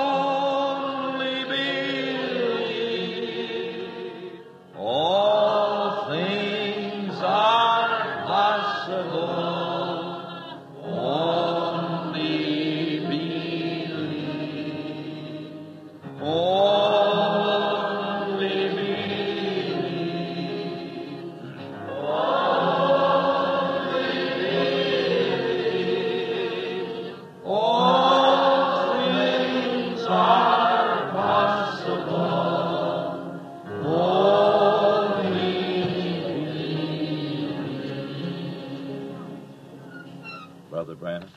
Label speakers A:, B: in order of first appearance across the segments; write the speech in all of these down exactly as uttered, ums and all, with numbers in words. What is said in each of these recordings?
A: Only believe. All things are possible. Only believe. Only believe. Only believe. All things are possible. Only believe.
B: Brother Branham.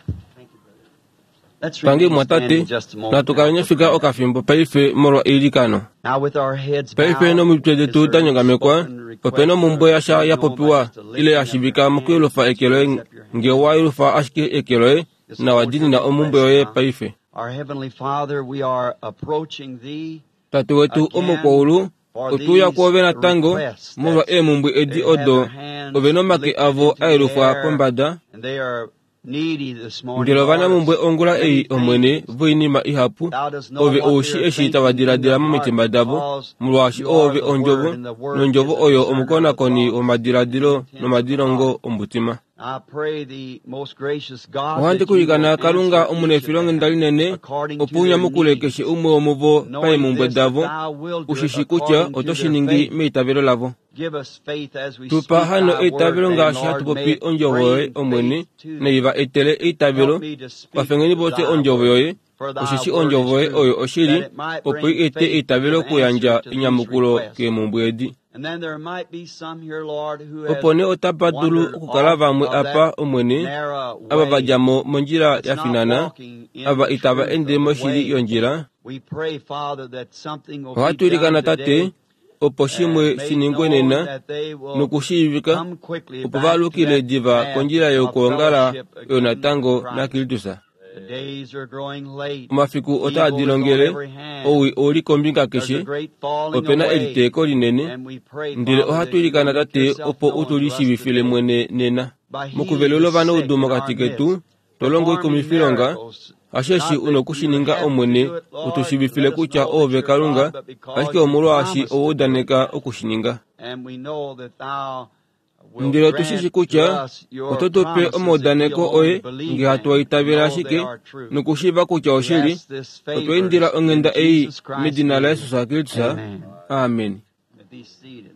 C: Let's
D: Tangi
C: remain
D: mwatate
C: standing just a moment
D: natukala
C: now for
D: nyafika
C: prayer.
D: okafimbo paife molwa eilikano.
C: Now with our heads
D: Paife
C: bowed,
D: nomitwe
C: is
D: detu
C: there
D: da
C: a
D: nyongamekwa
C: spoken request
D: opena omumbwe
C: or
D: yasha
C: made
D: ya
C: known by
D: popiwa
C: just a
D: ile
C: lifting
D: ya
C: of your
D: shivika
C: hand?
D: mokuyelufa eke loye
C: Lift up your hand.
D: nge wa yelufa ashike eke loye
C: This is
D: na wa
C: what
D: dinina
C: your
D: omumbwe
C: request
D: yoye
C: now.
D: paife.
C: Our Heavenly Father, we are approaching Thee
D: Tate wetu
C: again
D: omukwaulu
C: for
D: otuya
C: these
D: kwove natango
C: requests
D: molwa
C: that
D: eemumbwe edi
C: they have
D: odo
C: their hands
D: ove nomake
C: lifted
D: avo
C: into
D: a
C: the
D: yelufwa
C: air
D: pombada
C: and they are needy this morning,
D: ndele
C: Lord, of
D: ovanamumbwe ongula
C: many
D: ei omwene
C: things.
D: voinima ihapu
C: Thou dost know
D: ove
C: what
D: oushi
C: they are
D: eshi tava
C: thinking in
D: diladila
C: their heart
D: momitima davo
C: because
D: molwaashi
C: you are
D: oove
C: the
D: ondjovo
C: Word and the Word is
D: nondjovo
C: the
D: oyo
C: discerner of the
D: omukonakoni
C: thoughts and
D: womadhiladhilo
C: intents of the
D: nomadilongo
C: heart.
D: omutima.
C: I pray thee, most gracious God,
D: Ohandi
C: that you
D: kuilikana
C: will
D: Kalunga
C: answer each of
D: omunefilonghenda
C: them
D: linene
C: according to
D: opo u
C: their
D: nyamukule
C: needs,
D: keshe umwe womuvo
C: knowing
D: paemumbwe
C: this, that
D: davo
C: thou wilt do it
D: ushishi kutya
C: according to
D: oto shi
C: their
D: ningi
C: faith.
D: meitavelo lavo.
C: Give us faith as we
D: Tupa
C: speak
D: hano
C: thy word,
D: eitavelo
C: then,
D: ngaashi
C: Lord,
D: hatu
C: may
D: popi
C: it
D: ondjovo yoye
C: bring
D: omwene
C: faith to
D: nei
C: them.
D: va etele eitavelo
C: Help me to speak
D: kwafengeni vose
C: thy
D: ondjovo
C: word,
D: yoye
C: for thy
D: osheshi
C: word
D: ondjovo
C: is
D: yoye
C: true,
D: oyo oshili
C: that it might
D: opo i
C: bring
D: ete
C: faith to
D: eitavelo
C: give answer
D: okuyandja
C: to these
D: enyamukulo
C: requests.
D: keemumbwe edi.
C: And then there might be some here, Lord, who have
D: Opo nee otapa dulu
C: wandered
D: okukala
C: off
D: vamwe
C: of
D: apa
C: that
D: omwene
C: narrow
D: ava va
C: way
D: dja mo mondjila
C: that's
D: ya
C: not
D: finana
C: walking in
D: ava
C: the
D: itava
C: truth
D: ende
C: of the
D: moshili
C: way.
D: yondjila.
C: We pray, Father, that something will be
D: Ohatu
C: done
D: ilikana tate
C: today
D: opo shimwe
C: and
D: shi
C: made
D: ningwe
C: known
D: nena
C: that they will
D: nokushiivika
C: come quickly
D: opo
C: back to
D: valukile
C: that
D: diva
C: path
D: kondjila
C: of
D: yokuongala
C: fellowship
D: oyo
C: again with
D: natango
C: Christ.
D: naKristus.
C: The days are growing late.
D: Omafiku otaa
C: Evil is on
D: dilongele
C: every hand.
D: owi ouli kombinga
C: There's a
D: keshe
C: great falling
D: opena
C: away.
D: eliteeko linene
C: And we pray,
D: ndele
C: Father,
D: ohatu
C: that you will
D: ilikana
C: make
D: tate
C: yourself
D: opo u
C: known
D: tu
C: to us
D: lishiivifile
C: today
D: mwene nena
C: by healing
D: mokuvelula
C: the
D: ovanaudu
C: sick in our
D: mokati
C: midst,
D: ketu to longo
C: performing
D: oikumifilonga
C: miracles.
D: hasheshi
C: Not
D: u
C: that
D: noku
C: you
D: shi ninga
C: have to
D: omwene
C: do it,
D: u tu
C: Lord, to
D: shiivifile
C: let us
D: kutya
C: know that
D: oove
C: you're
D: Kalunga
C: God, but because
D: ashike
C: you
D: omolwaashi
C: promised
D: owa
C: to do it.
D: udaneka oku shi ninga.
C: And we know that thou will
D: Ndele otu shi shi
C: grant to
D: kutya
C: us your
D: oto tu pe
C: promises if we'll
D: omaudaneko
C: only
D: oye
C: believe
D: nge hatu
C: them
D: a
C: and
D: itavela
C: know they
D: ashike
C: are true.
D: nokushiiva kutya
C: We
D: oshili
C: ask this
D: otwa
C: favor
D: indila
C: in
D: onghenda ei
C: Jesus Christ's
D: medina
C: name.
D: laJesus Kristus.
C: Amen.
D: Amen.
C: Be seated.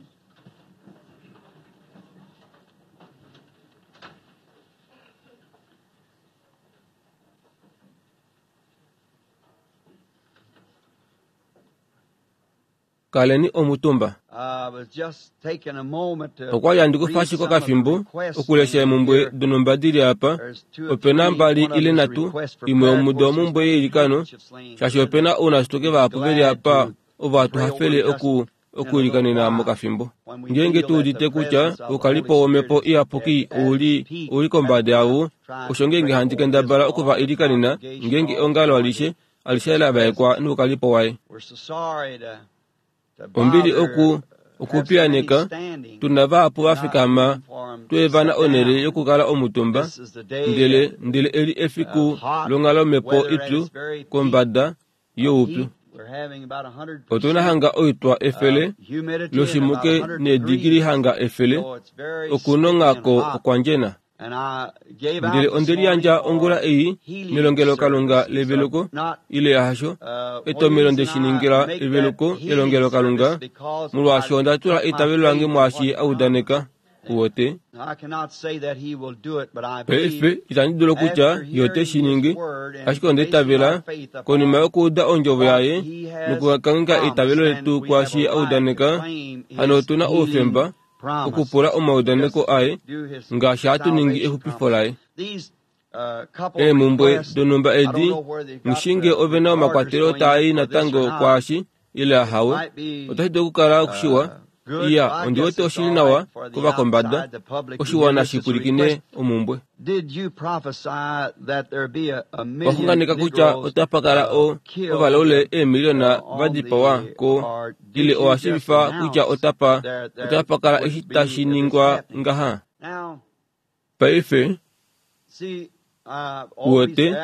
D: Kaleni omutumba.
C: I was just taking a moment to
D: Okwa li handi kufa
C: read
D: ashike
C: some of the
D: okafimbo
C: requests
D: okulesha
C: in
D: emumbwe
C: here.
D: donhumba dili apa
C: There's two or
D: opena
C: three.
D: mbali
C: One of
D: ile
C: them is a
D: nhatu
C: request for
D: imwe
C: prayer. Of
D: omudo
C: course, there's
D: omumbwe
C: many
D: yeilikano
C: handkerchiefs laying
D: shaashi
C: here
D: opena
C: that
D: ounashitoke
C: we'd be
D: vahapu veli
C: glad
D: apa
C: to
D: ovo hatu
C: pray over
D: hafele
C: just
D: oku
C: in a little
D: okuilikanena
C: while
D: mokafimbo.
C: when we
D: Ngeenge
C: feel
D: tu
C: that the
D: udite kutya
C: presence of the
D: oukalipo
C: Holy
D: womhepo
C: Spirit is
D: iyapuki
C: at, at its
D: ouli
C: peak.
D: ouli
C: That's
D: kombada
C: when I'm
D: yavo
C: trying
D: osho
C: to
D: ngeenge
C: pray
D: handi
C: over this
D: kendabala
C: all
D: oku va
C: the
D: ilikanena
C: congregation,
D: ngeenge
C: all the
D: eongalo
C: anointed
D: alishe alishe
C: with
D: la
C: his
D: vaekwa
C: presence.
D: noukalipo waye.
C: We're so sorry to to
D: Ombili
C: bother
D: oku
C: have so many
D: okupiyaneka
C: standing
D: tuna vahapu
C: and
D: va
C: not
D: fikama
C: room for 'em to
D: tweevana
C: sit
D: onhele
C: down.
D: yokukala omutumba
C: This is the day
D: ndele
C: and
D: ndele eli
C: uh,
D: efiku
C: hot
D: longhalo omhepo
C: weather at
D: ipyu
C: its very peak
D: kombada
C: of
D: youpyu.
C: heat. We're having about a hundred
D: Otuna
C: percent
D: hanga oitwa efele
C: of humidity and about
D: loshimuke
C: a hundred
D: needigili
C: degrees.
D: hanga efele
C: So it's very sticky and
D: okunong'ako
C: hot.
D: okwandjena.
C: And I gave
D: Ndele
C: out this
D: onde
C: morning
D: liyandja ongula
C: for
D: ei
C: healing
D: melongelokalunga
C: services.
D: leveluko
C: Uh, not
D: ile yahasho
C: uh, one
D: etomelo
C: reason
D: nde shi
C: I
D: ningila
C: make that
D: eveluko
C: healing
D: elongelokalunga
C: service because
D: molwaashi
C: I
D: onda tula
C: put my
D: eitavelo lange
C: faith in what
D: mwaashi
C: he
D: a udaneka
C: promised.
D: uwote.
C: Now, I cannot say that he will do it, but I believe
D: Paife itandi dulu kutya
C: after
D: ye ote
C: hearing
D: shi
C: his
D: ningi
C: word and
D: ashike onda
C: basing our
D: itavela
C: faith
D: konima
C: upon
D: yokuuda ondjovo
C: what
D: yaye
C: he has
D: nokukangheka
C: promised,
D: eitavelo
C: then
D: letu
C: we have
D: kwaashi
C: a
D: a
C: right to
D: udaneka
C: claim
D: hano
C: his
D: otuna
C: healing
D: oufemba okupula
C: promises.
D: omaudaneko
C: Just
D: aye
C: do his
D: ngaashi hatu ningi
C: salvation
D: exupifo
C: promise.
D: laye.
C: These uh, couple of
D: Eemumbwe
C: requests,
D: donhumba
C: I don't
D: edi
C: know where they've got
D: mushinge
C: the
D: ove na
C: recorders
D: omakwatelo
C: going
D: taai
C: in for this or
D: natango
C: not.
D: kwaashi ile
C: It
D: ahawe
C: might be
D: otashi dulu okukala okushiwa
C: uh, good.
D: iya
C: I
D: ondi
C: guess
D: wete
C: it's
D: oshili
C: all
D: nawa
C: right for the
D: kovakombada
C: outside, the public to hear
D: oshiwana
C: this.
D: shi
C: It's a
D: pwilikine
C: request.
D: omumbwe.
C: Did you prophesy that there be a, a million
D: Waxunganeka kutya
C: Negroes
D: otapa kala
C: uh,
D: o
C: killed
D: ovalaule eemiliona
C: uh,
D: va
C: on
D: dipawa
C: the,
D: ko
C: or did
D: ile
C: you
D: owa
C: just
D: shiivifa kutya
C: announce
D: otapa
C: there there
D: otapa kala
C: would
D: eshi
C: be
D: tashi
C: this
D: ningwa
C: happening?
D: ngaha?
C: Now,
D: Paife
C: see,
D: Uwete,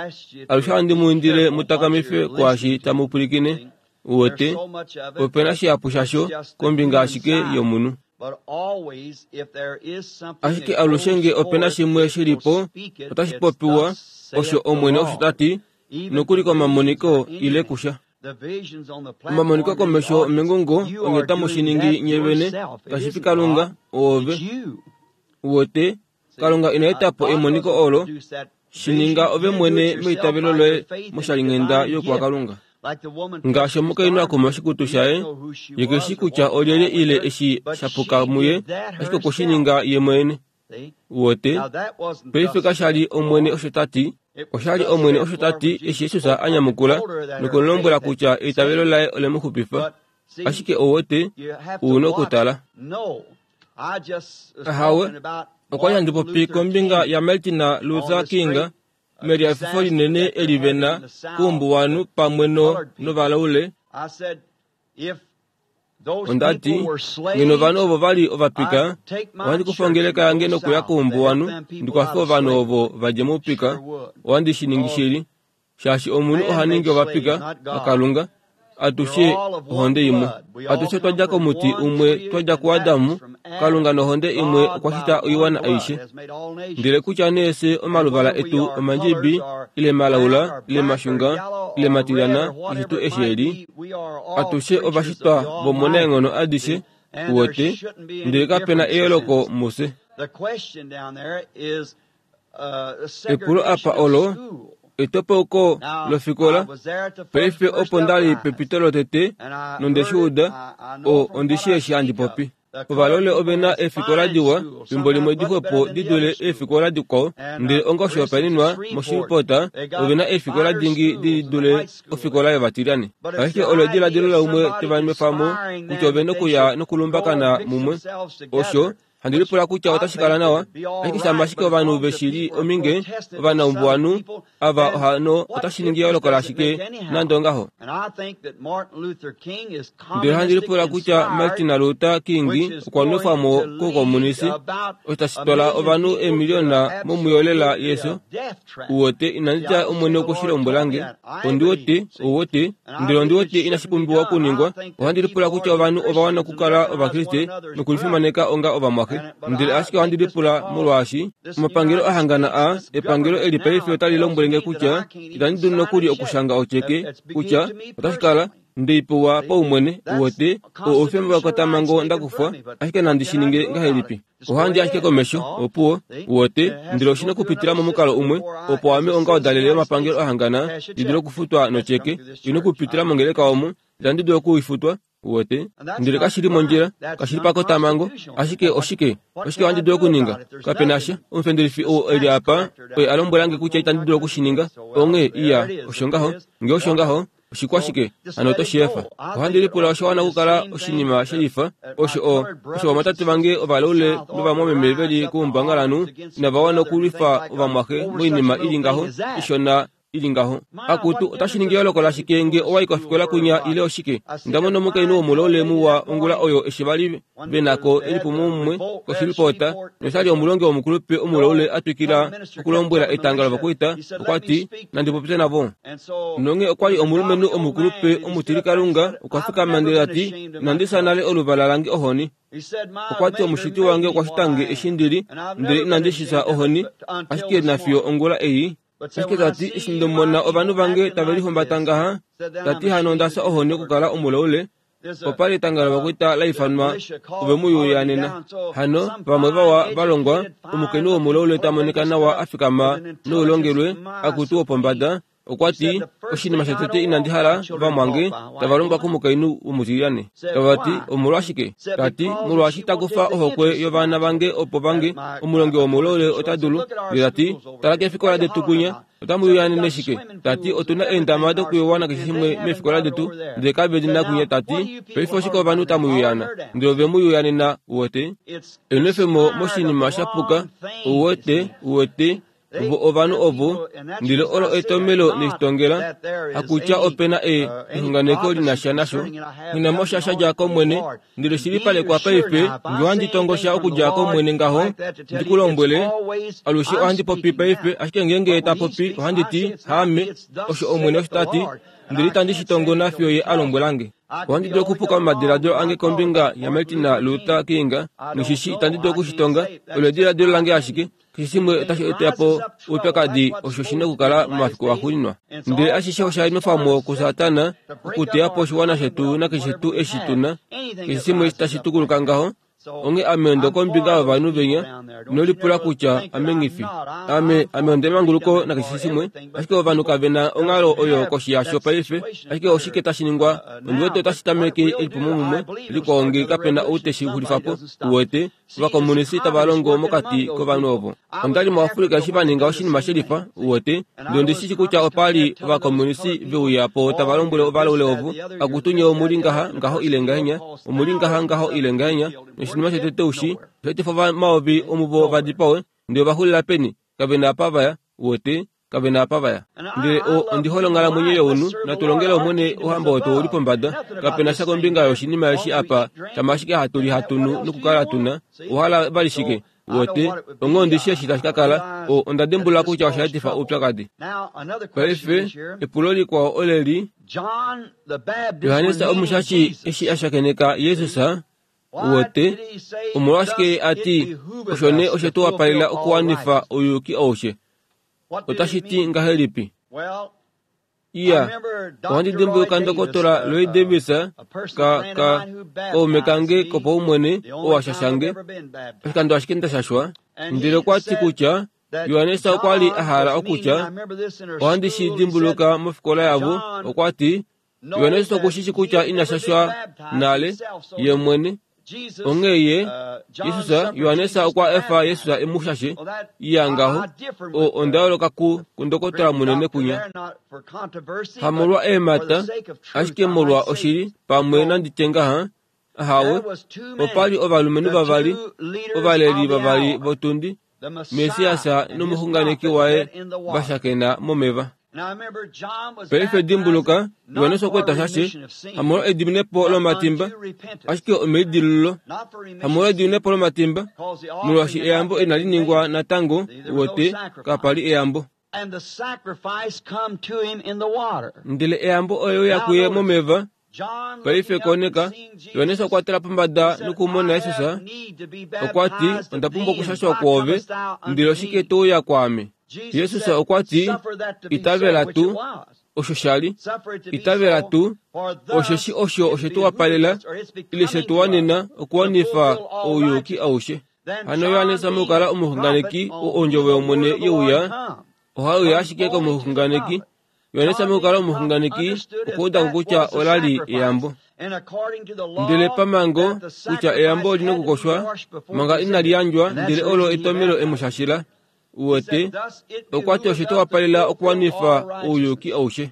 D: alushe ohandi mu indile mu takamife kwaashi tamu pwilikine. Uwete, opena shihapu shasho kombinga ashike yomunhu. Ashike alushe nge opena shimwe shilipo, otashi popiwa, osho Omwene osho ta ti, nokuli komamoniko ile kusha. Omamoniko komesho mengungo onye tamu shi ningi nye vene, kashi fi Kalunga, oove. Uwete, Kalunga ina eta po emoniko olo, shi ninga ove mwene meitavelo loye moshalinghenda yokuwakalunga. Ngaashi omukainhu a kuma oshikutu shaye, ye keshi kutya olyelye ile eshi shapuka muye, ashike okwe shi ninga ye mwene. Uwete, paife kashali Omwene osho ta ti, oshali Omwene osho ta ti eshi Jesus a nyamukula nokumlombwela kutya eitavelo laye ole mu xupifa. Ashike ouwete, u na okutala. Ahawe, okwa li handi popi kombinga yaMartin Luther King meliafifo linene eli vena kuumbuwanhu pamwe no novalaule. Onda ti, ngeno ovanhu ovo vali ovapika, ohandi kufa ongeleka yange nokuya kuumbuwanhu ndikwafe ovanhu ovo va dje moupika. Ohandi shi ningi shili, shaashi omunhu oha ningi ovapika vaKalunga. Atushe ohonde imwe. Atushe otwa dja komuti umwe, twa dja kuAdamu. Kalunga nohonde imwe okwa shita oiwana aishe. Ndele kutya nee fye omaluvala etu omandjibi, ile malaula, ile mashunga, ile matilyana, keshe tuu eshi eli, atushe ovashitwa vomunaenghono adishe, uwete, ndele kapena eyooloko mufye. Epulo apa olo, etopauko lofikola, paife opo ndali pepito lotete, nonde shi uda, o ondi shi eshi handi popi. Ovalole ovena eefikola diwa, fimbo limwe dixwepo di dule eefikola dikwao, ndele onga oshihopaenenwa moShreveport ovena eefikola dingi di dule ofikola yovatilyane. Ashike olo ediladilo laumwe teva nwefa mo kutya ovena okuya nokulumbakana mumwe. Osho handi lipula kutya otashi kala nawa, ashike shama ashike ovanhu veshili ominge ovanaumbuwanhu ava ohano otashi ningi eyooloko lashike nande ongaho. Ndele handi lipula kutya Martin Luther King okwa nwefwa mo koukomunisi, osho tashi twala ovanhu eemiliona momuyolela yeso. Uwete, inandi tya Omwene okwe shi lombwelange, ondi wete, ouwete, ndele ondi wete inashi pumbiwa okuningwa. Ohandi lipula kutya ovanhu ova wana okukala Ovakriste nokulifimaneka onga ovamwaxe. Ndele ashike ohandi lipula molwaashi omapangelo ahangana a epangelo eli paife otali lombwelenge kutya itandi dulu nokuli okushanga otyeke kutya otashi kala ndeipewa paumwene. Uwete, oo oufemba wekotamhango ndakufwa, ashike nandi shi ninge ngahelipi? Ohandi ashike komesho, opuwo. Uwete, ndele oshina okupitila momukalo umwe opo ame onga odalele yomapangelo ahangana ndi dule okufutwa notyeke, ina okupitila mongeleka omo itandi dulu okuifutwa. Uwete, ndele kashili mondjila, kashili pakotamhango, ashike oshike oshike ohandi dulu okuninga? Kapena sha. Omufendelifi ou eli apa oye a lombwelange kutya itandi dulu okushininga. Onghee iya, osho ngaho. Nge osho ngaho, oshikwashike hano oto shi efa. Ohandi lipula osha wana okukala oshinima shelifa osho o osho ovamwatate vange ovalaule novamwameme veli kuumbangalanhu inava wana okulwifa ovamwaxe moinima ili ngaho ishona ili ngaho. Akutu, otashi ningi eyooloko lashike nge owa i kofikola kunya ile oshike? Onda mona omukainhu womulaule muwa ongula oyo eshi vali venako elipumomumwe koShreveport, noshali omulongi womukulupe omulaule a twikila okulombwela etanga lovakwaita. Okwa ti, nandi popye navo. Nonge okwa li omulumenhu omukulupe omutilikalunga, okwa fikama ndele ta ti, inandi fya nale oluvala lange ohoni. Okwa ti omushiti wange okwa shita nge eshi ndili, ndele inandi shi fya ohoni, ashike nafiyo ongula ei. Ashike ta ti, eshi ndomona ovanhu vange tave lihumbata ngaha, ta ti hano onda fya ohoni okukala omulaule. Opa li etanga lovakwaita la ifanwa ove mu yuyanena. Hano vamwe vawa valongwa, omukainhu womulaule ta monika nawa a fikama noulongelwe akutu wopombada, okwa ti, oshinima shotete inandi hala vamwange tava longwa komukainhu womutilyane. Tava ti, omolwashike? Ta ti, molwaashi ta kufa ohokwe yovana vange opo vange omulongi womulaule ota dulu. Ndele ta ti, tala keefikola detu kunya, otamu yuyanene shike? Ta ti, otuna eendama dokuyowa nakeshe shimwe meefikola detu, ndele kave li nakunya. Ta ti, paife oshike ovanhu tamu yuyana? Ndele ove mu yuyanena. Uwete, enwefemo moshinima shapuka. Uwete, uwete, Vo ovanhu ovo ndele olo etomelo neshitongela hakutya opena e exunganeko li na sha nasho nghinamo sha shadja kOmwene ndele shilipalekwa paife nge ohandi tongosha okudja kOmwene ngaho ndikulombwele alushe ohandi popi paife ashike ngeenge ta popi ohandi ti haame osho Omwene osho ta ti ndele itandi shi tongo nafiyo ye a lombwelange. Ohandi dulu okupuka momadiladilo ange kombinga yaMartin Luther King noshishi itandi dulu okushitonga olo ediladilo lange ashike keshe shimwe otashi eta po oupyakadi osho shina okukala momafiku axuuninwa. Ndele ashishe osha nwefwamo kuSatana okuteya po oshiwana shetu nakeshe tuu eshi tuna keshe shimwe tashi tukuluka ngaho. Onghee ame ondo kombinga yovanhu venya inolipula kutya ame nghifi ame ame ondemanguluko nakeshe shimwe ashike ovanhu kave na onghalo oyo koshi yasho paife ashike oshike tashi ningwa ondiwete otashi tameke elipumomumwe likwao nge kapena ou teshi xulifapo uwete ovakomunisi tava longo mokati kovanhu ovo. Ondali muAfrika eshi va ninga oshinima shelifa uwete ndele ondishi kutya opali ovakomunisi veuya po tava lombwele ovalaule ovo akutu nye omuli ngaha ngaho ile ngahenya omuli ngaha ngaho ile ngahenya oshinima shetete ushi oshaetifa omayovi omuvo va dipawe ndele ovaxulila peni kave na apa vaya uwete kave na apa vaya. Ndele ondi hole onghalamwenyo younhu natulongele Omwene ouhamba wetu ouli pombada kapena sha kombinga yoshinima eshi apa shama ashike hatu li hatunu nokukala tuna ohala vali shike uwete onghee ondishi eshi tashi ka kala onda dimbulula kutya oshaetifa oupyakadi. Paife epulo likwao oleli Johannes omushashi eshi a shakeneka Jesus uwete omolwashike ati osho nee oshe tu wapalela okuwanifa ouyuki aushe otashi ti ngahelipi? Iya, ohandi dimbuluka Ndokotola Lloyd Davis ka ka kaume kange kopaumwene oo ashashange oshikando ashike ndashashwa ndele okwa ti kutya Johannes okwa li a hala okutya ohandi shi dimbuluka mofikola yavo okwa ti Johannes okushishi kutya ina shashwa nale ye mwene onghee ye Jesus Johannes okwa efa Jesus e mu shashe iya ngaho o onda yooloka ku kundokotola munene kunya hamolwa eemhata ashike molwa oshili pamwe nanditye ngaha ahawe opali ovalumenhu vavali ovaleli vavali votundi Mesiasa nomuxunganeki waye vashakena momeva. Paife dimbuluka Johannes okwe ta shashe hamolwa ediminepo lomatimba ashike omeidilululo hamolwa ediminepo lomatimba molwaashi eyambo inali ningwa natango uwete kapali eyambo. Ndele eyambo oyo ya kuye momeva. Paife koneka Johannes okwa tala pombada nokumona Jesus okwa ti onda pumbwa okushashwa kwoove ndele oshike to uya kwaame? Jesus okwa ti itavela tuu osho shali itavela tuu osheshi osho oshe tu wapalela ile she tu wanena okuwanifa ouyuki aushe. Hano Johannes mokukala omuxunganeki oo ondjovo yOmwene yeuya ohauya ashike komuxunganeki. Johannes mokukala omuxunganeki okwa uda ko kutya olali eyambo. Ndele pamango kutya eyambo olina okukoshwa manga inali yandjwa ndele olo etomelo emushashila uwete okwa ti oshe tu wapalela okuwanifa ouyuki aushe.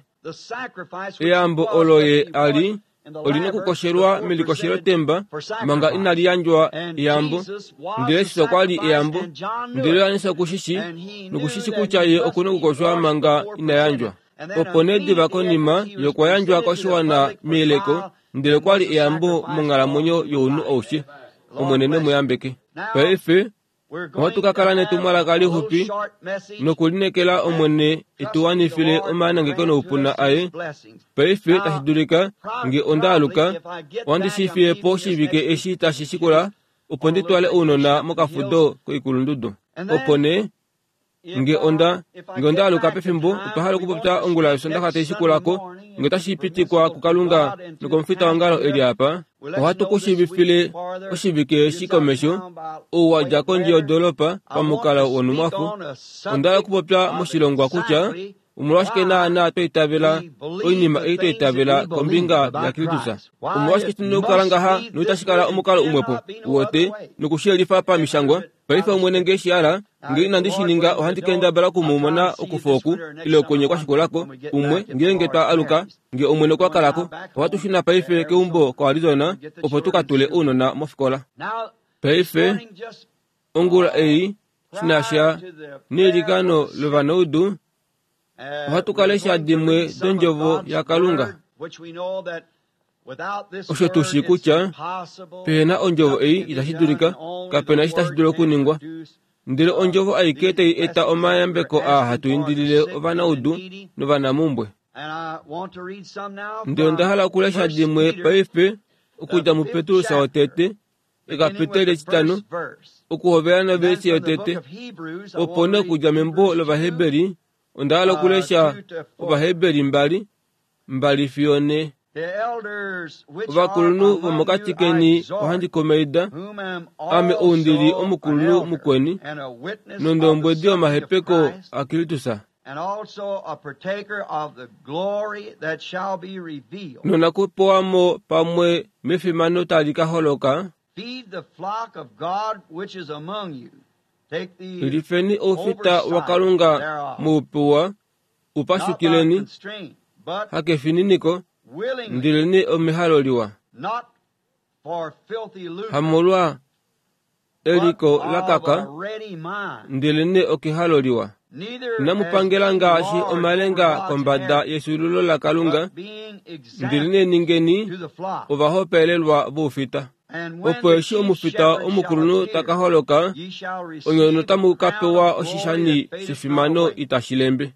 D: Eyambo olo ye ali olina okukoshelwa melikoshelo temba manga inali yandjwa eyambo ndele Jesus okwa li eyambo ndele Johannes okushishi nokushishi kutya ye okuna okukoshwa manga ina yandjwa. Opo nee diva konima yokwa yandjwa koshiwana meyeleko ndele okwa li eyambo monghalamwenyo younhu aushe. Omwene ne mu yambeke. Paife ohatu ka kala netumwalaka lixupi nokulinekela Omwene etuwanifile omanangeko noupuna aye. Paife tashi dulika nge onda aluka ohandi shi fiye po oshivike eshi tashi shikula opo ndi twale ounona mokafudo koikulundudu. Opo nee nge onda nge onda aluka pefimbo otwa hala okupopya ongula yOsoondaxa tai shikulako nge otashi pitikwa kuKalunga nokomufita wongalo eli apa ohatu ku shiivifile oshivike eshi komesho ou wa dja kondje yodoolopa pamukalo wonhumwafo. Onda hala okupopya moshilongwa kutya omolwashike naana twa itavela oinima ei twa itavela kombinga yaKristus. Omolwashike shina okukala ngaha noitashi kala omukalo umwepo uwete nokushiyelifa pamishangwa. Paife Omwene nge shi hala nge inandi shi ninga ohandi kendabala okumumona okufa oku ile okwenye kwashikulako umwe ngeenge twa aluka nge Omwene okwa kalako. Ohatu shuna paife keumbo koArizona opo tu ka tule ounona mofikola. Paife ongula ei shinasha neilikano lovanaudu, ohatu ka lesha dimwe dondjovo yaKalunga. Osho tu shii kutya pehena ondjovo ei itashi dulika, kapena eshi tashi dulu okuningwa. Ndele ondjovo aike tai eta omayambeko aa hatu indilile ovanaudu novanamumbwe. Ndele onda hala okulesha dimwe paife okudja muPetrus wotete, ekapiteli etitano, okuhovela novesi yotete, opo nee okudja membo lOvaheberi, onda hala okulesha Ovaheberi mbali, mbali fiyo ne. Ovakulunhu vomokati keni ohandi kumaida, ame ou ndili omukulunhu mukweni, nondombwedi yomahepeko aKristus. Nonakupewamo pamwe mefimano tali ka holoka, lifeni oufita waKalunga muupewa, upashukileni, hakefininiko, ndelene omehalo liwa, hamolwa eliko lakaka, ndelene okehalo liwa. Inamupangela ngaashi omalenga kombada yefyuululo laKalunga, ndelene ningeni ovahopaelelwa voufita. Opo eshi omufita omukulunhu ta ka holoka, onye notamu ka pewa oshishani shefimano itashi lembe.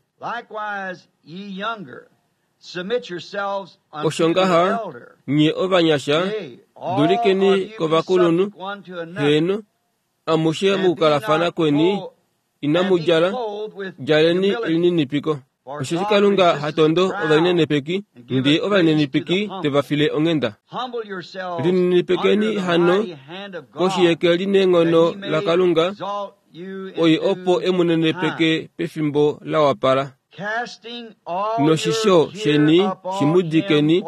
D: Osho ngaha, nye ovanyasha, dulikeni kovakulunhu, heeno, amushe mokukalafana kweni, inamu djala, djaleni elininipiko. Osheshi Kalunga hatondo ovalinenepeki, ndee ovalinenepeki teva file onghenda. Lininipekeni hano koshi yeke lineenghono laKalunga, oye opo emunenepeke pefimbo la wapala. Noshisho sheni shimudikeni,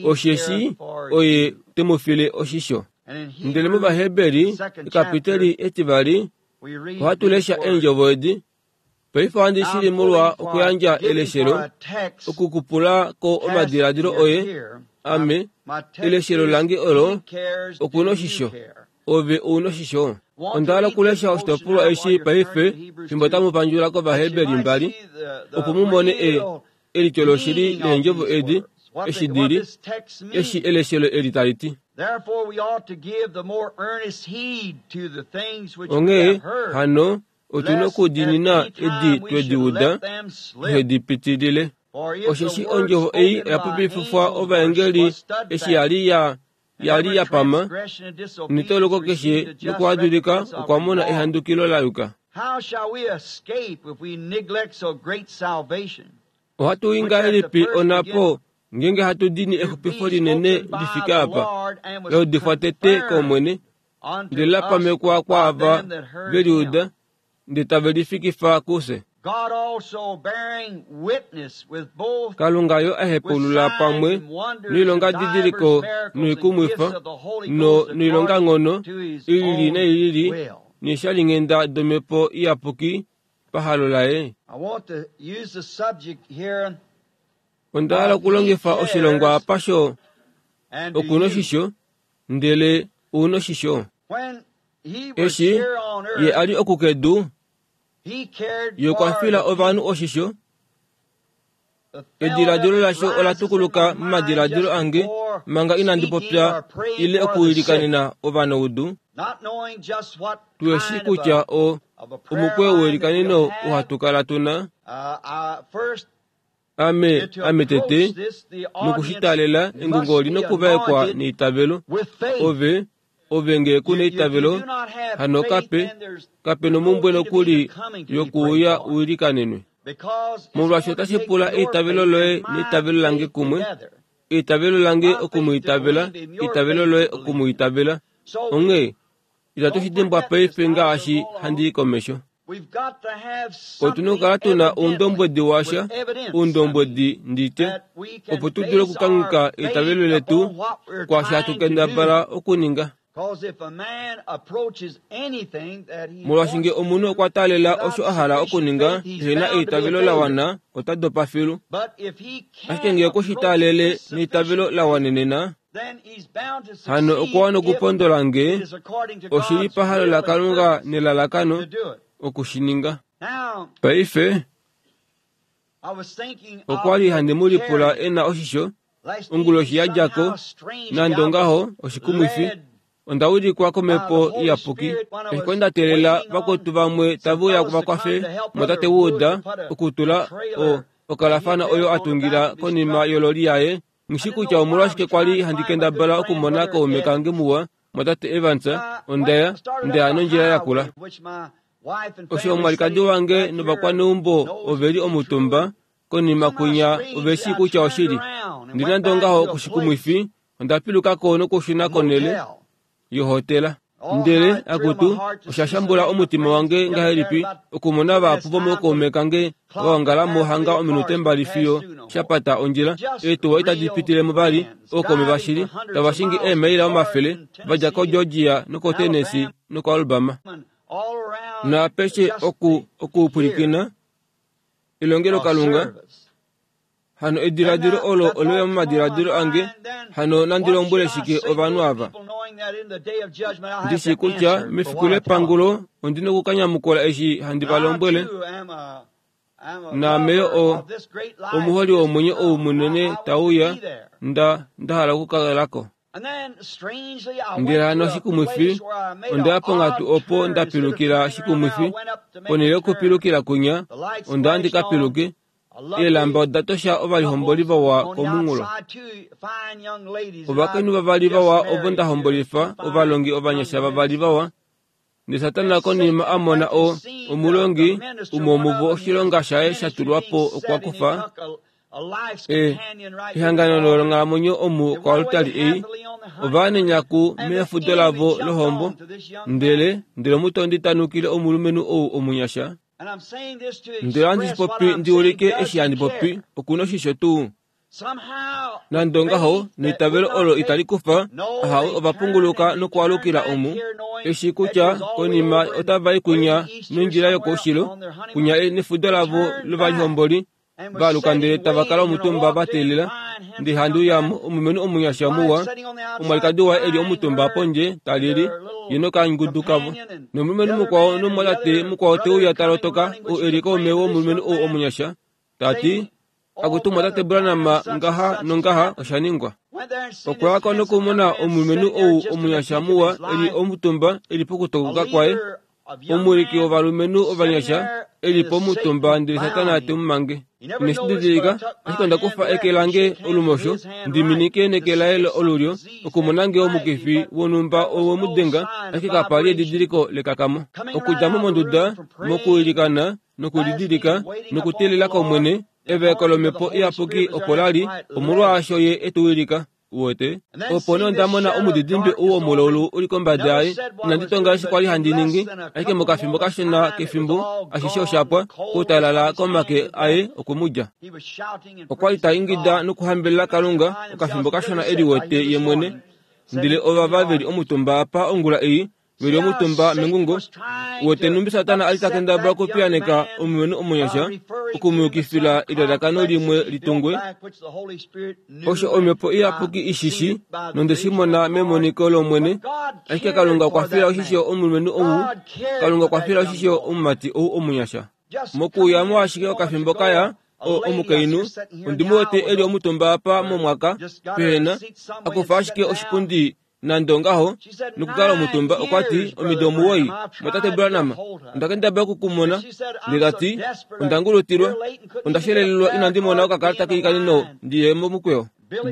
D: osheshi oye temufile oshisho. Ndele mOvaheberi, ekapiteli etivali, ohatu lesha eendjovo edi. Paife ohandi shili molwa okuyandja eleshelo, okukupula ko omadiladilo oye, ame, eleshelo lange olo, okuna oshisho, ove ouna oshisho. Onda hala okulesha oshitopolwa eshi paife fimbo tamu pandjula kOvaheberi mbali, opo mu mone e elityo loshili leendjovo edi, eshi dili, eshi eleshelo eli tali ti. Onghee hano otu na okudiinina edi twedi uda, tuhedi pitilile. Osheshi ondjovo ei oya popififwa ovaengeli eshi yali ya yali ya pama, netoloko keshe nokuhadulika okwa mona ehandukilo la yuka. Ohatu i ngahelipi onapo ngeenge hatu dini exupifo linene li fike apa, la udifwa tete kOmwene, ndele la pamekwa kwaava ve li uda, ndele tave lifikifa kufye. Kalunga yo ahepaulula pamwe noilongadidiliko noikumwifa no noilonganghono ilili nailili neeshalinghenda domhepo iyapuki pahalo laye. Onda hala okulongifa oshilongwa apa sho okuna oshisho, ndele ouna oshisho. Eshi ye a li okukedu, ye okwa fila ovanhu oshisho. Ediladilo lasho ola tukuluka momadiladilo ange manga inandi popya ile okuilikanena ovanaudu. Tueshi kutya o omukweyo weilikaneno ohatu kala tuna. Ame, ame tete, nokushitalela engungo oli nokuvaekwa neitavelo. Ove, ove ngee kuna eitavelo, hano kape, kape nomumbwe nokuli yokuuya uilikanenwe. Molwaashi otashi pula eitavelo loye neitavelo lange kumwe, eitavelo lange okumwiitavela, eitavelo loye okumwiitavela. Onghee, itatu shi dimbwa paife ngaashi handi i komesho. Otu na okukala tuna oundombwedi washa, oundombwedi nditye, opo tu dule okukangheka eitavelo letu kwaashi hatu kendabala okuninga. Molwaashi ngee omunhu okwa taalela osho a hala okuninga ehena eitavelo la wana, ota dopa filu. Ashike ngee okwe shi taalele neitavelo la wanenena, hano okwa wana okupondola ngee oshili pahalo laKalunga nelalakano Okushininga. Paife okwa li handi mu lipula e na oshisho onguloshi ya dja ko, nande ongaho oshikumwifi. Onda ulikwa komhepo iyapuki. Eshi kwali nda teelela vakwetu vamwe tave uya vakwafe motate Wood okutula o okalafana oyo a tungila konima yololi yaye. Nghishi kutya omolwashike kwali handi kendabala okumona kaume kange muwa motate Evans. Ondaya ndaya nondjila yakula. Osho omwalikadi wange novakwaneumbo oveli omutumba konima kwinya oveshi kutya oshili. Ndi nande ongaho kushikumwifi onda pilukako nokushuna konele yohotela. Ndele akutu osha shambula omutima wange ngahelipi okumona vahapu vomokaume kange vaongala mohanga ominute mbali fiyo shapata ondjila. Eetuwa itadi pitilemo vali ookaume vashili tava shingi eemaila omafele vadja koGeorgia nokoTennessee nokoAlabama. Naapeshe oku okupwilikina elongelo Kalunga. Hano ediladilo olo oleya momadiladilo ange. Hano nandi lombwele shike ovanhu ava? Ndishi kutya mefiku lepangulo ondi nokukanyamukula eshi handi va lombwele. Naame o omuholi womwenyo ou munene tauya nda ndahala okukalako. Ndele hano shikumwifi ondaya ponghatu opo ndapilukila shikumwifi. Ponhele yokupilukila kwinya onda ndi kapiluke. Eelamba oda tosha ovalihomboli vawa komunghulo. Ovakainhu vavali vawa ovo ndahombolifa ovalongi ovanyasha vavali vawa. Ndele Satana konima a mona o omulongi umwe womuvo oshilonga shaye sha tulwa po okwa kufa e ehangano longhalamwenyo omu koaltari ei. Ova nenyaku mefudo lavo lohombo. Ndele ndele omutondi tanukile omulumenhu ou omunyasha. Ndele handi shipopi ndi ulike eshi handi popi okuna oshisho tuu. Nande ongaho neitavelo olo itali kufa ahawe ovapunguluka nokualukila omu. Eshi kutya konima otava i kwinya nondjila yokoushilo kwinya nefudo lavo lovalihomboli valuka ndele tava kala omutumba va teelela. Ndele handi uyamo omulumenhu omunyasha muwa omwalikadi waye eli omutumba pondje talili ye nokangudu kavo. Nomulumenhu mukwao nomwatate mukwao teuya talotoka ou eli kaume womulumenhu ou omunyasha tati akutu mwatate Branham ngaha nongaha osha ningwa. Okwa yako nokumona omulumenhu ou omunyasha muwa eli omutumba eli pokutokoka kwaye. Omuliki wovalumenhu ovanyasha eli pomutumba ndele Satana te mu mange. Ineshi didilika ashike onda kufa eke lange olumosho ndiminike neke laye olulyo okumona nge omukifi wonhumba owemudenga ashike kapali edidiliko lekakamo. Okudja mo monduda mokuilikana nokulidilika nokuteelela kOmwene evaeko lomhepo iyapuki opo lali omolwaasho ye etuwilika. Uwete opo nee onda mona omudidimbe ou womulaulu uli kombada yaye. Inandi tonga eshi kwali handi ningi ashike mokafimbo kashona kefimbo ashishe oshapwa kutalala komake aye okumudja. Okwali ta ingida nokuhambelela Kalunga okafimbo kashona eli wete ye mwene. Ndele ovava veli omutumba apa ongula ei veli omutumba mengungo. Uwete numbi Satana ali takendabala okupiyaneka omulumenhu omunyasha okumuyukifila elalakano limwe litungwe. Osho omhepo iyapuki ishishi nonde shi mona memoniko lOmwene. Ashike Kalunga okwa fila oshisho omulumenhu ou. Kalunga okwa fila oshisho omumati ou omunyasha. Mokuyamo ashike okafimbo kaya o omukainhu ondi mu wete eli omutumba apa momwaka pehena akufa ashike oshipundi nande ongaho nokukala omutumba. Okwa ti omido omuwoi mwatate Branham onda kendabala okukumona. Ndele tati onda ngulutilwa onda shelelelwa inandi mona okakalata keikaneno ndiye momukweyo.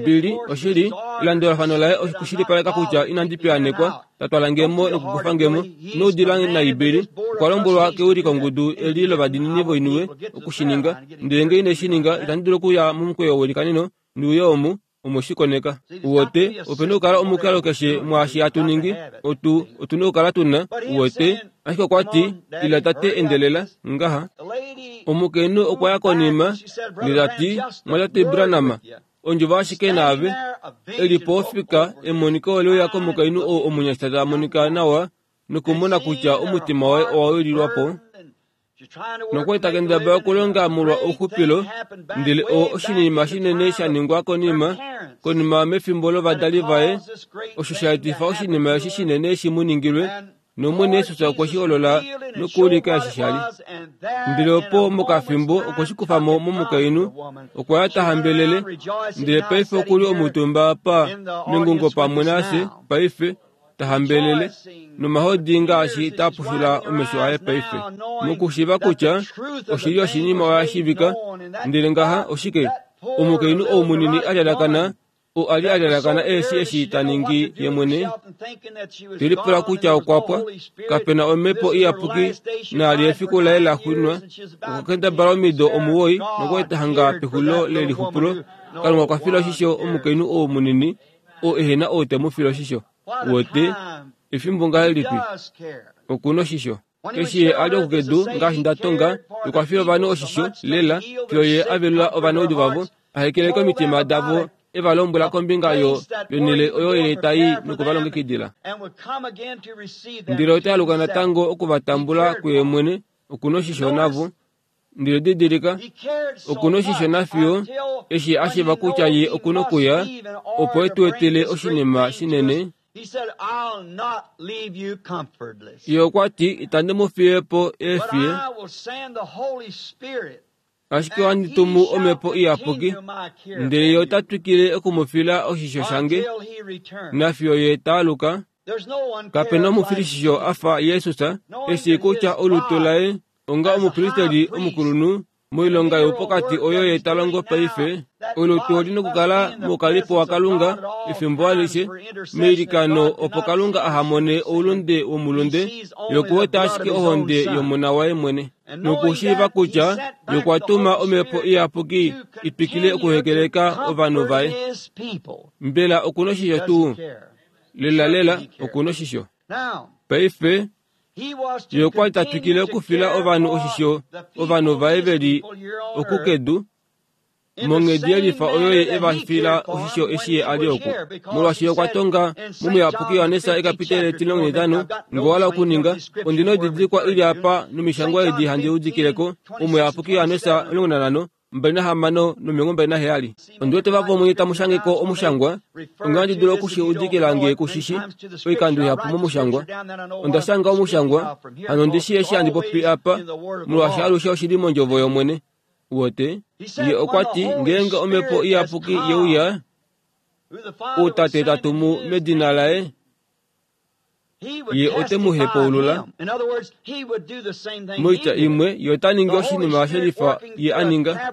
D: Bili oshili elandulafano laye okushilipaleka kutya inandi piyanekwa tatwala ngemo nokukufa ngemo noudila naibili. Okwa lombwelwa keulikongudu eli lovadiinini voiniwe okushininga. Ndele nge ine shininga itandi dulu okuya momukweyo welikaneno ndiuye omu omoshikoneka. Uwete opena okukala omukalo keshe mwaashi hatu ningi otu otuna okukala tuna. Uwete ashike okwa ti ila tate endelela ngaha. Omukainhu okwa ya konima ndele tati mwatate Branham ondjovo ashike naave eli po ofika emoniko oleuya komukainhu ou omunyasha ta monika nawa nokumona kutya omutima waye owa wililwa po. Nokwali takendabala okulonga molwa ouxupilo. Ndele o oshinima shinene sha ningwa konima konima mefimbo lovadali vaye osho sha etifa oshinima eshi shinene shi mu ningilwe. Nomwene Yesus okwe shi holola nokuulika eshi sha li. Ndele opo mokafimbo okwe shi kufa mo momukainhu, okwa ya ta hambelele, ndele paife okuli omutumba apa mengungo pamwe nafye paife, ta hambelele, nomahodi ngaashi ta pushula omesho aye paife. Mokushiiva kutya oshili oshinima oya shiivika, ndele ngaha oshike omukainhu ou munini a lyalakana, oo a li a lyalakana eeshi eshi ta ningi ye mwene, te lipula kutya okwa pwa, kapena omhepo iyapuki naali efiku laye la xwinwa, okwa kendabala omido omuwoi nokwa hanga pexulilo lelixupulo. Kalunga okwa fila oshisho omukainhu ou munini oo ehena ou te mu file oshisho. Wote efimbo ngahelipi okuna oshisho. Eshi ye a li okukedu ngaashi nda tonga, okwa fila ovanhu oshisho lela fiyo ye a velula ovanaudu vavo, a hekeleka omitima davo, e va lombwela kombinga yo yonhele oyo ye tai nokuvalongekidila. Ndele ota aluka natango okuvatambula kuye mwene, okuna oshisho navo. Ndele didilika, okuna oshisho nafiyo eshi a shiiva kutya ye okuna okuya opo e tu etele oshinima shinene. Ye okwa ti, itandi mu fiye po eefiye, ashike ohandi tumu omhepo iyapuki, ndele ye ota twikile okumufila oshisho shange nafiyo ye ta aluka. Kapena omufilishisho a fa Jesus, eshi kutya olutu laye onga omupristeli omukulunhu moilonga youpokati oyo ye ta longo paife, olutu oli nokukala moukalipo waKalunga efimbo alishe meilikano opo Kalunga aha mone oulunde womulunde, yokuweta ashike ohonde yomona waye mwene. Nokushiiva kutya yokwa tuma omhepo iyapuki itwikile okuhekeleka ovanhu vaye. Mbela okuna oshisho tuu? Lela lela okuna oshisho. Paife ye okwa li ta twikile okufila ovanhu oshisho ovanhu vaye ve li okukedu monghedi yelifa oyo ye e va fila oshisho eshi ye a li oku. Molwaashi okwa tonga momuyapuki Johannes ekapitele etimulongo netano, ngowala okuninga ondina oididilikwa ili apa nomishangwa edi handi udikileko omuyapuki Johannes omulongo nanhano mbali nahamano nomilongo mbali naheyali. Ondi wete vamwe tamu shangeko omushangwa, onga handi dulu okushiudikila nge kushishi oikando ihapu momushangwa. Onda shanga omushangwa, hano ndi shi eshi handi popi apa, molwaashi alushe oshili mondjovo yOmwene. Wote ye okwa ti, ngeenge omhepo iyapuki ye uya, outate ta tumu medina laye, ye ote mu hepaulula. Moitya imwe, ye ota ningi oshinima shelifa ye a ninga.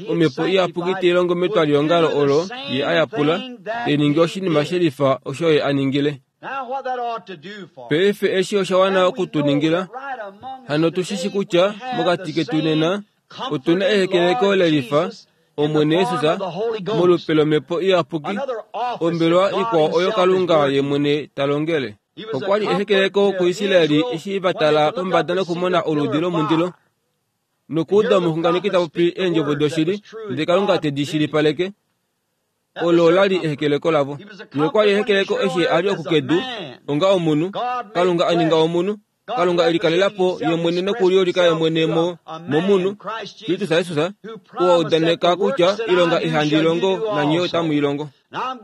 D: Omhepo iyapuki tai longo metwaliongalo olo ye a yapula, tai ningi oshinima shelifa osho ye a ningile. Paife eshi osha wana okutuningila. Hano tu shishi kutya mokati ketu nena otuna ehekeleko lelifa Omwene Yesus molupe lomhepo iyapuki, ombelwa ikwao oyo Kalunga ye mwene ta longele. Okwa li ehekeleko kuIsraeli eshi va tala pombada nokumona oludi lomundilo nokuuda omuxunganeki ta popi eendjovo doshili, ndele Kalunga te di shilipaleke. Olo ola li ehekeleko lavo. Ye okwa li ehekeleko eshi a li okukedu onga omunhu, Kalunga a ninga omunhu, Kalunga e likalela po ye mwene nokuliulika ye mwene mo momunhu, Kristus Jesus, oo a udaneka kutya ilonga ihandi longo nanye otamu i longo.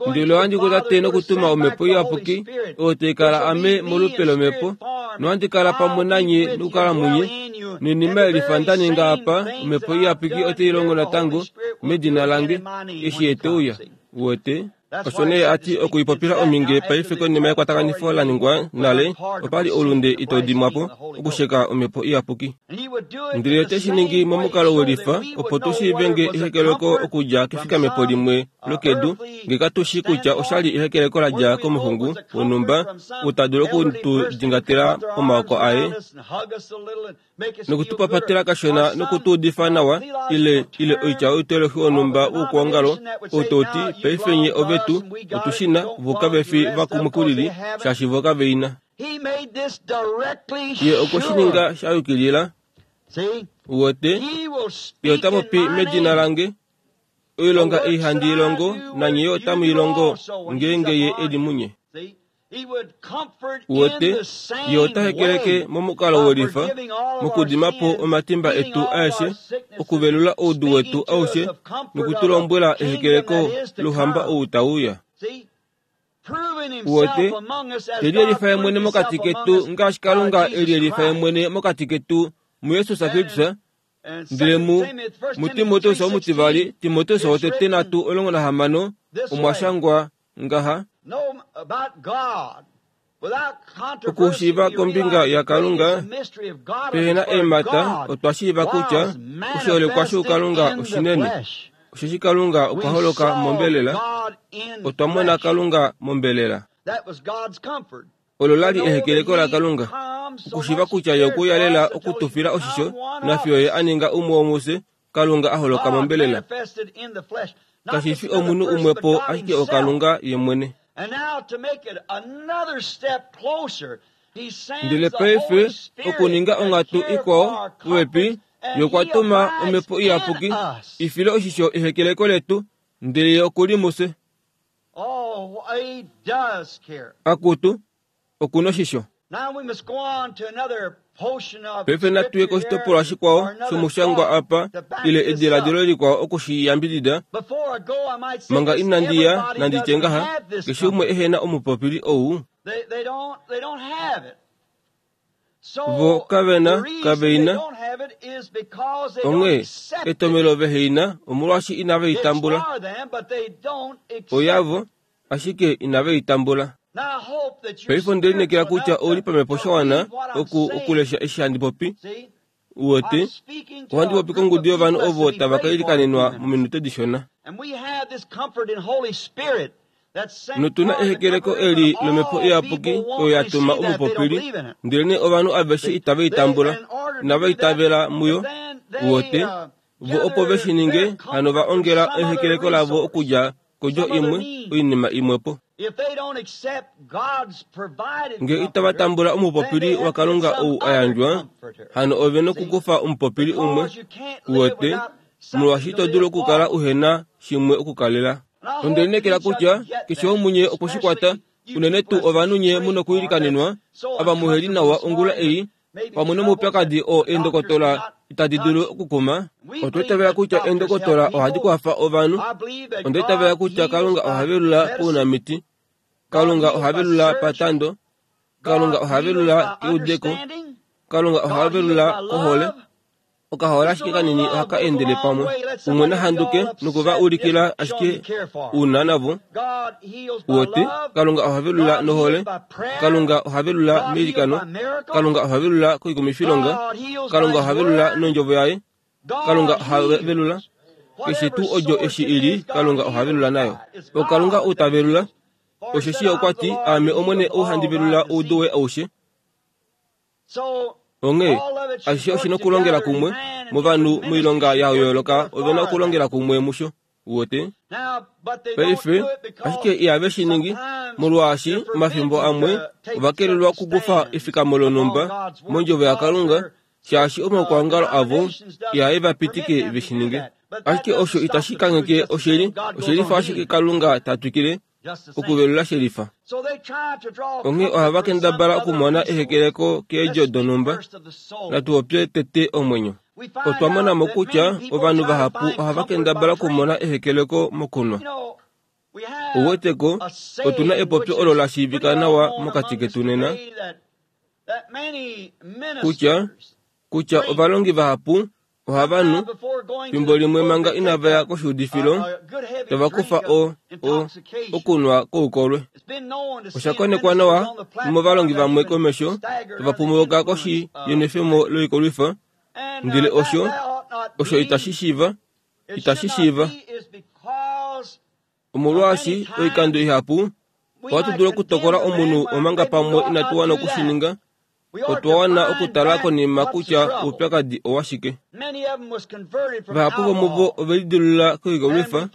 D: Ndele ohandi ku Tate nokutuma omhepo iyapuki, oyo tai kala ame molupe lomhepo, nohandi kala pamwe nanye nokukala munye. Noinima yelifa nda ninga apa, omhepo iyapuki otai longo natango medina lange, eshi ye te uya. Wote osho nee a ti okuipopila ominge paife konima yekwatakanifo la ningwa nale, opa li oulunde ito dimwa po okusheka omhepo iyapuki. Ndele ote shi ningi momukalo welifa opo tu shiive nge ehekeleko okudja kefikamepo limwe lokedu, nge katu shi kutya osha li ehekeleko la dja komuxungu wonhumba ou ta dulu oku tu dingatela momaoko aye nokutupapatela kashona nokutuudifa nawa, ile ile oitya youtoloki wonhumba woukwaongalo ou tau ti paife nye ovetu otu shi na, vo kave fi vakumwe kulili shaashi vo kave i na. Ye okwe shi ninga sha yukilila. Wote ye ota popi medina lange, oilonga ei handi i longo nanye yo otamu i longo ngeenge ye e li munye. Wote ye ota hekeleke momukalo welifa mokudima po omatimba etu aeshe, okuvelula oudu wetu aushe nokutulombwela ehekeleko louhamba ou tau uya. Uwete, Te liyelifa ye mwene mokati ketu ngaashi Kalunga e liyelifa ye mwene mokati ketu muJesus Kristus. Ndele mu muTimoteus omutivali, Timoteus wotete nhatu omulongo nahamano, omwa shangwa ngaha: Okushiiva kombinga yaKalunga pehena eemhata, otwa shiiva kutya oshiholekwa shoukalunga oshinene, osheshi Kalunga okwa holoka mombelela. Otwa mona Kalunga mombelela. Olo lali ehekeleko laKalunga, okushiiva kutya ye okwe uya lela okutufila oshisho, nafiyo ye a ninga umwe womufye, Kalunga a holoka mombelela. Kashi fi omunhu umwe po, ashike oKalunga ye mwene. Ndele paife okuninga onghatu ikwao popepi, ye okwa tuma Omhepo Iyapuki i file oshisho ehekeleko letu, ndele ye okuli mufye. Akutu, okuna oshisho. Paife natu ye koshitopolwa shikwao shomushangwa apa, ile ediladilo likwao oku shi yambidida. Manga inandi ya, nandi tye ngaha, keshe umwe ehena omupopili ou. Vo kavena, kaveina. Onghee, etomelo veheina, omolwaashi inave i tambula. Oyavo, ashike inave i tambula. Paife onde lineekela kutya ouli pamhepo sha wana oku okulesha eshi handi popi. Uwete, ohandi popi kongudu yovanhu ovo tava ka ilikanenwa mominute dishona. Notuna ehekeleko eli lomhepo iyapuki oyo ya tuma omupopili, ndelenee ovanhu aveshe itava i tambula, inava itavela muyo. Uwete, vo opo ve shi ninge, hano va ongela ehekeleko lavo okudja kodjo imwe, oinima imwepo. Nge itava tambula omupopili waKalunga ou a yandjwa, hano ove nokukufa omupopili umwe. Uwete, molwaashi ito dulu okukala uhena shimwe okukalela. Onde lineekela kutya keshe womunye okwe shi kwata, unene tuu ovanhu nye mu nokuilikanenwa, ava muheli nawa ongula ei, pamwe nomaupyakadi oo eendokotola itadi dulu okukuma. Otwa itavela kutya eendokotola ohadi kwafa ovanhu. Onda itavela kutya Kalunga oha velula paunamiti, Kalunga oha velula patando, Kalunga oha velula keudeko, Kalunga oha velula kohole. Okahola ashike kanini ohaka endele pamwe. Umwe nahanduke nokuva ulikila ashike una navo. Uwete, Kalunga oha velula nohole, Kalunga oha velula meilikano, Kalunga oha velula koikumifilonga, Kalunga oha velula nondjovo yaye, Kalunga oha velula keshe tuu odjo eshi ili, Kalunga oha velula nayo. OKalunga ou ta velula, osheshi okwa ti, Aame Omwene ou handi velula oudu woye aushe. Onghee, ashishe oshi nokulongela kumwe, movanhu moilonga ya yooloka ove na okulongela kumwe musho. Uwete? Paife, ashike ihave shi ningi, molwaashi omafimbo amwe ova kelelwa okukufa efikamo lonhumba mondjovo yaKalunga, shaashi omaukwaongalo avo ihae va pitike ve shi ninge. Ashike osho itashi kangheke oshili, oshelifa ashike Kalunga ta twikile okuvelula shelifa. Onghee ohava kendabala okumona ehekeleko keedjo donhumba. Natu popye tete omwenyo. Otwa mona mo kutya ovanhu vahapu ohava kendabala okumona ehekeleko mokunwa. Ouweteko, otuna epopyo olo la shiivika nawa mokati ketu nena, kutya, kutya ovalongi vahapu ohava nu, fimbo limwe manga inava ya koshuudifilo, tava kufa o, o, okunwa koukolwe. Osha konekwa nawa movalongi vamwe komesho, tava pumuluka koshi yenwefemo loikolwifa, ndele osho, osho itashi shiiva, itashi shiiva. Omolwaashi oikando ihapu ohatu dulu okutokola omunhu omanga pamwe inatu wana okushininga. Otwa wana okutala konima kutya oupyakadi owashike. Vahapu vomuvo ove lidilulula koikolwifa,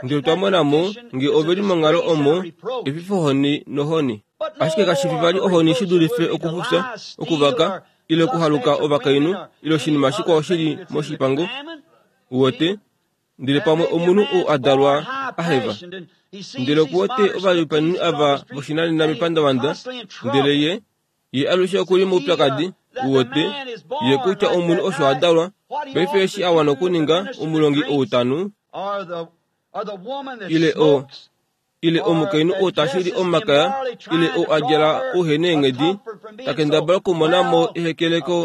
D: ndele otwa mona mo nge ove li monghalo omo efifohoni nohoni. Ashike kashi fi vali ohoni shi dulife okufufya, okuvaka, ile okuhaluka ovakainhu, ile oshinima shikwao shi li moshipango. Uwete, ndele pamwe omunhu ou a dalwa a heva. Ndele okuwete ovalipanini ava voshinanena mepandavanda, ndele ye, ye alushe okuli moupyakadi. Uwete, ye kutya omunhu osho a dalwa, paife eshi a wana okuninga omulongi ou tanu, ile o, Ile omukainhu oo tashili omakaya ile oo a djala ouhena eenghedi takendabala okumona mo ehekeleko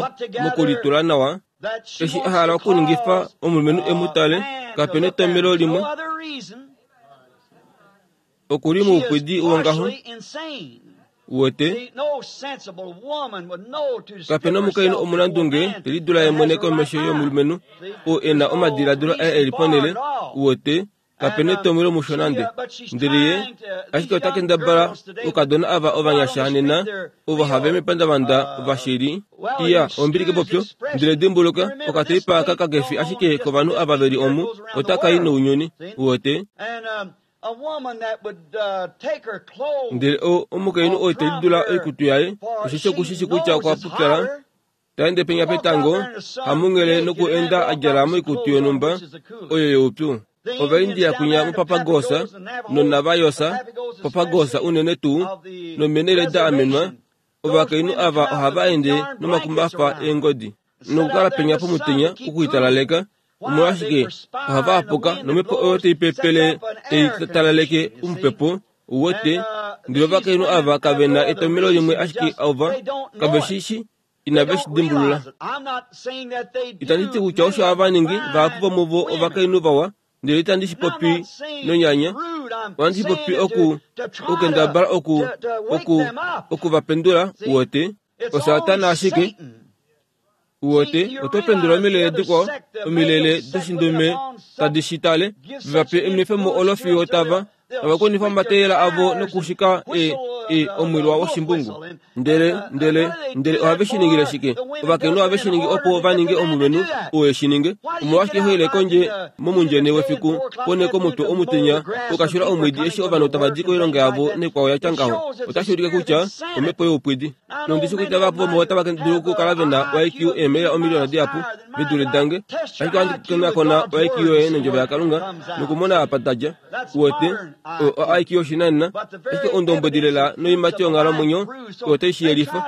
D: mokulitula nawa eshi a hala okuningifa omulumenhu e mu tale kapena etomhelo limwe okuli moupwidi wongaho wote kapena omukainhu omunandunge telidula ye mwene komesho yomulumenhu oo e na omadiladilo aye eli ponhele wote kapena etomhelo musho nande ndele ye ashike ota kendabala oukadona ava ovanyasha nena ovo have mepandavanda vashili iya ombili kepopyo ndele dimbuluka okateipa aka kakefi ashike kovanhu ava veli omu otaka i nounyuni wote ndele omukainhu oo telidula oikutu yaye osheshi okushishi kutya okwa pupyala taende penya petango hamunghele nokuenda a djala moikutu yonhumba oyo youpyu Ovaindia kunya mupapagosa nonavayosa papagosa unene tuu nomenele da amenwa ovakainhu ava ohava ende nomakumbafa eengodi nokukala penya pomutenya okuitalaleka omolwashike ohava apuka nomhepo oyo taipepele taitalaleke omupepo wote ndele ovakainhu ava kave na etomhelo limwe ashike ova kave shi inave shi dimbulula itandi ti kutya osho hava ningi vahapu vomuvo ovakainhu vawa ndele itandi shi popi nonyanya ohandi shi popi oku okukendabala oku oku okuvapendula wote osatana ashike wote oto pendula omilele dikwao omilele doshindume tadi shi tale vape enwefemo olo fiyo tava tava konifa omateyela avo nokushika e e omwilwa woshimbungu ndele ndele ndele ohave shi ningile shike ovakainhu ohave shi ningi opo va ninge omulumenhu oo e shi ninge omolwashike hoile kondje momundjene wefiku pone komutwe omutenya okashula omwiidi eshi ovanhu tava di koilonga yavo nekwao yatya ngaho otashi ulike kutya omhepo youpwidi nondishi kutya vahapu vomuvo otava dulu okukala ve na I Q eemela omiliyona dihapu vidule dange ashike ohandi konakona I Q yoye nondjovo yaKalunga nokumona apa tadja wote o I Q yoshinanena ashike ondombwedi lela noimati yonghalamwenyo oyo tai shi yelifa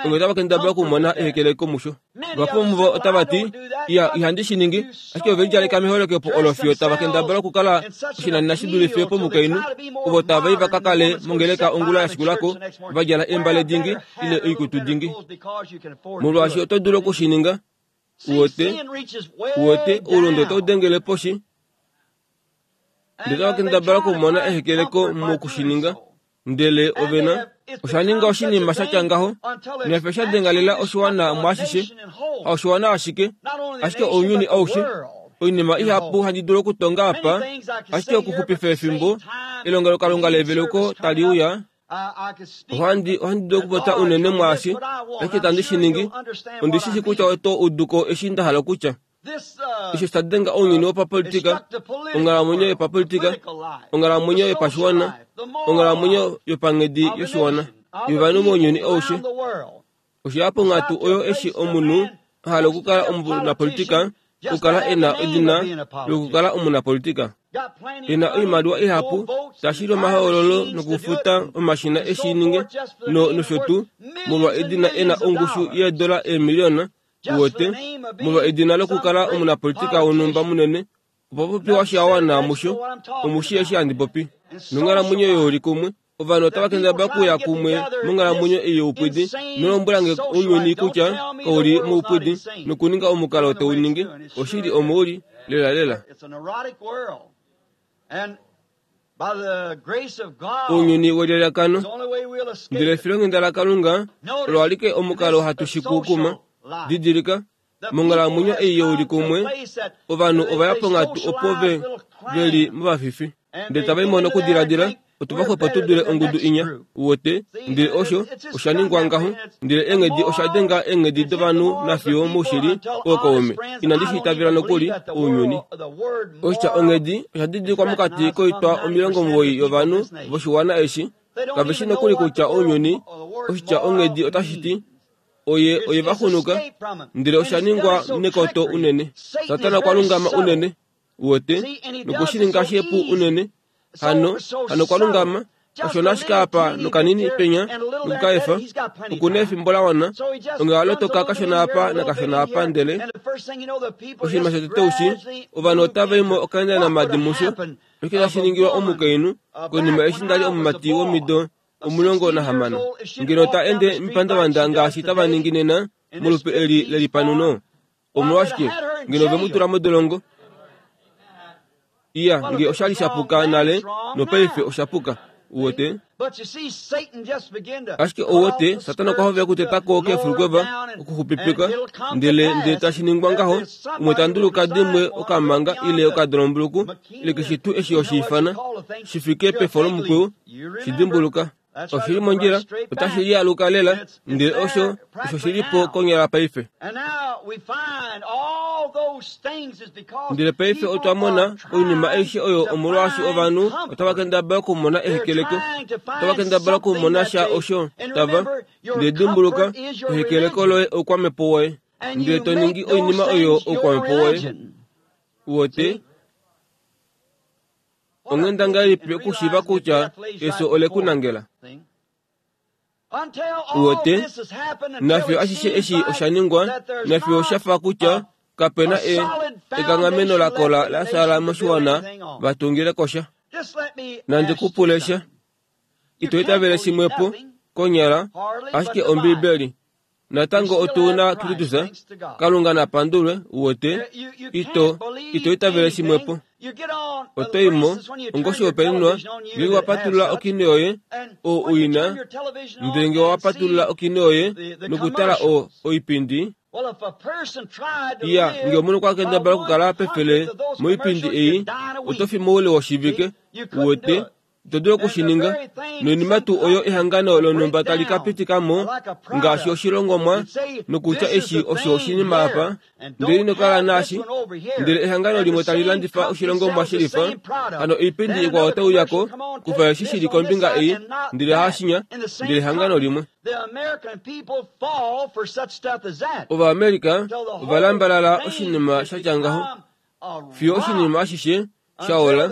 D: onge otava kendabala okumona ehekeleko musho vahapu vomuvo otava ti iya ihandi shi ningi ashike ove lidjaleka meholokepo olo fiyo tava kendabala okukala oshinanena shi dulife pomukainhu ovo tava i va ka kale mongeleka ongula ya shikulako va djala eembale dingi ile oikutu dingi molwaashi oto dulu okushininga wote wote oulunde otau dengele poshi ndele otava kendabala okumona ehekeleko mokushininga ndele ovena osha ninga oshinima sha tya ngaho nefyo sha dengalela oshiwana mwaashishe haoshiwana ashike ashike ounyuni aushe oinima ihapu handi dulu okutonga apa ashike okuxupifa efimbo elongelokalunga leveluko tali uya ohandi ohandi dulu okupopya unene mwaashi ashike tandi shi ningi ondi shi shi kutya oto uduko eshi nda hala okutya osho sha denga ounyuni wopapolitika onghalamwenyo yopapolitika onghalamwenyo yopashiwana onghalamwenyo yopanghedi yoshiwana yovanhu mounyuni aushe osho ya ponghatu oyo eshi omunhu a hala okukala omunapolitika okukala e na edina lokukala omunapolitika e na oimaliwa ihapu tashili omahoololo nokufuta omashina eshi ninge nosho tuu molwa edina e na ongushu yeedola eemiliyona wote molwa edina lokukala omunapolitika wonhumba munene opo popiwa shawana musho omushi eshi handi popi nonghalamwenyo youlikumwe ovanhu otava kendabala okuya kumwe monghalamwenyo ei youpwidi nolombwelange ounyuni kutya kauli moupwidi nokuninga omukalo tau ningi oshili omouli lela lela ounyuni welyalakano ndele efilonghenda laKalunga olo alike omukalo hatu shikukuma didilika monghalamwenyo ei youlikumwe ovanhu ova ya ponghatu opo ve veli movafifi ndele tava imono okudiladila otuva xwepo tu dule ongudu inya wote ndele osho osha ningwa ngaho ndele eenghedi osha denga eenghedi dovanhu nafiyo moushili ookaume inandi shi itavela nokuli ounyuni oshitya onghedi osha didilikwa mokati koitwa omilongo omuwoi yovanhu voshiwana eshi kave shi nokuli kutya ounyuni oshitya onghedi otashi ti oye oye vaxunuka ndele osha ningwa nekoto unene Satana okwa lungama unene wote nokushininga shepu unene hano hano kwa lungama osho nashike apa nokanini penya nokukaefa okuna efimbo la wana onge alotoka kashona apa nakashona apa ndele oshinima shotete ushi ovanhu otava imo okaenda namadi musho Oshike tashi ningilwa omukainhu konima eshi ndali omumati womido omulongo nahamano ngeno ta ende mipandavanda ngaashi tava ningi nena molupe eli lelipanuno? Omolwashike ngeno ve mu tula modolongo? Iya, nge oshali shapuka nale nopaife oshapuka. Uwete? Ashike ouwete, Satana okwa hovela okutetako keefulukweva okuxupipika, ndele ndele tashi ningwa ngaho, umwe ta nduluka dimwe okamanga ile okadolombuluku ile keshe tuu eshi oshiifana shi fike pefo lomukwiyu, shi dimbuluka. Oshili mondjila, otashi lialuka lela, ndele osho osho shilipo konyala paife. Ndele paife otwa mona oinima aishe oyo omolwaashi ovanhu otava kendabala okumona ehekeleko, otava kendabala okumona sha osho tava. Ndele dimbuluka, ehekeleko loye oukwamhepo woye, ndele to ningi oinima oyo oukwamhepo woye. Uwete? Onghenda ngahelipi okushiiva kutya efyo ole ku nangela? Uwete? Nafyo ashishe eshi osha ningwa, nafyo osha fa kutya kapena e ekanghameno la kola la sala moshiwana va tungile kosha. Nandi ku pule sha. Ito itavele shimwepo konyala ashike Ombibeli. Natango otu na Kristus, Kalunga na pandulwe. Uwete? Ito ito itavele shimwepo. Oto imo ongoshihopaenenwa ngenge wa patulula okino yoye o uina, ndele nge wa patulula okino yoye nokutala o oipindi. Iya, nge omunhu okwa kendabala okukala pefele moipindi ei, oto fi moule woshivike. Uwete? Ito dulu okushininga. Noinima tuu oyo ehangano lonhumba tali ka pitika mo ngaashi oshilongomwa nokutya eshi osho oshinima apa, ndele ino kala naashi, ndele ehangano limwe tali landifa oshilongomwa shelifa, hano oipindi ikwao otai uya ko kufa eshi shili kombinga ei, ndele haashinya, ndele ehangano limwe. Ovaamerica ova lambalala oshinima sha tya ngaho fiyo oshinima ashishe shaola,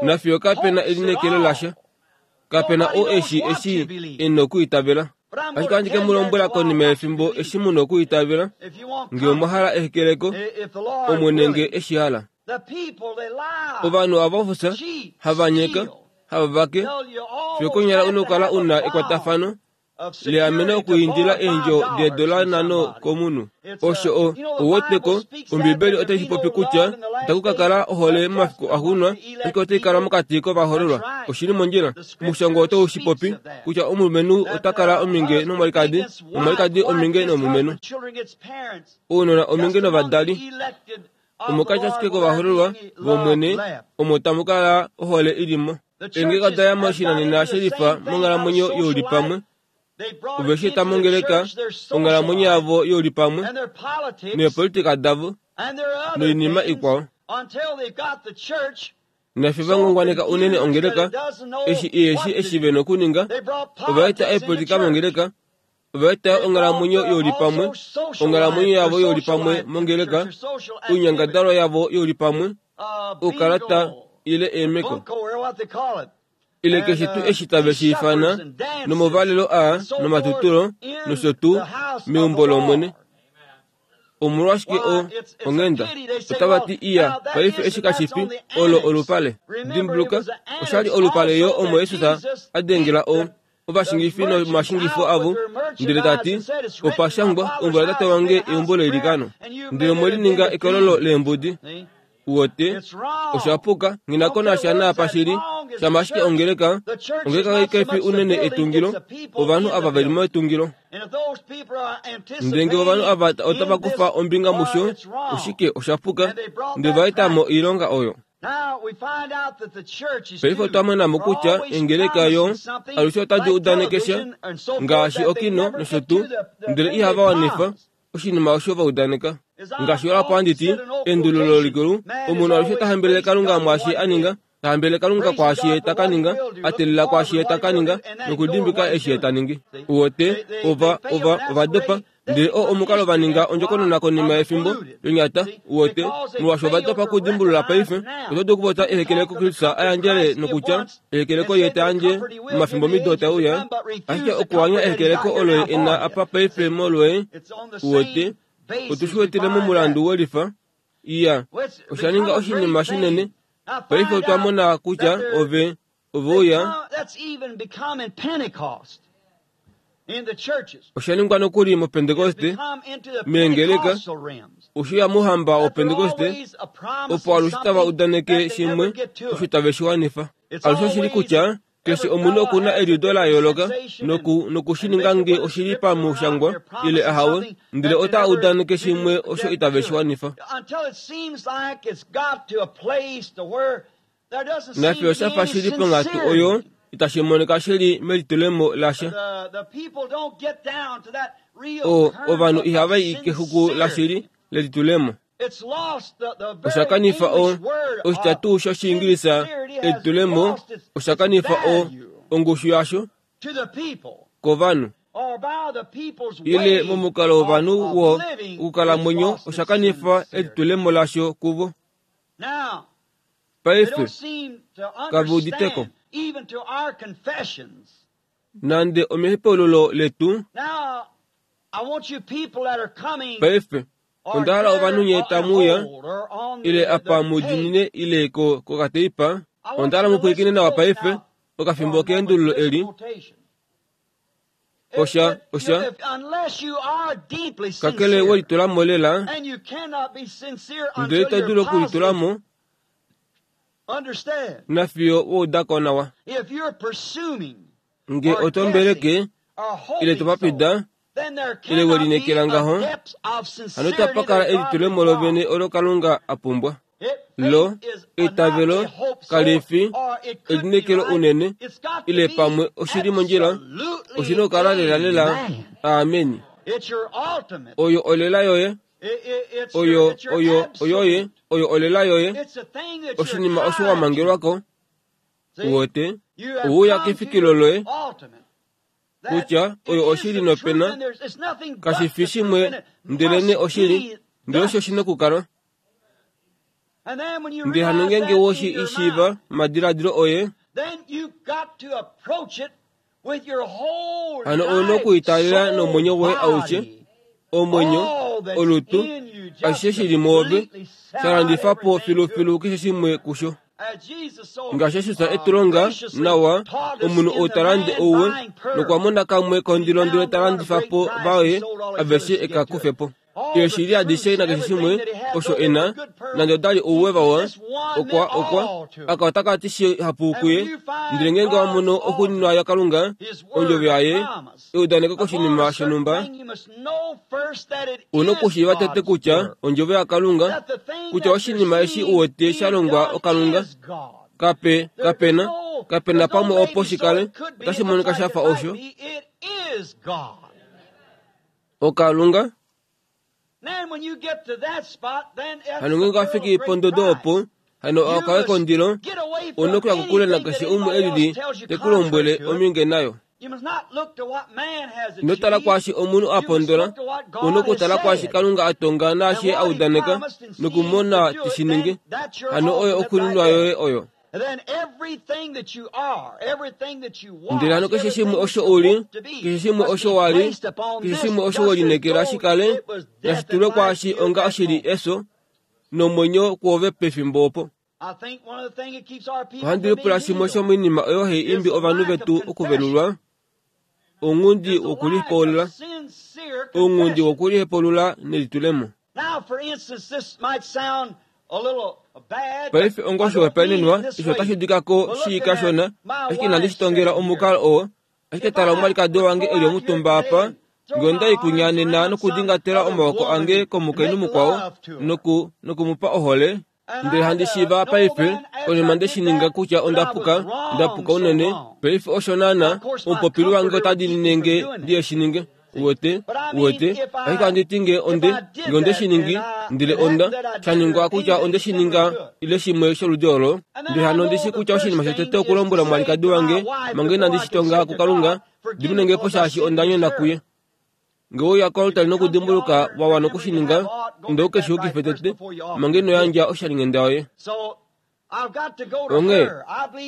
D: nafiyo kapena elineekelo lasha, kapena oo eshi eshi e nokuitavela. Ashike ohandi ke mu lombwela konima yefimbo eshi mu nokuitavela, nge omwa hala ehekeleko, Omwene nge eshi hala. Ovanhu ava ofufya, hava nyeka, hava vake, fiyo konyala u nokukala u na ekwatafano leameno okuindila eendjo deedola nhano komunhu. Osho o ouweteko, Ombibeli otai shi popi kutya itaku ka kala ohole momafiku axuuninwa, ashike otai kala mokati kovahoololwa. Oshili mondjila. Omushangwa otau shi popi kutya omulumenhu ota kala ominge nomwalikadi, nomwalikadi ominge nomulumenhu, ounona ominge novadali. Omokati ashike kovahoololwa vOmwene omo tamu kala ohole i li mo. Eengeka oda ya moshinanena shelifa monghalamwenyo youlipamwe. Ove shi eta mongeleka onghalamwenyo yavo youlipamwe neepolitika davo noinima ikwao. Nafyo va ngwangwaneka unene ongeleka eshi eshi eshi ve nokuninga. Ova eta eepolitika mongeleka, ova eta onghalamwenyo youlipamwe, onghalamwenyo yavo youlipamwe mongeleka, oinyangadalwa yavo youlipamwe, oukalata ile eemeko, ile keshe tuu eshi tave shi ifana, nomovalelo aa nomatutulo nosho tuu meumbo lOmwene. Omolwashike o onghenda otava ti iya paife eshi kashi fi olo olupale. Dimbuluka, oshali olupale yo omo Jesus a dengela o ovashingifi nomashingifo avo, ndele ta ti opa shangwa eumbo latate wange eumbo leilikano, ndele omwe lininga ekololo leembudi. Uwete? Osha puka. Nghi ko nasha naapa shili. Shama ashike ongeleka, ongeleka kai fi unene etungilo, ovanhu ava ve li metungilo. Ndele nge ovanhu ava otava kufa ombinga musho, oshike osha puka, ndele va eta mo oilonga oyo. Paife otwa mona mo kutya engeleka yo alushe otadi udaneke sha ngaashi okino nosho tuu, ndele ihava wanifa oshinima osho va udaneka. Ngaashi olapo handi ti, endululo likulu, omunhu alushe ta hambelele Kalunga mwaashi a ninga, ta hambelele Kalunga kwaashi ye ta ka ninga, a teelela kwaashi ye ta ka ninga, nokudimbika eshi ye ta ningi. Uwete, ova ova ova dopa, ndele oo omukalo va ninga ondjokonona konima yefimbo yonyata. Uwete, molwaashi ova dopa okudimbulula paife, oto dulu okupopya ehekeleko Kristus a yandjele nokutya ehekeleko ye ta yandje momafimbo mido tae uya, ashike okuanya ehekeleko olo ye e na apa paife molwoye. Uwete, otu shi wetele momulandu welifa. Iya, osha ninga oshinima shinene, Paife otwa mona kutya ove ove uya osha ningwa nokuli mopentekoste meengeleka oshuya muhamba wopentekoste opo alushe tava udaneke shimwe osho tave shi wanifa. Alushe oshili kutya keshe omunhu okuna eliudo la yooloka noku nokushininga nge oshili pamushangwa ile ahawe, ndele ota udaneke shimwe osho itave shi wanifa. Nafye osha fa shili ponghatu oyo itashi monika shili melitulemo lasha. O ovanhu ihava i kexuku lashili lelitulemo. Osha kanifa o oshitya tuu shOshiingilisa elitulemo osha kanifa o ongushu yasho kovanhu. Ile momukalo wovanhu wo okukalamwenyo osha kanifa elitulemo lasho kuvo. Paife kave uditeko nande omehepululo letu. Paife onda hala ovanhu nye tamuya ile apa mudinine ile ko kokateipa. Onda hala mupwilikine nawa paife okafimbo keendululo eli. Osha osha kakele welitulamo lela, ndele ito dulu okulitulamo nafiyo woudako nawa. Nge otombeleke ile topapida ile welinekela ngaho, hano tapakala elitulemo lovene olo Kalunga a pumbwa. Lo eitavelo kalifi elinekelo unene ile pamwe oshili mondjila, oshina okukala lela lela. Ameni. Oyo olela yoye, oyo oyo oyoye, oyo olela yoye, oshinima osho wa mangelwako. Uwote ouya kefikilo loye kutya oyo oshili nopena kashifi shimwe ndelene oshili, ndele osho oshina okukala. Ndele hano ngenge woshi ishiiva madiladilo oye, hano ouna okuitaalela nomwenyo woye aushe, omwenyo, olutu, ashishe shili mwoove, sha landifa po filufilu keshe shimwe kusho. Ngaashi Jesus etulonga nawa, omunhu ou ta lande ouwe nokwa mona kamwe kondilo ndele ta landifa po vaye aveshe eka kufe po. Eeshili adishe nakeshe shimwe osho ena, nande odali ouwe vawa, okwa okwa aka otakati shihapu kuye. Ndele ngenge wa mono okuninwa yaKalunga, ondjovo yaye eudaneko koshinima shonhumba, una okushiiva tete kutya ondjovo yaKalunga, kutya oshinima eshi uwete sha longwa oKalunga, kape kapena kapena pamwe opo shikale otashi monika shafa osho oKalunga. Hano ngenge wafiki pondodo opo, hano okawe kondilo, una okuya kokule nakeshe umwe elili tekulombwele ominge nayo. Ino tala kwaashi omunhu a pondola, una okutala kwaashi Kalunga a tonga naashi a udaneka nokumona tishininge. Hano oyo okuninwa yoye oyo. Ndele hano keshe shimwe osho uli, keshe shimwe osho wali, keshe shimwe osho welinekela shikale nashitulwe kwaashi onga oshili eso nomwenyo kwoove pefimbo opo. Ohandi lipula shimwe shomoinima oyo hai imbi ovanhu vetu okuvelulwa, ounghundi wokulihepulula, ounghundi wokulihepulula nelitulemo. Paife onga oshihopaenenwa, osho otashi udikako shii kashona, ashike inandi shi tongela omukalo oo. Ashike tala omwalikadi wange eli omutumba apa, nge onda i kunya nena nokudingatela omaoko ange komukainhu mukwao noku nokumupa ohole, ndele handi shiiva paife konima nde shi ninga kutya onda puka, nda puka unene. Paife osho naana omupopili wange ota diinine nge ndiye shi ninge. Uwete, uwete, ashike handi ti nge onde, nge onde shi ningi, ndele onda sha ningwa kutya onde shi ninga ile shimwe sholudi olo. Ndele hano ondi shi kutya oshinima shotete okulombwela omwalikadi wange manga inandi shi tonga kuKalunga, diminenge po shaashi onda nyona kuye. Nge ouya koaltari nokudimbuluka wa wana okushininga, inda uke shi yukife tete manga ino yandja oshalinghenda yoye. Onghee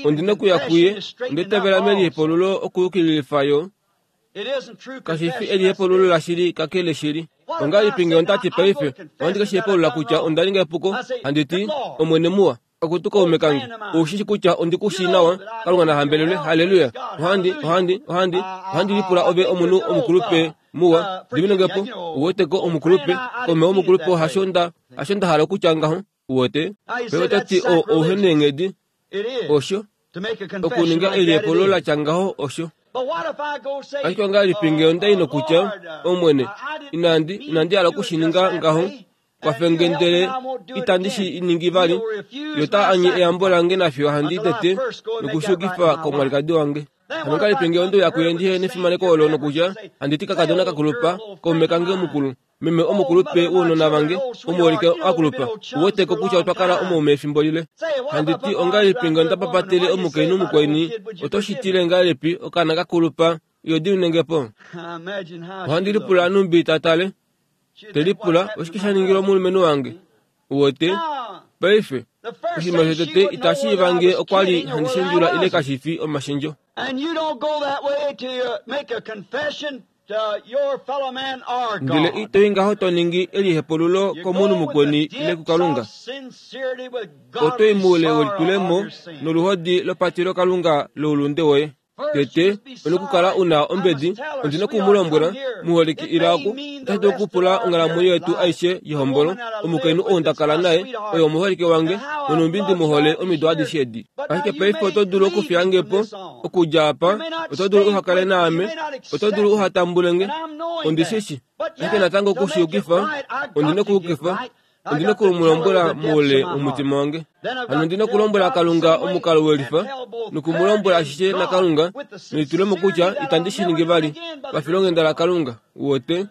D: ondina okuya kuye, onde itavela melihepululo okuyukililifa yo. Kashifi elihepululo lashili kakele shili. Ongahelipi nge ondati paife ohandi ke shi hepulula kutya onda ninga epuko, handi ti, Omwene muwa, Akutu kaume kange, oushi kutya ondi ku shii nawa, Kalunga na hambelelwe, haleluya. Ohandi, ohandi, ohandi, ohandi lipula ove omunhu omukulupe muwa, diminengepo, uweteko omukulupe, kaume omukulupe hasho nda, hasho nda hala okutya ngaho, uwete. Pe otati o ouheneenghedi, osho, okuninga elihepululo latya ngaho osho. Ashike ongahelipi ngee onda i nokutya, Omwene, inandi, inandi hala okushininga ngaho, kwafenge ndele itandi shi ningi vali, yo ta anye eyambo lange nafiyo handi tete nokushukifa komwalikadi wange. Hano ongahelipi ngee onde uya kuye ndihe nefimaneko olo nokutya, handi ti kakadona kakulupa, kaume kange omukulu, meme omukulupe wounona vange, omuholike akulupa, uweteko kutya otwa kala omaume efimbo lile. Handi ti ongahelipi ngee onda papatele omukainhu mukweni, oto shitile ngahelipi okaana kakulupa, iyo diminengepo. Ohandi lipula numbi tatale, te lipula oshike sha ningilwa omulumenhu wange, uwete. Paife, oshinima shotete itashi ivange okwa li handi shendjula ile kashi fi omashendjo. Ndele ito i ngaho to ningi elihepululo komunhu mukweni ile kuKalunga. Oto i moule welitulemo noluhodi lopatilo Kalunga loulunde woye. Tete, onokukala una ombedi, ondi nokumulombola, muholike ila oku, otashi dulu okupula onghalamwenyo yetu aishe yehombolo, omukainhu oo nda kala naye, oye omuholike wange, nonumbi ndi muhole omido adishe edi. Ashike paife oto dulu okufiyange po, okudja apa, oto dulu uhakale naame, oto dulu uhatambulenge, ondi shishi. Ashike natango okushiyukifa, ondi nokuyukifa, ondi nokumulombola moule womutima wange. Hano ndi nokulombwela Kalunga omukalo welifa, nokumulombola ashishe naKalunga, nelitulemo kutya itandi shi ningi vali, pafilonghenda laKalunga, uwete,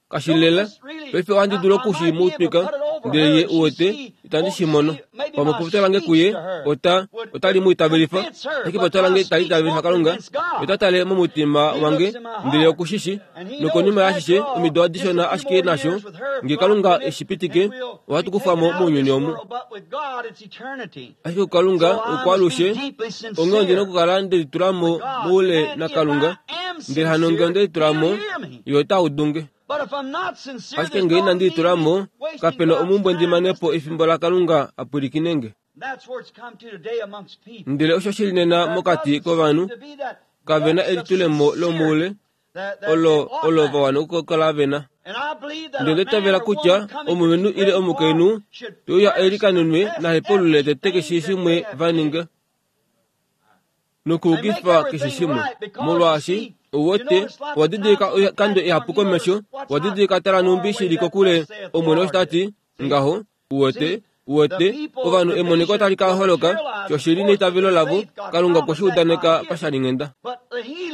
D: kashilela. Paife ohandi dulu okushi mu twika, ndele ye uwete, itandi shi mono. Pamwe popya lange kuye, ota, otali mu itavelifa, ashike popya lange itali itavelifa Kalunga, ota tale momutima wange, ndele okushishi, nokonima yaashishe, omido adishona ashike nasho, nge Kalunga eshipitike, ohatu kufamo mounyuni omu. Ashike Kalunga okwalushe, onghee ondi nokukala ndelitulamo moule naKalunga, ndele hano nge ondelitulamo, ye ota udunge. Ashike nge inandi litulamo, kapena omumbwe ndimanepo efimbo laKalunga apwilikinenge. Ndele osho shili nena mokati kovanhu, kavena elitulemo lomoule, olo olo vawana okukala vena. Ndele onda itavela kutya omulumenhu ile omukainhu te uya eilikanenwe nahepulule tete keshe shimwe va ninga, nokuukifa keshe shimwe, molwaashi uwete owa didilika oikando ihapu komesho, owa didilika tala numbi shili kokule, Omwene osho tati ngaho, uwete, uwete, ovanhu emoniko tali ka holoka, shoshili neitavelo lavo, Kalunga okwe shi udaneka pashalinghenda.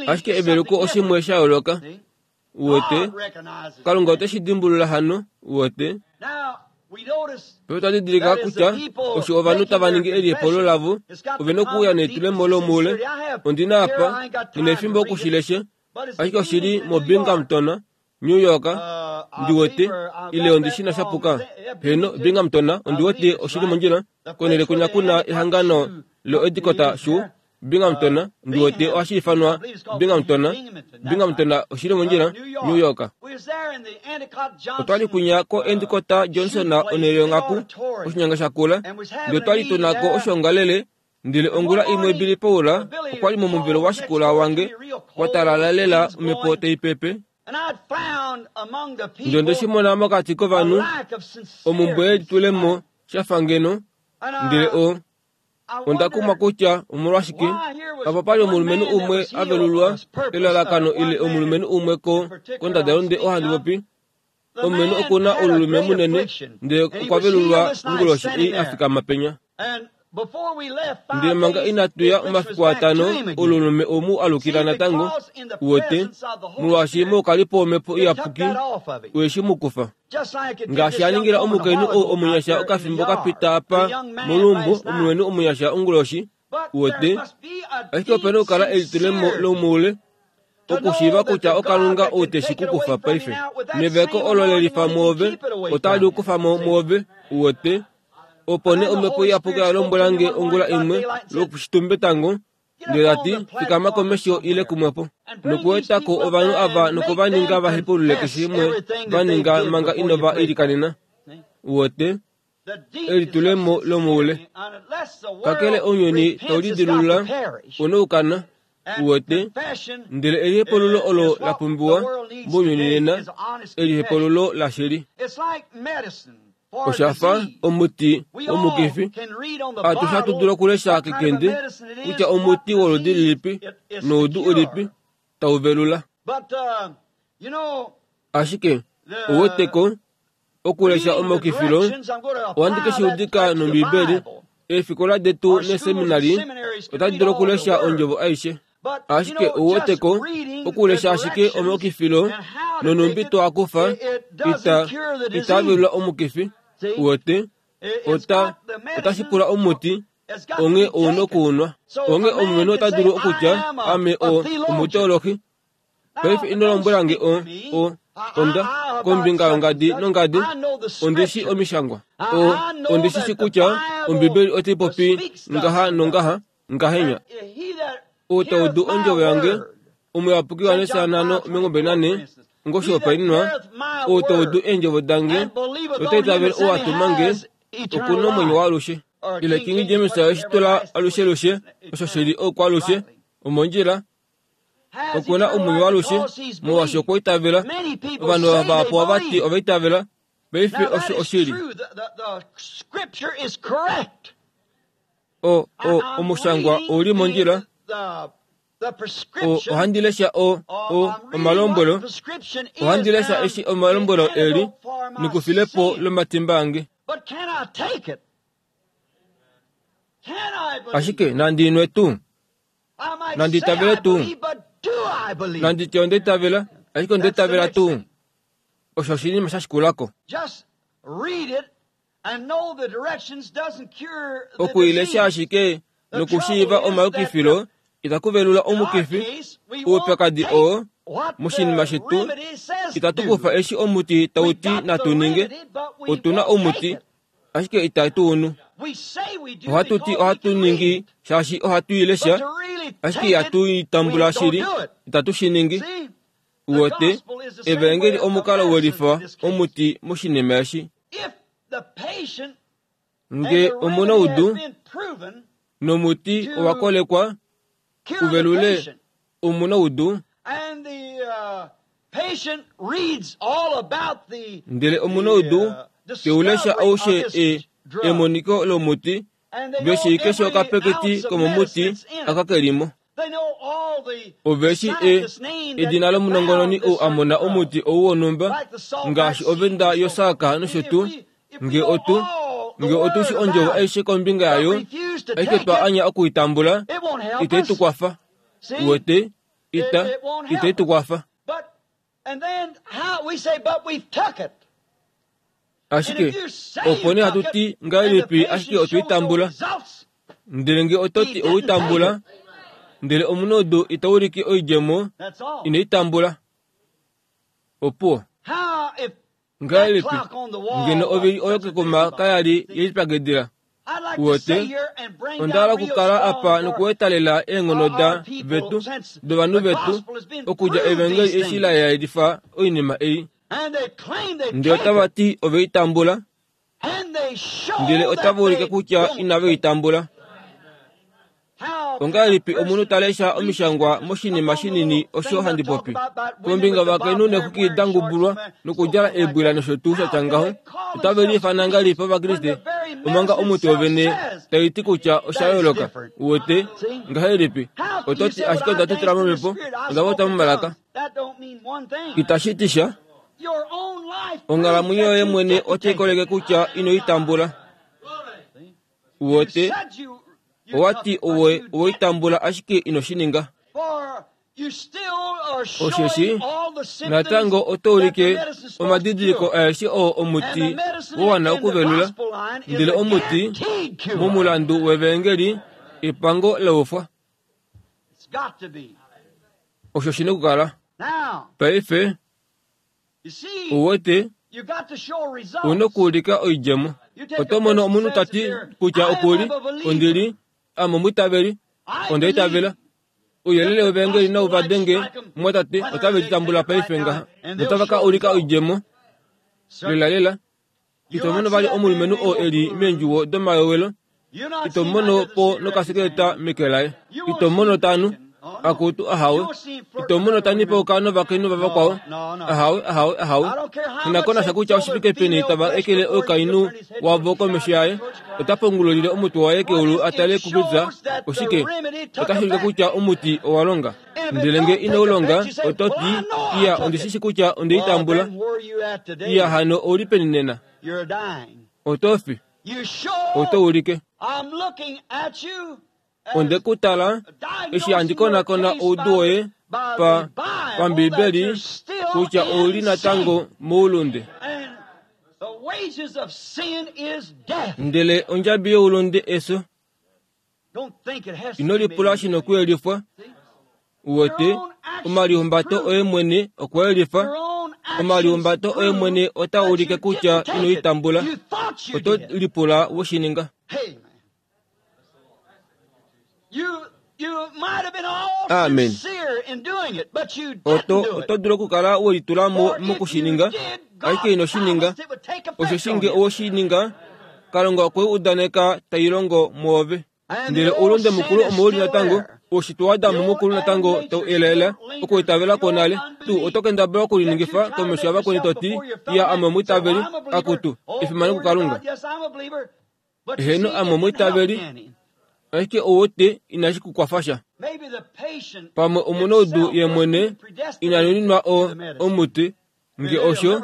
D: Ashike eveluko oshimwe sha yooloka, uwete, Kalunga ote shi dimbulula hano, uwete. Pe otwa didilika kutya osho ovanhu tava ningi elihepululo lavo, ove nokuuya nelitulemo lomoule. Ondi na apa, nghi na efimbo okushilesha, ashike oshili moBinghamton, New York, ndi wete, ile ondi shi na shapuka. Heno, Binghamton, ondi wete oshili mondjila, konhele kwinya kuna ehangano loEdicott Shoe, Binghamton, ndi wete ohashi ifanwa Binghamton, Binghamton oshili mondjila, New York. Otwa li kwinya ko-Endicott Johnson onhele yonghaku, oshinyanga shakula, ndele otwa li tunako oshoongalele, ndele ongula imwe Billy Paul okwa li momuvelo washikula wange, kwa talala lela omhepo tai pepe. Ndele onde shi mona mokati kovanhu, omumbwe yelitulemo shafa ngeno, ndele o onda kumwa kutya omolwashike apa pali omulumenhu umwe a velulwa elalakano ile omulumenhu umwe ko kondadalunde ohandi popi, omulumenhu okuna olulume munene, ndele okwa velulwa onguloshi ei a fikama penya. Ndele manga inatu ya omafiku atano, olulume omu alukila natango, uwete, molwaashi moukalipo womhepo iyapuki, oye shi mu kufa. Ngaashi a ningila omukainhu ou omunyasha okafimbo kapita apa molumbo, omulumenhu omunyasha onguloshi, uwete, ashike opena okukala elitulemo lomoule, okushiiva kutya oKalunga ou te shi ku kufa paife. Neveko olo lelifa mwoove, otali kufa mo mwoove, uwete. Opo nee omhepo iyapuki ya lombwela nge ongula imwe lwokushitumbetango, ndele tati, fikama komesho ile kumwepo, nokuetako ovanhu ava nokovaninga va hepulule keshe shimwe va ninga manga inova ilikanena. Uwete, Elitulemo lomoule. Kakele ounyuni taulidilulula onoukana uwete ndele elihepululo olo la pumbiwa mounyuni nena elihepululo lashili. Oshafa omuti womukifi. Atushe ohatu dulu okulesha kekende kutya omuti woludi lilipi noudu ulipi tauvelula. Ashike ouweteko okulesha omaukifilo ohandi keshiudika nOmbibeli. Eefikola detu neeseminari otadi dulu okulesha ondjovo aishe. Ashike ouweteko okulesha ashike omaukifilo nonumbi twakufa ita itavelula omukifi. Uwete ota otashi pula omuti onge ouna okuunwa. Onge omulumenhu ota dulu okutya ame o omuteolohi. Paife ino lombwelange o o onda kombinga yongadi nongadi ondishi omishangwa. O ondishishi kutya Ombibeli otai popi ngaha nongaha ngahenya. Outaudu ondjovo yange omuyapuki Johannes nhano omilongo nane ngoshihopaenenwa outaudu eendjovo dange otaitavele ou atumange okuna omwenyo waalushe. Ile King James oshitula alushelushe osho shili oukwalushe omondjila okuna omwenyo waalushe molwaashi okwaitavela. Ovanhu vahapu ovati ovaitavela paife osho oshili. O o omushangwa ouli mondjila. O ohandi lesha o o omalombwelo. Ohandi lesha eshi omalombwelo eli nikufilepo lomatimba ange. Ashike nandi inwe tuu. Nandi itavele tuu. Nandi tye onda itavela, ashike onda itavela tuu. Osho oshinima sha shikulako. Okuilesha ashike nokushiiva omayukifilo itaku velula omukifi. Oupyakadi oo moshinima shetu itatu kufa eshi omuti tauti natu ninge. Otuna omuti ashike itatu unu. Ohatu ti ohatu ningi shaashi ohatu ilesha ashike ihatu itambula shili itatu shi ningi. Uwete evangeli omukalo welifa omuti moshinima eshi. Nge omuna oudu nomuti owakolekwa uvelule omuna oudu. Ndele omuna oudu teulesha aushe e emoniko lomuti veshi keshe okapeketi komomuti akakelimo. Oveshi e edina lomunongononi ou amona omuti ou wonhumba ngaashi ovenda yosaka nosho tuu. Nge otu nge otushi ondjovo aishe kombinga yayo ashike twa anya okuitambula itai tukwafa. Uwete ita itai tukwafa. Ashike opo nee hatu ti ngahelipi ashike otweitambula. Ndele nge ototi oweitambula ndele omunhu itaulike oidjemo inoitambula. Opuwo. Ngahelipi ngeno ovili oyo kekuma kayali yelipyakidila. Uwete onda hala okukala apa nokuetalela eenghono da vetu dovanhu vetu okudja evangeli eshi la yelifa oinima ei. Ndele otava ti oveitambula ndele otava ulike kutya inaveitambula. Ongahelipi omunhu ta lesha omishangwa moshinima shinini osho handi popi kombinga vakainhu neexwiki da ngubulwa nokudjala eebwila nosho tuu shatya ngaho. Otave liifana ngahelipi Ovakriste omanga omuti wovene taiti kutya osha yooloka. Uwete ngahelipi ototi ashike onda tutula momhepo onda popya momalaka. Itashi ti sha. Onghalamwenyo yoye mwene otai koleke kutya inoitambula. Uwete owati owe oweitambula ashike inoshininga. Osheshi natango oto ulike omadidiliko aeshe oo omuti wowana okuvelula. Ndele omuti momulandu wevangeli epango laufwa. Osho shina okukala. Paife uwete una okuulika oidjemo. Oto mono omunhu tati kutya okuli ondili ame omwiitaveli ondaitavela. Ouyelele wevangeli nau va denge mwatate otave litambula paife ngaha notava ka ulika oidjemo lelalela. Ito mono vali omulumenhu oo eli meendjuwo domayowelo, ito mono po nokasekeleta meke laye. Ito mono tanu, akutu ahawe. Ito mono tanipauka novakainhu vavakwao, ahawe, ahawe, ahawe. Inakonasha kutya oshifike peni tava ekele oukainhu wavo komesho yaye, ota pongololile omutwe waye keulu atale kukutya oshike. Otashi ulike kutya omuti owa longa. Ndele nge ino ulonga, oto ti, iya, ondishishi kutya ondeitambula. Iya, hano ouli peni nena? Oto fi. Oto ulike. Onde kutala, eshi handi konakona oudu woye pa pambibeli kutya ouli natango moulunde. Ndele ondjabi youlunde eso. Ino lipula shino kuyelifwa. Uwete, omalihumbato oye mwene okwa yelifa. Omalihumbato oye mwene ota ulike kutya ino itambula. Oto lipula woshininga. Amen. Oto oto dulu okukala welitulamo mokushininga, ashike ino shininga. Osho shinge owoshininga, Kalunga okwe udaneka tailongo mwoove. Ndele oulunde mukulu omouli natango, oushitwe waAdamu mukulu natango tau elaela okuitavela kwonale. Tu oto kendabala okuliningifa komesho yavakweni to ti, iya, ame omwiitaveli, akutu, efimano kuKalunga. Eheno, ame omwiitaveli, ashike ouwete inashi kukwafa sha. Pamwe omunaudu ye mwene ina nuninwa o omuti, nge osho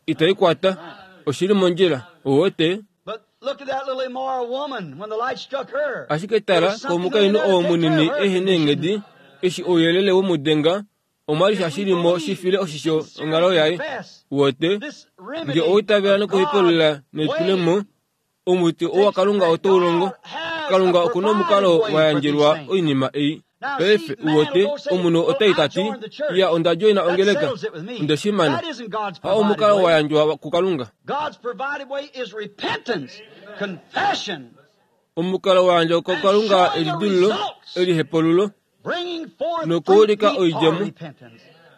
D: itaikwata, oshili mondjila. Ouwete? Ashike tala komukainhu oo munini ehe neenghedi, eshi ouyelele womudenga, omwali sha shilimo shifile oshisho onghalo yaye. Uwete, nge oitavela nokuhipolola nelitulemo, omuti owa Kalunga oto ulongo. Kalunga okuna omukalo wa yandjelwa oinima ei. Paife uwete, omunhu otai tati, iya, onda joina ongeleka, onde shimana. Ha omukalo wa yandjwa kuKalunga. Omukalo wa yandjwa kuKalunga elidululo, elihepolulo, nokuulika oidjemo,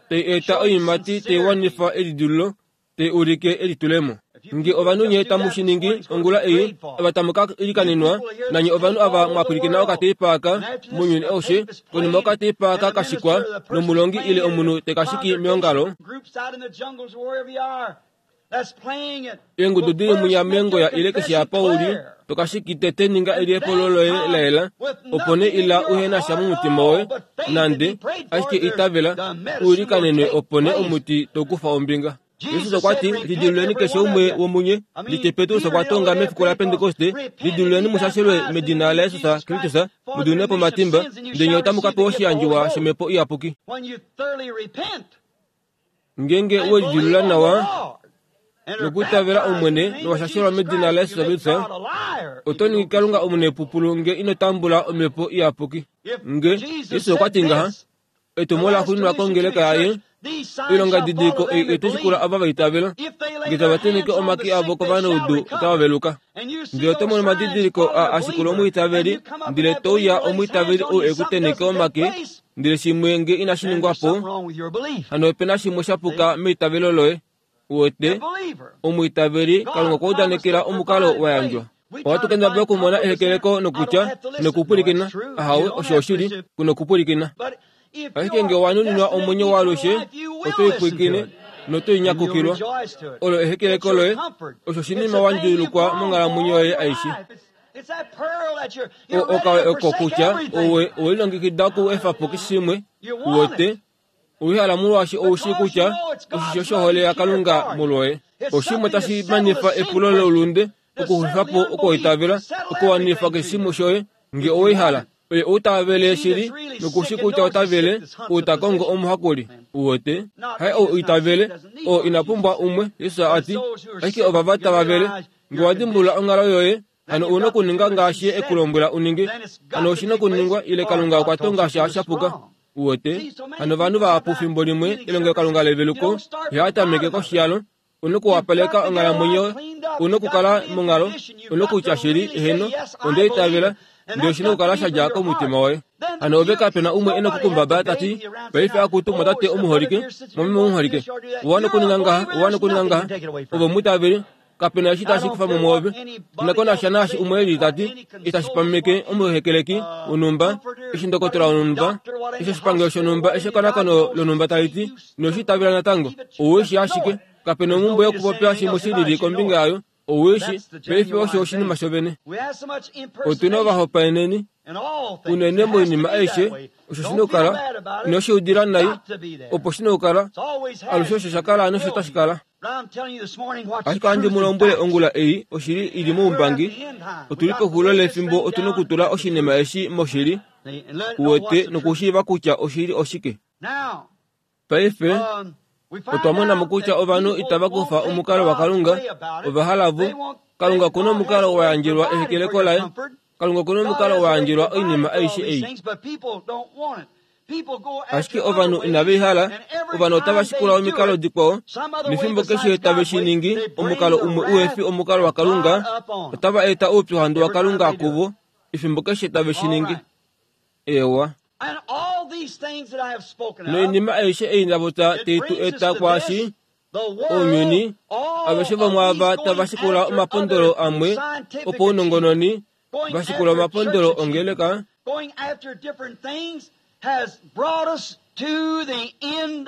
D: tai eta oiimati tai wanifa elidululo, tai ulike elitulemo. Nge ovanhu nye tamu shiningi ongula ei, ava tamu ka ilikanenwa, nanye ovanhu ava mwapwilikina okateipaaka mounyuni aushe, konima okateipaaka kashikwa nomulongi ile omunhu tekashiki meongalo, eengudu dili munya meengoya ile keshe apa uli, tokashiki tete ninga elihepolo loye laela, opo nee ila uhena sha momutima woye, nande, ashike itavela, uilikanenwe opo nee omuti tokufa ombinga. Jesus okwa ti, lidiluleni keshe umwe womunye, ndite Petrus okwa tonga mefiku la Pentekoste, lidiluleni mushashelwe medina laJesus Kristus, mudune pomatimba, ndele otamu ka pewa oshiyandjiwa shomhepo iyapuki. Ngenge welidilula nawa, nokutavela Omwene nowashashelwa medina laJesus Kristus, oto ningi Kalunga omunepupulu nge ino tambula omhepo iyapuki. Nge Jesus okwa ti ngaha, etumo la xuuninwa kongeleka yaye, oilonga didiliko ei otoshikula ava vaitavela, nge tava teneke omake avo kovanaudu otava veluka. Ndele oto mono omadidiliko a ashikula omwiitaveli, ndele touya omwiitaveli ou ekuteneke omake, ndele shimwe nge inashi ningwa po, hano opena shimwe shapuka meitavelo loye. Uwete, omwiitaveli Kalunga okwa udanekela omukalo wa yandjwa. Ohatu kendabala okumona ehekeleko nokutya nokupwilikina, ahawe, osho oshili, kunokupwilikina. Ashike nge owa nuninwa omwenyo waalushe, oto ipwilikine noto inyakukilwa. Olo ehekeleko loye, osho oshinima wa ndulukwa monghalamwenyo yoye aishe. Okawe oko kutya owe welilongekida okuefa po keshe shimwe, uwete, owihala molwaashi oushi kutya oshisho shohole yaKalunga molwoye. Oshimwe tashi manifa epulo loulunde, okuxulifa po okuitavela, okuwanifa keshe shimwe shoye, nge owihala. Oye outavele shili, nokushi kutya otavele, outakongo omuhakuli. Uwete, hai ou itavele, oo ina pumbwa umwe, Jesus ati, ashike ovava tava vele, nge wa dimbulula onghalo yoye, hano una okuninga ngaashi ekulombwela uninge, hano oshina okuningwa ile Kalunga okwa tonga sha shapuka. Uwete, hano ovanhu vahapu fimbo limwe elongelokalunga leveluko, ihaatameke koshiyalo, una okuwapaleka onghalamwenyo, una okukala monghalo, una okutya shili, eheno, onde itavela, ndele oshina okukala shadja komutima woye. Hano ove kapena umwe ena okukumbaba tati, paife akutu mwatate omuholike, mwameme omuholike, owa nokuninga ngaha, owa nokuninga ngaha, ove omwiitaveli, Kapena eshi tashi kufa mo mwoove. Inako nasha naashi umwe eli tati itashi pameke omuhekeleki wonhumba, eshi ndokotola wonhumba, eshi oshipangelo shonhumba, eshi ekonakono lonhumba taliti, inoshi itavela natango. Ouweshi ashike. Kapena omhumbwe yokupopya shimwe shilili kombinga yayo. Ouweshi paife osho oshinima shovene. Otuna ovahopaeneni unene moinima aishe, osho shina okukala. Inoshiudila nai, opo shina okukala. Alushe osho shakala nosho tashi kala. Ashike ohandi mu lombwele ongula ei oshili ili moumbangi. Otuli pexulilo lefimbo, otuna okutula oshinima eshi moshili, uwete, nokushiiva kutya oshili oshike. Paife otwa mona mo kutya ovanhu itava kufa omukalo waKalunga, ova hala vo. Kalunga okuna omukalo wa yandjelwa ehekeleko laye. Kalunga okuna omukalo wa yandjelwa oinima aishe ei. Ashike ovanhu inave i hala, ovanhu otava shikula omikalo dikwao, nefimbo keshe tave shi ningi omukalo umwe uhe fi omukalo waKalunga, otava eta oupyuhandu waKalunga kuvo, efimbo keshe tave shi ningi. Ewa. Noinima aishe ei ndapopya tai tu eta kwaashi, ounyuni, aveshe vomwaava tava shikula omapondolo amwe opaunongononi, va shikula omapondolo ongeleka,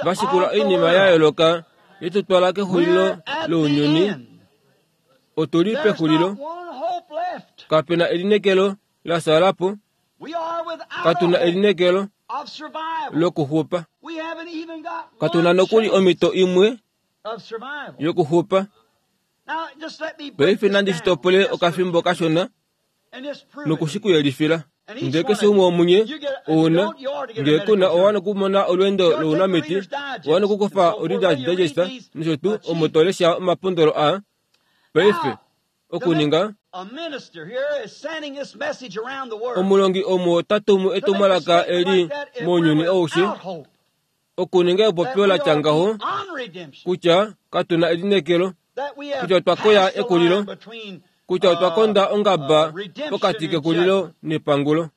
D: va shikula oinima ya yooloka ye tu twala kexulilo lounyuni. Otuli pexulilo. Kapena elineekelo la xala po. Katuna elineekelo lokuxupa. Katuna nokuli omhito imwe yokuxupa. Paife nandi shitopole okafimbo kashona nokushikuyelifila. Ndele keshe umwe womunye ouna, ngee kuna owa nokumona olweendo lounamiti, owa nokukufa o-Reader's Digest nosho tuu omo to lesha omapondolo aa. Paife okuninga omulongi omo ta tumu etumwalaka eli mounyuni aushe, okuninga epopyo latya ngaho kutya katuna elineekelo, kutya otwa koya ekulilo, kutya otwa konda ongaba pokati kekulilo nepangulo.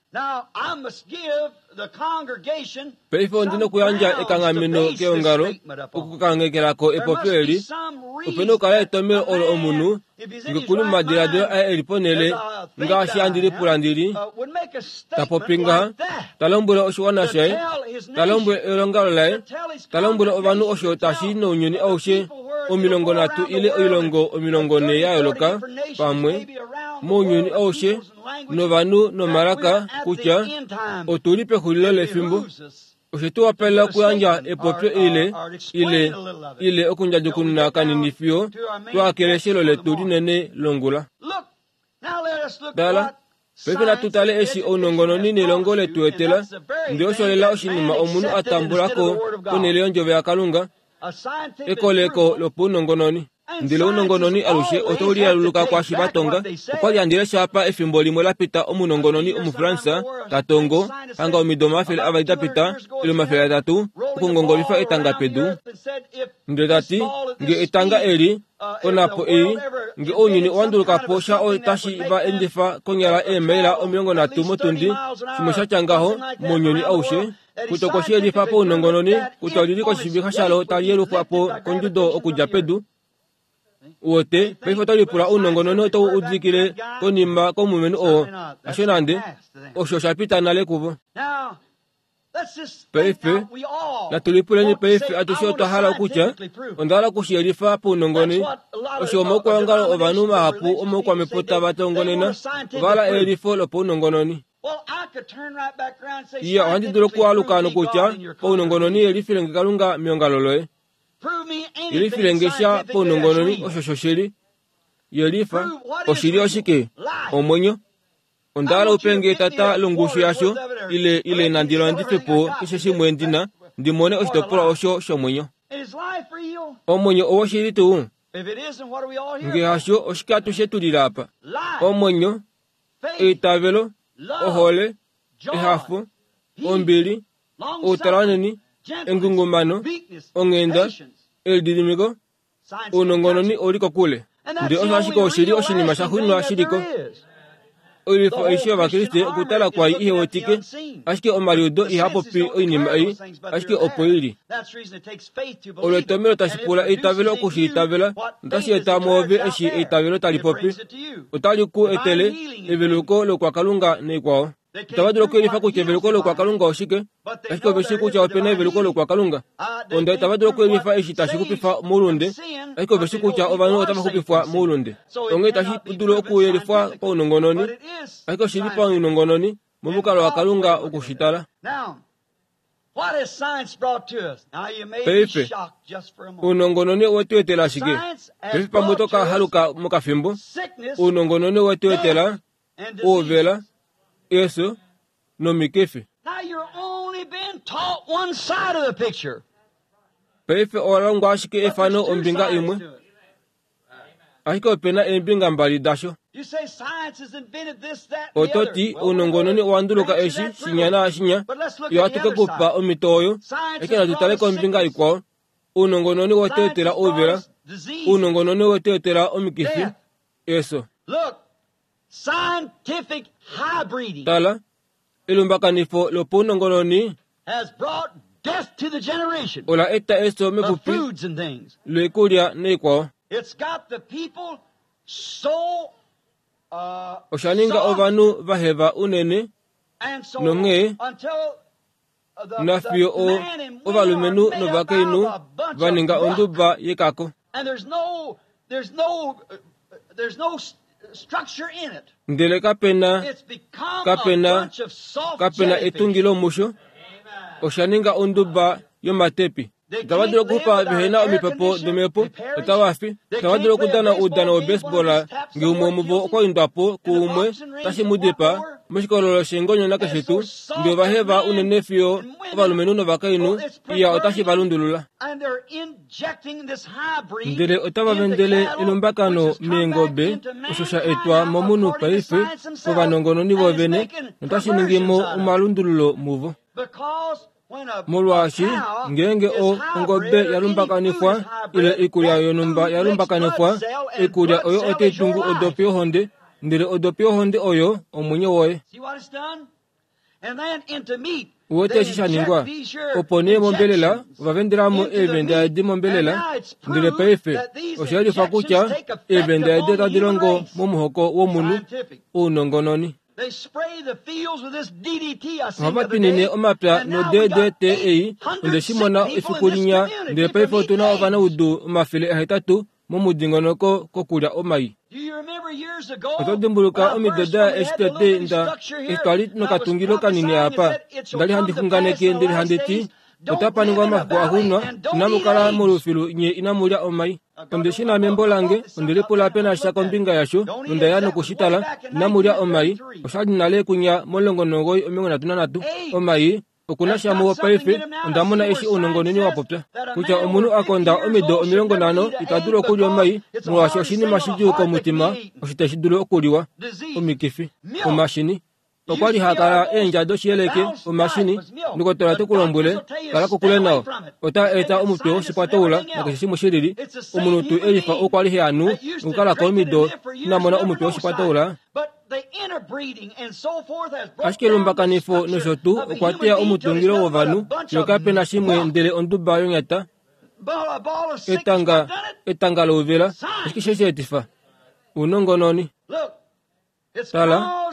D: Paife ondina okuyandja ekanghameno keongalo okukangekelako epopyo eli. Opena okukala etomhelo olo omunhu ngekuli momadiladilo aye eli ponhele ngaashi handi lipula ndili, ta popi ngaha, ta lombwele oshiwana shaye, ta lombwele elongalo laye, ta lombwele ovanhu osho tashi nounyuni aushe omilongo nhatu ile oilongo omilongo nhee ya yooloka pamwe mounyuni aushe novanhu nomalaka kutya otuli pexulilo lefimbo. Oshe tu wapalela okuyandja epopyo ile, ile, ile okundjadjukununa kanini fiyo twahakele eshelo letu linene longula. Tala, paife natu tale eshi ounongononi nelongo letu etela, ndele osho lela oshinima omunhu a tambulako ponhele yondjovo yaKalunga, ekoleko lopaunongononi. Ndele ounongononi alushe otau lialuluka kwaashi va tonga. Okwali handi lesha apa efimbo limwe lapita omunongononi Omufransa ta tongo hanga omido omafele avali dapita ile omafele atatu okungongolifa etanga pedu. Ndele tati nge etanga eli onapo ei nge ounyuni owa nduluka po sha otashi va endifa konyala eemaila omilongo nhatu motundi, shimwe shatya ngaho mounyuni aushe, kutya okwe shi yelifa paunongononi kutya olili koshivixa shalo tali yelufwa po kondjudo okudja pedu. Uwete, paife oto lipula ounongononi otau udikile konima komulumenhu oo, hasho nande, osho sha pita nale kuvo. Paife, natu lipuleni paife atushe otwa hala okutya, onda hala okushiyelifa paunongononi. Osho omaukwaongalo ovanhu mahapu omaukwamhepo tava tongonena, ova hala eyelifo lopaunongononi. Iya, ohandi dulu okualuka nokutya paunongononi yelifile nge Kalunga meongalo loye. Yelifile nge sha paunongononi osho shoshili. Yelifa oshili oshike? Omwenyo. Onda hala upe nge etata longushu yasho, ile, ile nandi landife po keshe shimwe ndina, ndi mone oshitopolwa osho shomwenyo. Omwenyo owoshili tuu? Nge hasho, oshike atushe tulila apa? Omwenyo, eitavelo, ohole, ehafo, ombili, outalanheni, engungumano, onghenda, elididimiko, ounongononi ouli kokule. Ndele osho ashike oshili oshinima sha xwinwa shiliko. Oilwifo aishe yOvakriste okutala kwai ihe wetike, ashike omaliudo ihaa popi oinima ei, ashike opo ili. Olo etomhelo tashi pula eitavelo oku shi itavela, notashi eta mwoove eshi eitavelo tali popi. Otali ku etele eveluko lokwakalunga naikwao. Itava dulu okuyelifa kutya eveluko lokwakalunga oshike, ashike ove shii kutya ope na eveluko lokwakalunga. Onda itava dulu okuyelifa eshi tashi xupifa moulunde, ashike ove shii kutya ovanhu otava xupifwa moulunde. Onghee itashi dulu okuyelifwa paunongononi, ashike oshi li paunongononi momukalo waKalunga oku shi tala. Paife, ounongononi owe tu etela shike? Paife pamwe oto ka haluka mokafimbo. Ounongononi owe tu etela ouvela, efyo nomikifi. Paife owa longwa ashike efano ombinga imwe, ashike ope na eembinga mbali dasho. Oto ti ounongononi owa nduluka eshi shinya naashinya, yo ohatu ke kupa omhito oyo, ashike natu tale kombinga ikwao. Ounongononi owe tu etela ouvela, ounongononi owe tu etela omikifi, efyo. Tala, elumbakanifo lopaunongononi ola eta efyo mepupi loikulya naikwao. Osha ninga ovanhu vaheva unene nonghee nafiyo ovalumenhu novakainhu va ninga onduba yekako. Ndele kapena kapena kapena etungilo musho. Osha ninga onduba yomatepi. Itava dulu okuxupa vehena omipepo domhepo, otava fi. Itava dulu okudana oudano wobaseball ngee umwe womuvo okwa indwa po kuumwe otashi mu dipaa moshikololo sheengonyo nakeshe tuu. Ndee ovaheva unene fiyo ovalumenhu novakainhu iya otashi va lundulula. Ndele otava vendele elumbakano meengobe osho sha etwa momunhu paife kovanongononi vovene notashi ningi mo omalundululo muvo. Molwaashi ngeenge ongobe yalumbakanifwa ile oikulya yonhumba yalumbakanifwa, oikulya oyo otai tungu odopi yohonde, ndele odopi yohonde oyo omwenyo woye. Uwete eshi sha ningwa? Opo nee mombelela ova vendela mo eevenda edi mombelela, ndele paife osha yelifa kutya eevenda edi otadi longo momuhoko womunhu ounongononi. Ohava twinine omapya no-D D T ei onde shi mona efiku linya, ndele paife otu na ovanaudu omafele ahetatu momudingonoko kokulya omai. Oto dimbuluka omido da eshi tete nda eshi twali nokatungilo kanini apa, ndali handi xunganeke ndele handi ti otapa ningwa omafiku axuuninwa, inamu kala molufilu nye inamu lya omai. Onde shi na membo lange, onde lipula pena sha kombinga yasho, nonda ya nokushitala, inamu lya omai. Oshali nale kunya momulongo nomugoyi omilongo nhatu nanhatu. Omai okuna sha muwo paife. Onda mona eshi ounongononi wa popya kutya omunhu a konda omido omilongo nhano ita dulu okulya omai, molwaashi oshinima shidjuu komutima osho tashi dulu okuliwa. Omikifi, omashini. Okwa li hakala eendja doshiyeleke, omashini, ndokotola te ku lombwele, kala kokule nao. Ota eta omutwe woshikwatoula nakeshe shimwe shilili. Omunhu tuu elifa okwa li hanu nokukalako omido ina mona omutwe woshikwatoula. Ashike elumbakanifo nosho tuu okwa teya omutungilo wovanhu, fiyo kape na shimwe ndele onduba yonyata, etanga, etanga louvela. Ashike she shi etifa? Ounongononi. Tala,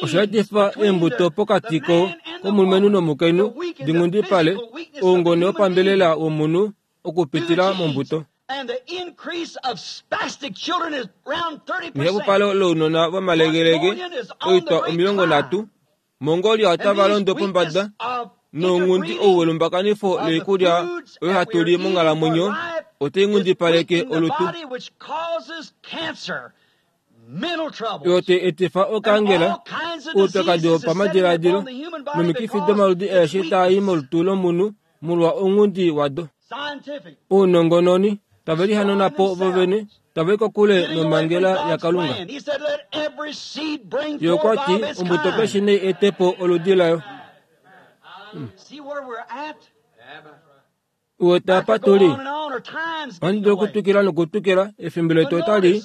D: osha etifa eembuto pokati ko komulumenhu nomukainhu dinghundipale, oungone wopambelela womunhu okupitila mombuto. Nehapupalo lounona vomalegelege oitwa omilongo nhatu, Mongolia otava londo pombada nounghundi ou welumbakanifo loikulya oyo hatu li monghalamwenyo otai nghundipaleke olutu. Oyo tai etifa okaangela, oupyakadi wopamadiladilo nomikifi domaludi aeshe taa i molutu lomunhu molwa ounghundi wado. Ounongononi tave lihanana po vovene, tava i kokule nomhangela yaKalunga. Ye okwa ti ombuto keshe nai ete po oludi layo. Uwete apa tu li? Ohandi dulu okutwikila nokutwikila, efimbo letu otali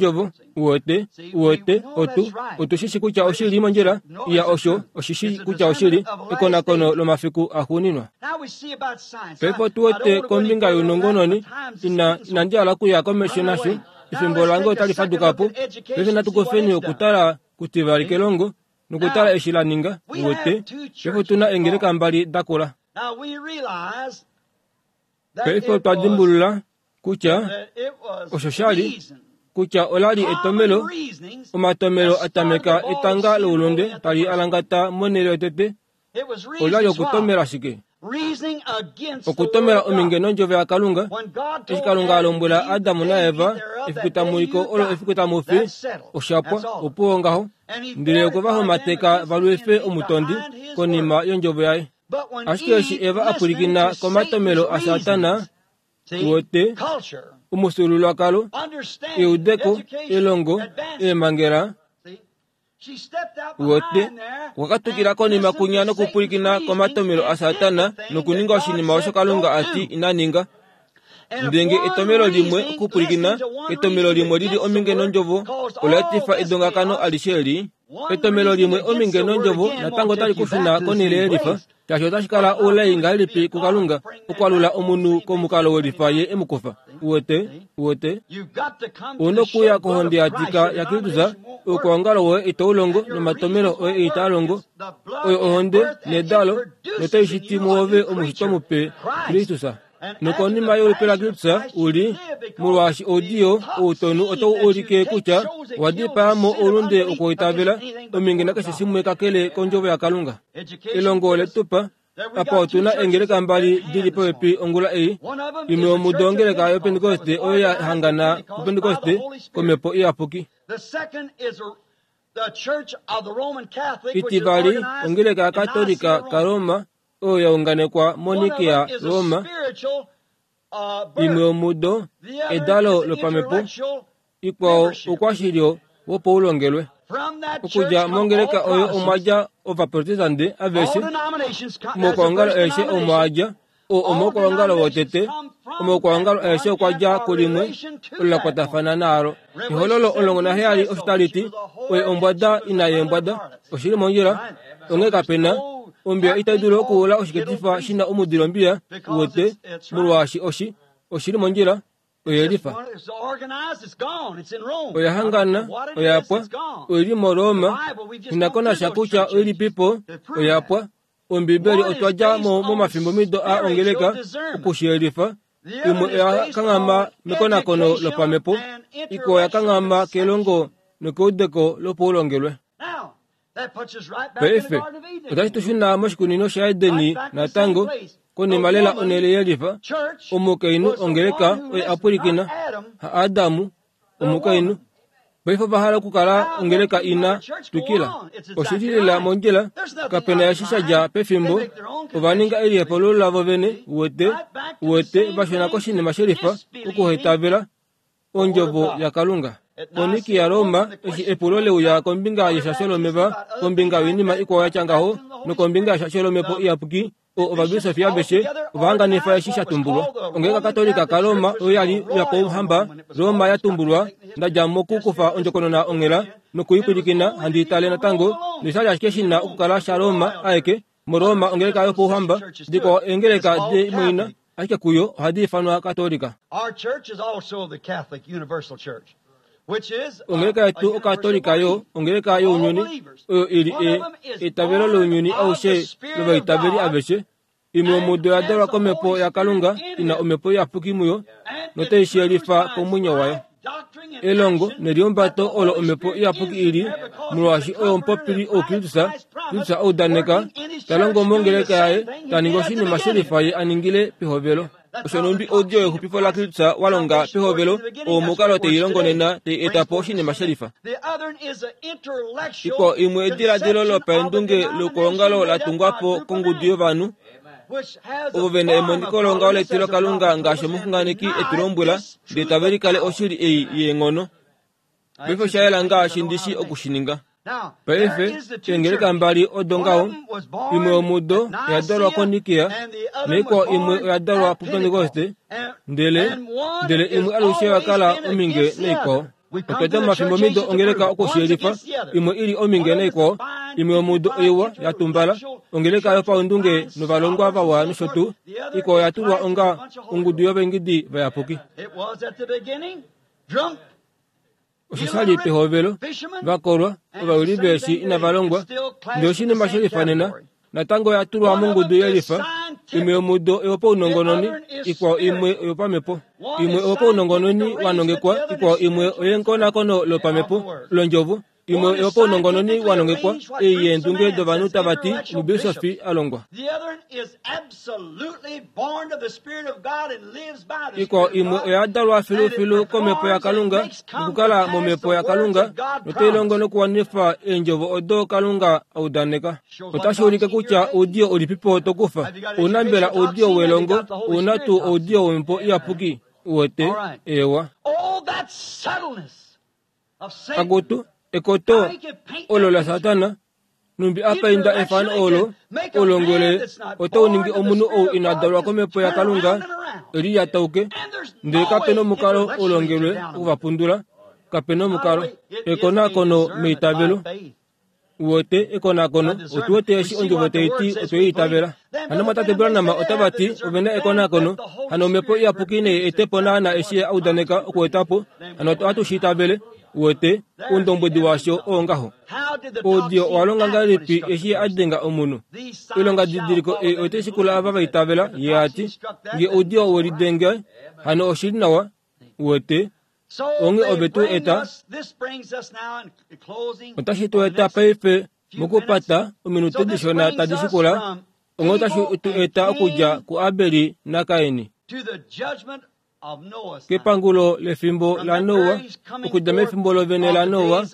D: Ondjovo uwete uwete otu otu shishi kutya oshili mondjila iya osho oshishi kutya oshili ekonakono lomafiku axuuninwa. Paife otu wete kombinga younongononi ina inandi hala okuya komesho nasho efimbo lange otali faduka po. Paife natu kufeni okutala kutivali kelongo Nokutala eshi la ninga, uwete, paife otuna eengeleka mbali dakula. Paife otwa dimbulula kutya osho sha li kutya ola li etomelo, omatomelo atameka etanga loulunde tali alangata monhele yotete, ola li okutomela shike? Okutomela ominge nondjovo yaKalunga. Eshi Kalunga a lombwela Adam naEva efiku tamuliko olo efiku tamu fi, oshapwa opuwo ngaho. Ndele okwe va homateka va lwife omutondi konima yondjovo yaye. Ashike eshi Eva a pwilikina komatomelo aSatana, wote omufyuululwakalo, eudeko, elongo, eemhangela, wote okwa katukila konima kunya nokupwilikina komatomelo aSatana nokuninga oshinima osho Kalunga a ti ina ninga. Ndenge etomelo limwe okupwilikina etomelo limwe lili ominge nondjovo ola etifa edongakano alishe eli. Etomelo limwe ominge nondjovo natango otali kushuna konhele yelifa, shaashi otashi kala oulai ngahelipi kuKalunga okwalula omunhu komukalo welifa ye emukufa. Uwete, uwete, ouna okuya kohonde ya tika yaKristus, oukwaongalo woye itau longo nomatomelo oye itaa longo. Oyo ohonde nedalo notai shiti muove omushitwa mupe Kristus. Nokonima yolupe laKristus uli, molwaashi oudiyo outonu otau ulike kutya owa dipaa mo oulunde wokuitavela ominge nakeshe shimwe kakele kondjovo yaKalunga. Elongo ole tupa apa otuna eengeleka mbali dili popepi ongula ei. Imwe yomudo ongeleka yoPentekoste oyo ya hangana kuPentekoste komhepo iyapuki. Itivali ongeleka yaKatolika kaRoma oyo ya unganekwa moNikea Roma. Imwe yomudo edalo lopamhepo, ikwao oukwashilyo wopaulongelwe. Okudja mongeleka oyo omwa dja ovaprotestante aveshe, omaukwaongalo aeshe omo a dja, oo omaukwaongalo wotete, omaukwaongalo aeshe okwa dja kulimwe olo la kwatafana naalo. Ehololo omulongo naheyali osho tali ti, oye ombwada ina yeembwada, oshili mondjila, onghee kapena ombiya itai dulu okuula oshiketifa shina omudilo ombiya, uwete, molwaashi oshi oshili mondjila, oyelifa. Oya hangana, oya pwa, oili moRoma, inakonasha kutya oilipipo, oya pwa. Ombibeli otwa dja mo momafimbomido a ongeleka okushiyelifa. Imwe oya kanghama mekonakono lopamhepo, ikwao oya kanghama kelongo nokeudeko lopaulongelwe. Paife otashi tu shuna moshikunino shaEdeni natango, konima lela onhele yelifa. Omukainhu ongeleka oye a pwilikina, ha Adamu, omukainhu. Paife ova hala okukala ongeleka ina twikila. Oshili lela mondjila, kapena eshi sha dja pefimbo, ova ninga elihepululo lavo vene, uwete, uwete, va shuna koshinima shelifa, okuhetavela ondjovo yaKalunga. Moniki yaRoma, eshi epulo leuya kombinga yeshasho lomeva, kombinga yoinima ikwao yatya ngaho, nokombinga yeshasho lomhepo iyapuki, o ovabisofi aveshe ovahanganifa eshi sha tumbulwa. Ongeleka Katolika kaRoma oyo ya li yopauhamba Roma ya tumbulwa, nda dja mokukufa ondjokonona onghela nokuipwilikina handi tale natango, nosha li ashike shi na okukala shaRoma aeke. MoRoma ongeleka yopauhamba, dikwao eengeleka demoina, ashike kuyo ohadi ifanwa Katolika.
C: Our church is also the Catholic Universal Church, which is a,
D: Ongeleka
C: a
D: yetu okatolika yo ongeleka younyuni oyo ili e eitavelo lounyuni aushe lovaitaveli aveshe. Imwe yomudo oya dalwa komhepo yaKalunga ina omhepo iyapuki muyo notai shiyelifa komwenyo wayo. Elongo nelihumbato olo omhepo iyapuki ili, molwaashi oyo omupopili ouKristus, Kristus audaneka, ta longo mongeleka yaye, ta ningi oshinima shelifa ye a ningile pehovelo. Osho numbi oudiyo wexupifo laKristus wa longa pehovelo, oo omukalo tei longo nena, tei eta po oshinima shelifa.
C: The other is an intellectual
D: Ikwao imwe ediladilo
C: conception of the
D: lopaendunge loukolongalo la tungwa po
C: denomination
D: kongudu yovanhu,
C: which has
D: ovo
C: a
D: vena
C: form of
D: emoniko longaho
C: godliness
D: letilo
C: as a
D: Kalunga
C: prophet
D: ngaashi
C: told us, and
D: omuxunganeki
C: denied
D: e tu lombwela,
C: this
D: ndele
C: truth
D: tave
C: of
D: likale
C: power.
D: oshili ei yeenghono. Paife osha yela ngaashi ndishi okushininga.
C: Now, there
D: Paife
C: is the two
D: eengeleka
C: churches.
D: mbali odo
C: One
D: ngaho,
C: of them was born
D: imwe yomudo
C: at
D: oya dalwa
C: Nicaea,
D: koNikea,
C: and the other
D: naikwao
C: was
D: imwe
C: born
D: oya dalwa
C: at
D: puPentekoste,
C: Pentecost. And,
D: ndele
C: and one
D: ndele
C: is
D: imwe alushe oya
C: always
D: kala
C: been
D: ominge
C: against the
D: naikwao.
C: other. We come
D: Otwa
C: to
D: dja
C: the church
D: momafimbomido
C: ages to
D: ongeleka
C: prove it. One's
D: okushiyelifa,
C: against the other.
D: imwe ili ominge
C: One of them is
D: naikwao,
C: a fine,
D: imwe yomudo
C: dignified,
D: oiwa ya tumbala,
C: intellectual
D: ongeleka
C: church with
D: yopaundunge
C: fine
D: novalongwa
C: scholars
D: vawa
C: and so
D: nosho
C: forth.
D: tuu,
C: The other
D: ikwao
C: is
D: oya tulwa
C: Christ and
D: onga
C: a bunch of holy
D: ongudu
C: ghosts.
D: yovaengidi vayapuki.
C: It was at the beginning, drunk
D: Osho sha li pehovelo vakolwa ovayuli veeshi inava longwa ndele oshinima she lifanena natango oya tulwa mongudu yelifa imwe yomudo oyopaunongononi ikwao imwe oyopamhepo imwe oyopaunongononi wanongekwa ikwao imwe oyenkonakono lopamhepo londjovo imwe oyopaunongononi wanongekwa ei yeendunge dovanhu tava ti omubisofi alongwa ikwao imwe oya dalwa filufilu komhepo yakalunga nokukala momhepo yakalunga notai nokuwanifa eendjovo odo kalunga audaneka otashi ulike kutya oudiyo ulipipo tokufa ouna mbela oudiyo welongo ouna tuu oudiyo womhepo iyapuki uwete ewa akutu ekoto olo la satana numbi apainda efano olo olongwele otauningi omunhu ou ina dalwa komhepo yakalunga eli yatauke ndele kapena omukalo olongelwe okuvapundula kapena omukalo ekonakono meitavelo uwete ekonakono otuwete eshi ondjovo taiti otweiitavela hano mwatate Branham otava ti ovena ekonakono hano omhepo iyapuki nei etepo naana eshi audaneka okuetapo hano ohatu shiitavele uwete oundombwedi washo oo ngaho oudiyo owalonga ngahelipi eshi adenga omunhu oilonga didiliko ei oitashikula ava vaitavela ye ati nge oudiyo welidenge hano oshili nawa uwete onge ove tu eta otashi tu eta paife mokupata ominute dishona tadi shikula onge otashi tu eta okudja kuAbeli naKaini kepangulo lefimbo la Noa okudja mefimbo lovene la Noa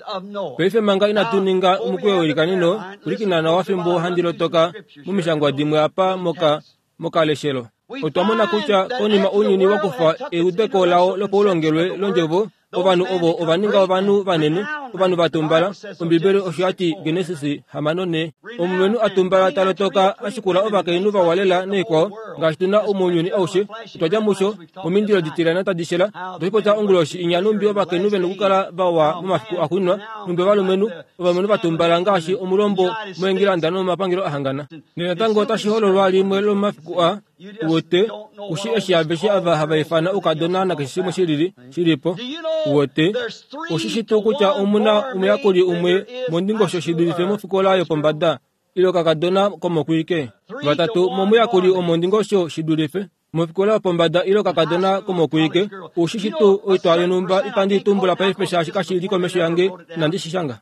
D: paife manga inatu ninga omukweyo welikanino kulikina nawa fimbo handi lotoka momishangwa dimwe apa moka mokaleshelo otwa mona kutya konima ounyuni wakufa eudeko lao lopaulongelwe londjovo ovanhu ovo ovaninga ovanhu vanene ovanhu vatumbala ombibeli osho yati Genesis hamano ne omulumenhu atumbala talotoka ashikula ovakainhu vawalela neikwao ngaashi tuna omounyuni aushe otwadja musho momindilo ditilana tadishela otwashipotya onguloshi inya numbi ovakainhu vena okukala vawa momafiku axuuninwa numbi ovalumenhu ovalumenhu vatumbala ngaashi omulombo moengilanda nomomapangelo ahangana nenatango otashi hololwa limwe lomomafiku a uwete kushi eshi aveshe ava hava ifana oukadona nakeshe shimwe shilili shilipo uwete oshishi tuu kutya omuna omuyakuli umwe mondingosho shidulife mofikola yopombada ile okakadona komokwike vatatu momuyakuli omondingosho shidulife mofikola yopombada ile okakadona komokwike oshishi tuu oitwa yonhumba itandi tumbula paife shaashi kashili komesho yange inandi shishanga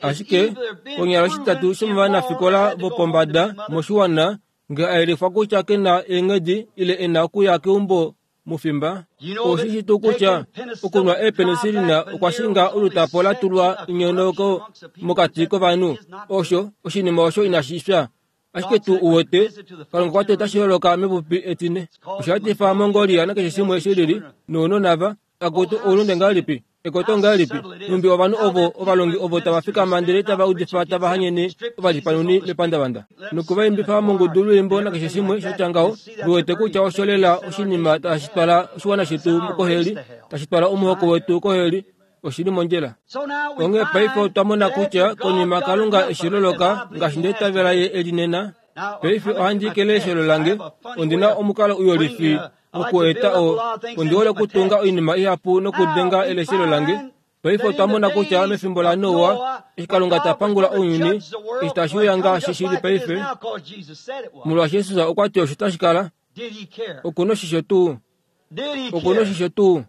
D: ashike konyala oshitatu shomovanafikola vopombada moshiwana nge aelifwa kutya kena eenghedi ile ena okuya keumbo mufimba oshishi tuu kutya okunwa eepenisilina okwa shinga olutapo latulwa inyonoko mokati kovanhu osho oshinima osho inashi fya ashike tuu uwete kalunga kwati otashi holoka mepupi etine osha etifa Mongolia nakeshe shimwe shilili nounona va akutu oulunde ngahelipi ekoto ngahelipi numbi ovanhu ovo ovalongi ovo tava fikama ndele tava udifa tava hanyene ovalipanuni mepandavanda nokuvaimbifa mongudu lwiimbo nakeshe shimwe shatya ngaho viwete kutya osho lela oshinima tashi twala oshiwana shetu koheli tashi twala omuhoko wetu koheli oshili mondjila onghee paife otwa mona kutya konima kalunga eshi loloka ngaashi ndeitavela ye elinena paife ohandi kele eshelo lange ondina omukalo uyolifi okueta o ondihole okutunga oinima ihapu nokudenga eleshelo lange paife otwa mona kutya mefimbo la Noa eshi kalunga tapangula ounyuni eshi tashi uya ngaashi shili paife molwaashi Jesus okwa ti osho tashi kala okuna oshisho tuu okuna oshisho tuu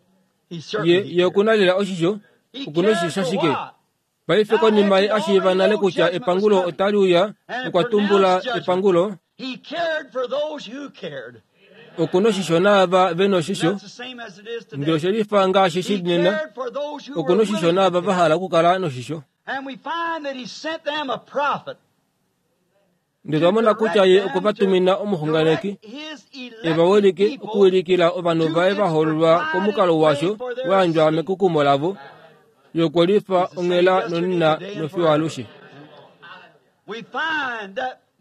D: ye ye okuna lela oshisho okuna oshisho shashike paife konima ye ashiiva nale kutya epangulo otali uya okwa tumbula epangulo okuna oshisho naava vena oshisho ndele oshelifa ngaashi shili nena okuna oshisho naava vahala okukala noshisho ndele twamona kutya ye okwa vatumina omuxunganeki evawilike okuwilikila ovanhu vaye vahoololwa komukalo washo wayandjwa mekukumo lavo yokwelifa onghela nonina nofiyo alushe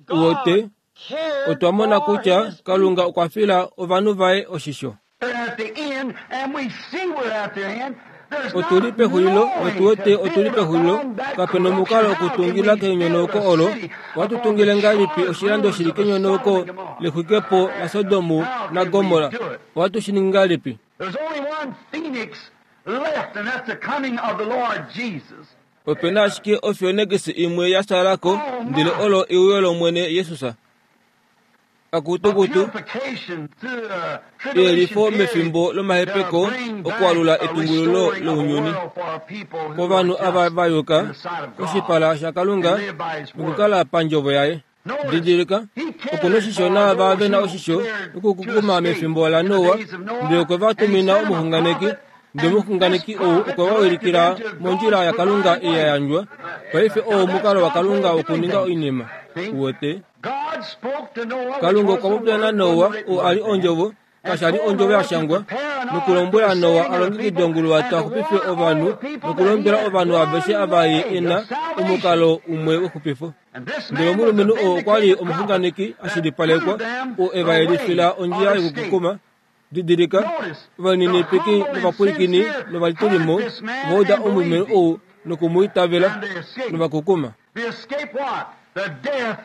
D: uwete otwa mona kutya kalunga okwa fila ovanhu vaye oshisho
E: At the end, and we see we're at the end,
D: Otuli pexulilo notuwete otuli pexulilo kapena omukalo okutungila kenyonauko olo. Ohatu tungile ngahelipi oshilando shili kenyonauko lexwikepo laSodomu naGomorra? Ohatu shi ningi ngahelipi?
C: There's only one phoenix left, and that's the coming of the Lord Jesus.
D: Opena ashike ofenix imwe ya salako ndele olo euyo lOmwene Jesus. Akutukutu
C: Purification through the
D: eyelifo
C: tribulation period
D: mefimbo lomahepeko
C: to bring back
D: okualula
C: a
D: etungululo
C: restoring of the
D: lounyuni
C: world for people who
D: kovanhu
C: are
D: ava
C: just
D: va yuka
C: in the sight of God
D: koshipala shaKalunga
C: and live by His word.
D: nokukala pandjovo yaye. Didilika, okuna oshisho naava ve na oshisho okukukuma mefimbo laNoa, ndele okwe va tumina omuxunganeki, ndele omuxunganeki ou okwe va wilikila mondjila yaKalunga ei ya yandjwa. Paife oo omukalo waKalunga wokuninga oinima. Uwete?
C: God spoke to Noah, which
D: Kalunga
C: was
D: okwa
C: the
D: popya
C: word,
D: naNoa,
C: wasn't written
D: oo a li
C: then.
D: ondjovo, kasha li ondjovo ya shangwa, nokulombwela Noa a longekide onguluwato a xupife ovanhu nokulombwela ovanhu aveshe ava ye e na omukalo umwe wexupifo.
C: And this
D: Ndele
C: man was a
D: omulumenhu oo okwa li
C: vindicated
D: omuxunganeki
C: prophet
D: a shilipalekwa
C: that proved them
D: oo e va
C: the way
D: yelifila ondjila
C: of escape.
D: yokukukuma. Didilika, ovalininipiki novapwilikini novalitulimo ova uda omulumenhu ou nokumwiitavela
C: And they escaped.
D: novakukuma.
C: They escaped what? The death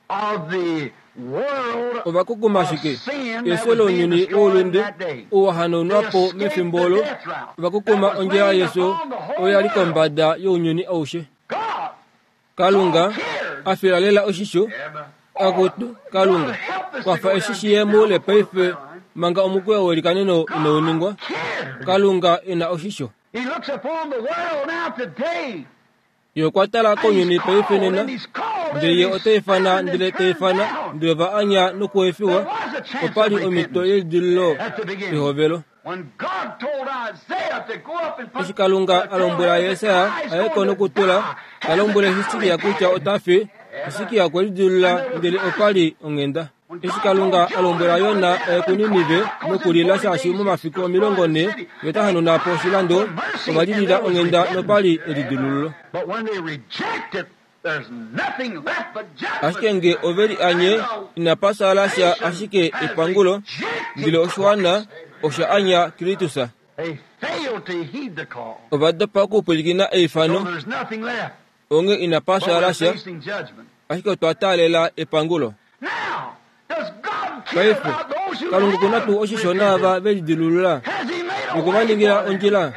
C: of the world
D: Ovakukuma
C: of
D: ashike
C: sin that
D: efyo
C: was being
D: lounyuni
C: destroyed in
D: woulunde
C: that day.
D: oo wa hanaunwa
C: They
D: po
C: escaped
D: mefimbo
C: the
D: olo.
C: death route
D: Ovakukuma
C: that was
D: ondjila
C: laid
D: yefyo
C: upon the whole
D: oyo ya li
C: world.
D: kombada younyuni aushe.
C: God
D: Kalunga a fila lela oshisho akutu Kalunga kwafa eshi shiye muule paife manga omukweyo welikaneno inau ningwa.
C: cared.
D: Kalunga ena oshisho.
C: He looks upon the world now today.
D: Ye okwa tala
C: And he's
D: kounyuni paife
C: called,
D: nena
C: and he's called,
D: ndele
C: and
D: ye
C: he's
D: ota ifana
C: found and
D: ndele ta
C: turned
D: ifana
C: down.
D: ndele va anya nokuefiwa.
C: There was a chance
D: Opa li
C: of
D: omhito
C: repentance
D: yelidililo
C: at the beginning.
D: pehovelo.
C: When God told Isaiah to go up and put
D: Eshi Kalunga a lombwela Yesaya aye ko nokutula, ta lombwele Hisikia kutya ota fi, Hisikia okwe lidilula ndele opa li onghenda. Eshi Kalunga a lombwela Yona aye kuNinive nokulila shaashi momafiku omilongo nhee ye ta hanauna po oshilando, ova lilila onghenda nopa li elidilululo.
C: But when they reject it, there's nothing left but judgment.
D: Ashike nge ove li anye, inapa sala sha ashike epangulo, ndele oshiwana osha anya Kristus.
C: They failed to heed the call.
D: Ova dopa okupwilikina
C: So
D: eifano,
C: there's nothing left.
D: onge inapa
C: But
D: sala
C: we're
D: sha,
C: facing judgment.
D: ashike otwa taalela epangulo.
C: Now, does God care
D: Paife,
C: about those who
D: Kalunga okuna
C: have
D: tuu oshisho naava
C: repented?
D: ve lidilulula
C: Has he made a
D: noku va
C: way
D: ningila
C: for them?
D: ondjila.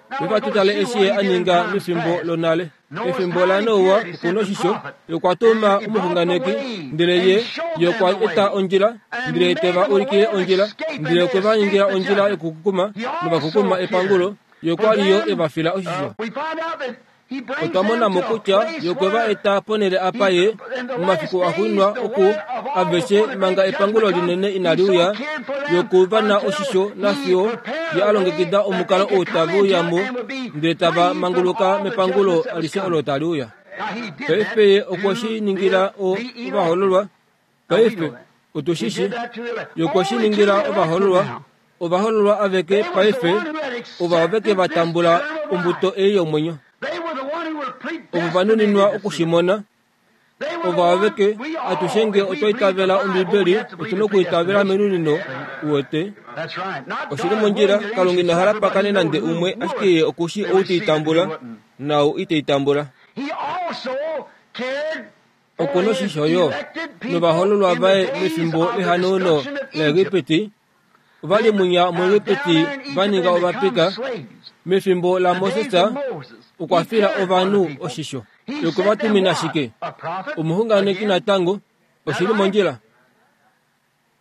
C: Now
D: Vefa
C: we're
D: tu
C: going
D: tale
C: to see
D: eshi
C: what
D: ye
C: he
D: a
C: did in
D: ninga
C: times
D: mefimbo
C: past.
D: lonale.
C: Noah's
D: Efimbo
C: time
D: la
C: he
D: Noa
C: cared, he
D: okuna
C: sent the
D: oshisho,
C: prophet.
D: okwa tuma
C: And he brought the
D: omuxunganeki,
C: way
D: ndele
C: and
D: ye
C: showed
D: ye
C: them
D: okwa
C: the
D: eta
C: way.
D: ondjila,
C: And
D: ndele te
C: made
D: va
C: them a way
D: ulikile
C: of
D: ondjila,
C: escape, and
D: ndele
C: they
D: okwe va ningila
C: escaped the
D: ondjila
C: judgment.
D: yokukukuma,
C: He
D: novakukuma
C: also
D: epangulo,
C: cared
D: ye
C: for
D: okwa li yo
C: them.
D: e va fila
C: Uh,
D: oshisho.
C: we find out that he brings
D: Otwa
C: them
D: mona mo
C: to a
D: kutya
C: place
D: ye okwe va
C: where
D: eta ponhele apa ye
C: he, in the last
D: momafiku
C: days,
D: axuuninwa
C: the
D: oku
C: word of all
D: aveshe
C: before the
D: manga
C: great
D: epangulo
C: judgment comes,
D: linene
C: he
D: inali
C: so
D: uya,
C: cared for them
D: yoku va na
C: until
D: oshisho
C: he
D: nafiyo
C: prepared
D: ye
C: a
D: a
C: way
D: longekida
C: that
D: omukalo
C: they
D: ou
C: could come
D: tave uya
C: into
D: mo
C: it and would be
D: ndele tava
C: free from
D: manguluka
C: all the
D: mepangulo
C: judgments that was
D: alishe
C: coming.
D: olo tali uya.
C: Now he did
D: Paife
C: that
D: ye okwe
C: to
D: shi ningila
C: the,
D: o
C: the elect.
D: ovahoololwa.
C: Now we
D: Paife
C: know that. He
D: otu shi shi
C: did that to the elect.
D: ye okwe shi
C: Only to
D: ningila
C: the elect
D: ovahoololwa.
C: now.
D: Ovahoololwa aveke
C: They was the
D: paife
C: one who had
D: ova aveke va
C: accepted this
D: tambula
C: term of
D: ombuto
C: life.
D: ei yomwenyo.
C: They were the one who were
D: Ovo va nuninwa
C: predestinated to
D: oku
C: see
D: shi
C: it.
D: mona.
C: They were the
D: Ovo
C: one,
D: aveke
C: we
D: atushe
C: all,
D: nge
C: if we
D: otwa
C: believe the
D: itavela
C: Bible, we
D: Ombibeli,
C: have to believe
D: otuna
C: in
D: okuitavela
C: predestination.
D: menunino uwete.
C: That's right. Not
D: Oshili
C: God
D: mondjila
C: willing that any
D: Kalunga
C: should
D: ina hala
C: suffer, but he
D: pakane
C: knows
D: nande
C: who
D: umwe
C: would
D: ashike ye okushi
C: they
D: ou te
C: receive it and who
D: itambula
C: wouldn't.
D: naau ite itambula.
C: He also cared for
D: Okuna
C: his
D: oshisho yo
C: elected people
D: novahoololwa
C: in the
D: vaye
C: days
D: mefimbo
C: of the
D: lehanauno
C: destruction of Egypt.
D: laEgipiti. Ova li munya
C: Now, down
D: muEgipiti
C: there in
D: va
C: Egypt
D: ninga
C: and
D: ovapika.
C: become slaves.
D: Mefimbo la
C: The days
D: Moses
C: of Moses,
D: okwa
C: he
D: fila
C: cared for the
D: ovanhu
C: people.
D: oshisho.
C: He
D: Okwe va
C: sent them
D: tumina
C: what?
D: shike?
C: A prophet
D: Omuxunganeki
C: again.
D: natango oshili mondjila.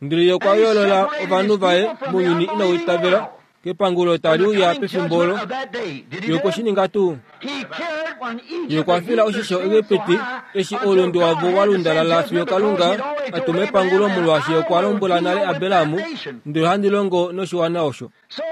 D: Ndele ye okwa
C: And he
D: yoolola
C: separated
D: ovanhu
C: his
D: vaye
C: people from the
D: mounyuni inau
C: unbelieving
D: itavela
C: world.
D: kepangulo
C: From
D: tali
C: the
D: uya
C: coming
D: pefimbo
C: judgment
D: olo.
C: of that day. Did he
D: Ye
C: do
D: okwe
C: it?
D: shi ninga tuu?
C: He cared when
D: Ye
C: Egypt
D: okwa
C: had
D: fila
C: heaped their
D: oshisho
C: sin so
D: Egipiti
C: high
D: eshi
C: until
D: oulunde
C: God
D: wavo
C: had
D: wa
C: to send
D: lundalala fiyo
C: judgment because
D: Kalunga
C: he'd already
D: a
C: told
D: tuma epangulo
C: Abraham,
D: molwaashi
C: I
D: okwa
C: will
D: lombwela nale
C: deal with that
D: Abrahamu
C: nation.
D: ndele handi longo noshiwana osho.
C: So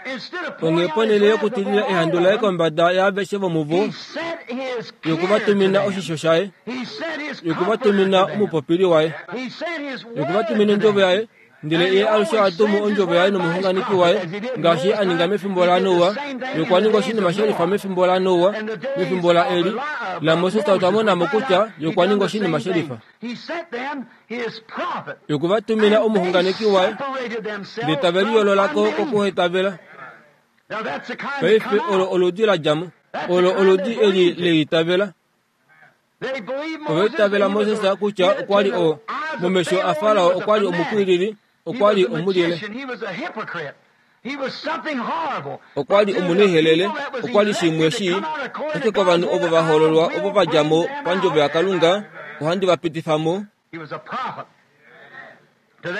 C: instead of pouring
D: Onghee
C: out his
D: ponhele
C: wrath
D: yokutilila
C: upon
D: ehandu
C: all
D: laye
C: of them,
D: kombada yaaveshe vomuvo,
C: he sent his
D: ye okwe va
C: care to
D: tumina
C: them.
D: oshisho shaye,
C: He sent his
D: ye okwe va
C: comforter to
D: tumina
C: them.
D: omupopili waye,
C: He sent his
D: ye okwe va
C: word
D: tumina
C: to
D: ondjovo
C: them.
D: yaye, ndele
C: And he
D: ye alushe
C: always
D: a tumu
C: sends his
D: ondjovo yaye
C: word by his
D: nomuxunganeki
C: prophet,
D: waye
C: as he did in
D: ngaashi
C: Noah's
D: a ninga
C: time.
D: mefimbo
C: He
D: la
C: did the
D: Noa.
C: same thing
D: Ye
C: in
D: okwa
C: the
D: ninga
C: days
D: oshinima
C: of
D: she lifa
C: Noah.
D: mefimbo la Noa,
C: In the days
D: mefimbo la
C: of
D: Eli,
C: Eli- of
D: la Moses
C: Moses,
D: otwa
C: we
D: mona mo
C: find
D: kutya
C: out
D: ye
C: he
D: okwa
C: done
D: ninga
C: the
D: oshinima
C: same
D: she
C: thing.
D: lifa.
C: He sent them his prophet.
D: Ye okwe va tumina
C: And they
D: omuxunganeki waye,
C: separated
D: ndele
C: themselves
D: tave
C: from
D: liyoololako
C: unbelief.
D: kokuhetavela. Paife olo oludi la dja mo. Olo oludi eli leitavela. Ova itavela Moses kutya okwa li o momesho a Farao okwa li omupwilili, okwa li omulile. Okwa li omunihelele, okwa li shimwe shii. Ashike kovanhu ovo va hoololwa ovo va dja mo pandjovo yaKalunga, ohandi va pitifa mo.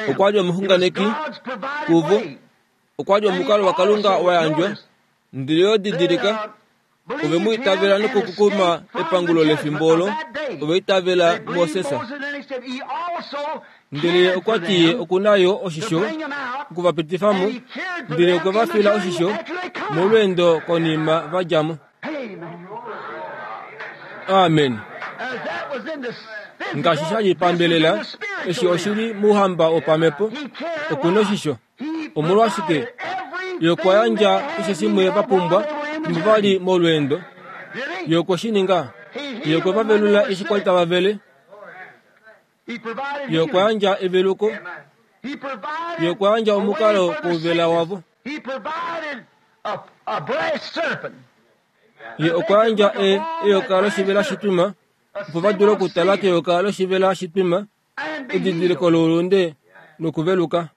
D: Okwa li omuxunganeki kuvo. Okwa li omukalo waKalunga wa yandjwa. Ndele yo didilika, ove mu itavela nokukukuma epangulo lefimbo olo, ova itavela Moses. Ndele okwa ti ye oku na yo oshisho okuvapitifa mo, ndele okwe va fila oshisho molweendo konima va dja mo. Amen. Ngaashi sha li pambelela, eshi oshi li mouhamba wopamhepo, oku na oshisho. Omolwashike? Ye okwa yandja keshe shimwe va pumbwa fimbo va li molweendo. Ye okwe shi ninga. Ye okwe va velula eshi kwa li tava vele. Ye okwa yandja eveluko. Ye okwa yandja omukalo kouvela wavo. Ye okwa yandja e, eyoka loshivela shitwima, opo va dule okutala keyoka loshivela shitwima, edidiliko loulunde nokuveluka.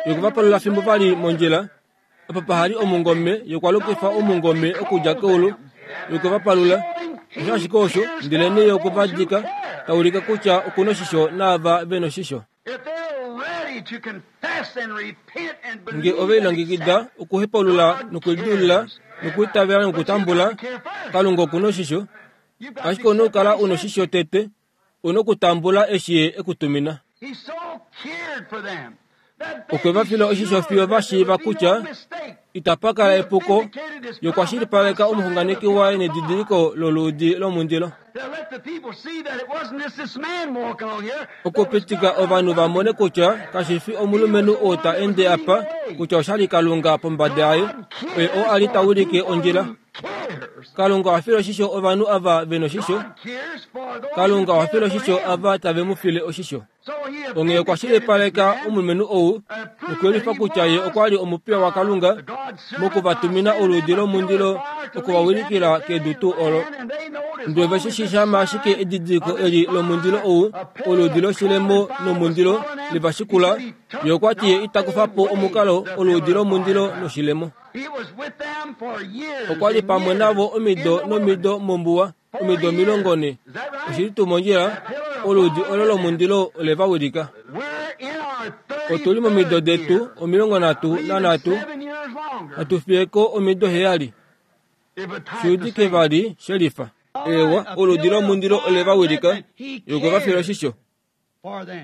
D: Ye okwa palula fimbo va li mondjila, opo paha li omungome, ye okwa lukifa omungome okudja keulu, ye okwe va palula. Osho ashike osho, ndelenee ye okwe va dika, ta ulike kutya oku noshisho naava ve noshisho. Nge ove lilongekida okuhepaulula nokulidilulula nokuitavela nokutambula, Kalunga oku noshisho. Ashike ou na okukala u noshisho tete, ou na okutambula eshi ye e ku tumina. Okwe va fila oshisho fiyo va shiiva kutya itapa kala epuko, ye okwa shilipaleka omuxunganeki waye nedidiliko loluudi lomundilo. Okupitika ovanhu va mone kutya kashi fi omulumenhu oo ta ende apa, kutya osha li Kalunga pombada yaye, oye oo a li ta wilike ondjila. Kalunga oha file oshisho ovanhu ava ve noshisho. Kalunga oha file oshisho ava tave mu file oshisho. Onghee okwa shilipaleka omulumenhu ou nokuyelifa kutya ye okwa li omupiya waKalunga mokuvatumina oluudi lomundilo okuvawilikila kedu tuu olo. Ndele ove shi shama ashike edidiliko eli lomundilo ou, oluudi loshilemo nomundilo levashikula, ye okwa ti ye ita kufa po omukalo oluudi lomundilo noshilemo. Okwa li pamwe navo omido nomido mombuwa, omido omilongo ne. Oshili tuu mondjila, oluudi olo lomundilo ole va wilika. Otu li momido detu omilongo nhatu nanhatu, hatu fiye ko omido heyali. Shuudike vali shelifa. Ewa, oluudi lomundilo ole va wilika, ye okwe va fila oshisho.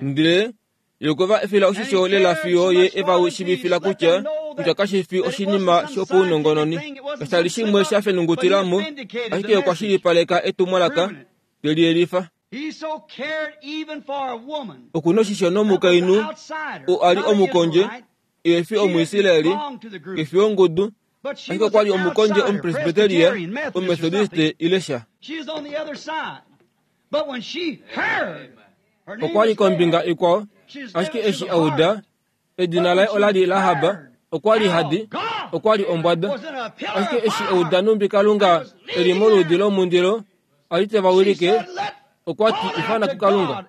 D: Ndele ye okwe va fila oshisho lela fiyo ye e va shiivifila kutya kutya kashi fi oshinima shopaunongononi. Kasha li shimwe sha fenungutila mo, ashike okwa shilipaleka etumwalaka, te liyelifa. Oku noshisho nomukainhu oo a li omukondje, ehe fi Omuisraeli, ke fi wongudu, ashike okwa li omukondje Omupresbyteria, Omumethodiste ile sha. Okwa li kombinga ikwao, ashike eshi a uda, edina laye ola li Rahab, okwa li hadi, okwa li ombwada. Ashike eshi a uda numbi Kalunga e li moluudi lomundilo, a li te va wilike, okwa ti ifana kuKalunga.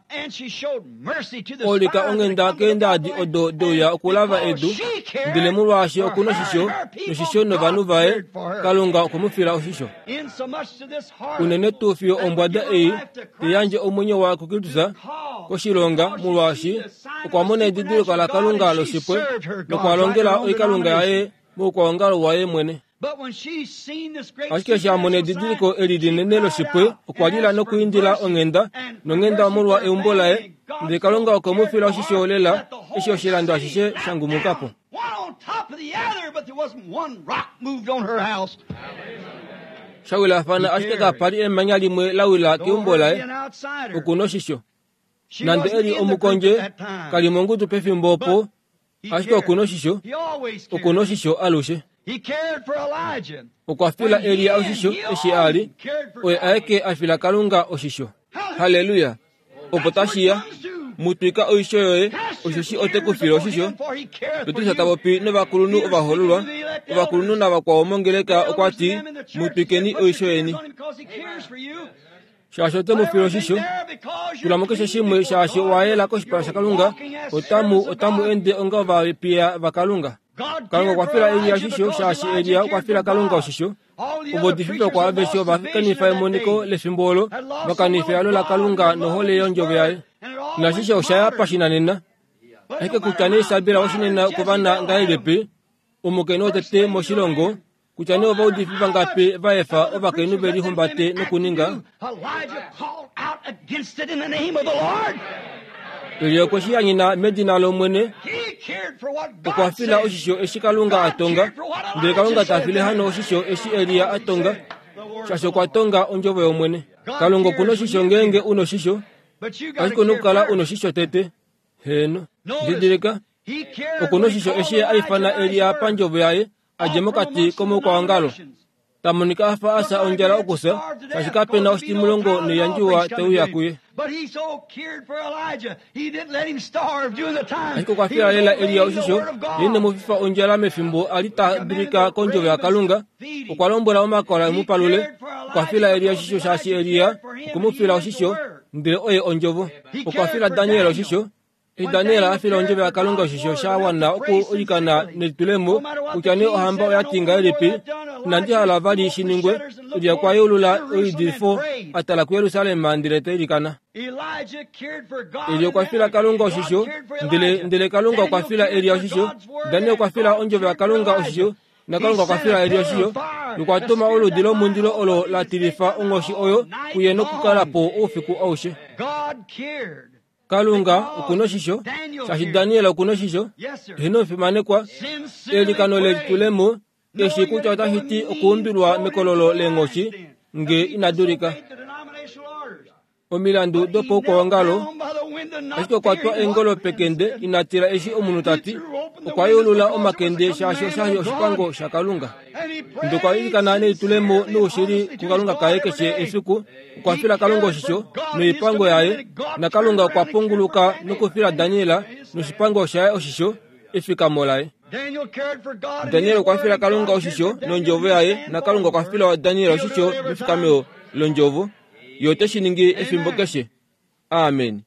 D: Olika onghenda keendaadi odo deuya okulava edu, ndele molwaashi oku noshisho noshisho novanhu vaye, Kalunga okwe mu fila oshisho. Unene tuu fiyo ombwada ei te yandje omwenyo waye kuKristus koshilonga, molwaashi okwa mona edidiliko laKalunga loshipwe nokwa longela oikalunga yaye moukwaongalo waye mwene. Ashike eshi a mona edidiliko eli linene loshipwe, okwa lila nokuindila onghenda nonghenda molwa eumbo laye, ndele Kalunga okwe mu fila oshisho lela eshi oshilando ashishe sha ngumuka po. Sha wilafana ashike kapa li emanya limwe la wila keumbo laye, oku noshisho. Nande e li omukondje, ka li mongudu pefimbo opo, ashike oku noshisho, oku noshisho alushe. Okwa fila Elia oshisho eshi a li, oye aeke a fila Kalunga oshisho. Halleluya! Opo tashi ya, mu twika oisho yoye, Osheshi ote ku file oshisho. Petrus ta popi novakulunhu ovahoololwa, ovakulunhu navakwao mongeleka okwa ti, mutwikeni oisho yeni. Shaashi ote mu file oshisho, tula mo keshe shimwe shaashi owa yela koshipala shaKalunga, otamu otamu ende onga ovapiya vaKalunga. Kalunga okwa fila Elia oshisho shaashi Elia okwa fila Kalunga oshisho. Ovaudifi vakwao aveshe ova kanifa emoniko lefimbo olo, va kanifa ehalo laKalunga nohole yondjovo yaye. Nashishe osha ya pashinanena. Ashike kutya nee Isabel oshinena kovana ngahelipi, omukainhu wotete moshilongo, kutya nee ovaudifi vangapi va efa ovakainhu ve lihumbate nokuninga. Elia okwe shi yanyena medina lOmwene, okwa fila oshisho eshi Kalunga a tonga, ndele Kalunga ta file hano oshisho eshi Elia a tonga, shaashi okwa tonga ondjovo yOmwene. Kalunga okuna oshisho ngeenge una oshisho, ashike una okukala una oshisho tete. Heeno, didilika, okuna oshisho eshi a ifana Elia pandjovo yaye, a dje mokati komaukwaongalo. Ta monika a fa a fya ondjala okufya, shaashi kapena oshitimulongo noiyandjiwa te uya kuye. Ashike okwa fila lela Elia oshisho, ye ine mu fifa ondjala mefimbo a li ta dulika kondjovo yaKalunga. Okwa lombwela omakola e mu palule. Okwa fila Elia oshisho shaashi Elia okwe mu fila oshisho, ndele oye ondjovo. Okwa fila Daniel oshisho. Eshi Daniel a fila ondjovo yaKalunga oshisho sha wana okuilikana nelitulemo, kutya nee ohamba oya ti ngahelipi, inandi hala vali shi ningwe. Elia okwa yeulula oidilifo a tala kuJerusalem ndele ta ilikana. Elia okwa fila Kalunga oshisho, ndele ndele Kalunga okwa fila Elia oshisho. Daniel okwa fila ondjovo yaKalunga oshisho, naKalunga okwa fila Elia oshisho. Nokwa tuma oludi lomundilo olo la tilifa onghoshi oyo kuye nokukala po oufiku aushe. Kalunga okuna oshisho, shaashi Daniel okuna oshisho. Eheno omufimanekwa, eilikano lelitulemo, eshi kutya otashi ti okuumbilwa mekololo leenghoshi nge ina dulika. Omilandu dopaukwaongalo, ashike okwa twa eengolo pekende ina tila eshi omunhu ta ti, okwa yeulula omakende shaashi oshali oshipango shaKalunga. Ndele okwa ilikana nelitulemo noushili kuKalunga kaye keshe efiku, okwa fila Kalunga oshisho noipango yaye, naKalunga okwa punguluka nokufila Daniel noshipango shaye oshisho, efikamo laye. Daniel okwa fila Kalunga oshisho nondjovo yaye, naKalunga okwa fila Daniel oshisho mefikameo londjovo. Ye ote shi ningi efimbo keshe. Amen.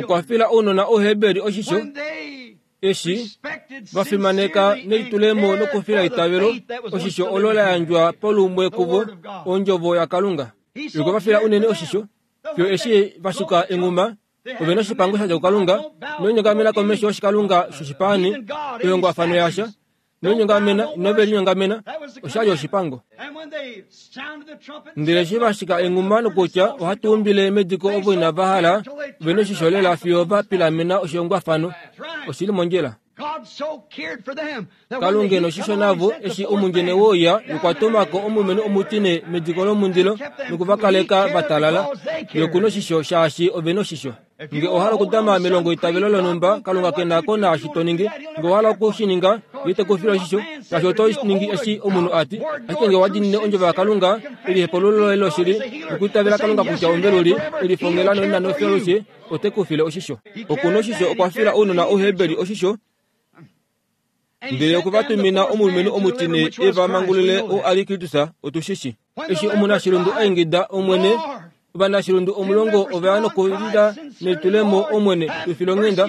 D: Okwa fila ounona Ouheberi oshisho, eshi va fimaneka nelitulemo nokufila eitavelo, oshisho olo la yandjwa palumwe kuvo, ondjovo yaKalunga. Ye okwa fila unene oshisho, fiyo eshi va shika enghuma, ove noshipango sha dja kuKalunga, noinyongamena komesho yoshikalunga shoshipaani, oihongwafano yasha, noinyongamena, inove linyongamena, oshali oshipango. Ndele eshi va shika enghuma nokutya ohatu umbile mediko ovo inava hala, ove noshisho lela fiyo va pilamena oshihongwafano. Oshili mondjila. Kalunga noshisho navo eshi omundjene woya nokwa tumako omulumenhu omutine mediko lomundilo nokuvakaleka va talala. Ye okuna oshisho shaashi ove noshisho. Nge owa hala okudama melongo itavelo lonhumba, Kalunga ke na ko naashi to ningi. Nge owa hala oku shi ninga, ye te ku file oshisho, shaashi oto ningi eshi omunhu a ti. Ashike nge owa diinine ondjovo yaKalunga, elihepululo loye loshili, nokwiitavela Kalunga kutya omuveluli, elifongela noina nofyo ote ku file oshisho. Okuna oshisho okwa fila ounona Ouheberi oshisho, ndele okwe va tumina omulumenhu omutine e va mangulule oo a li Kristus, otu shi shi. Eshi omunashilundu a ingida Omwene, ovanashilundu omulongo ova ya nokulila nelitulemo Omwene, tu file onghenda.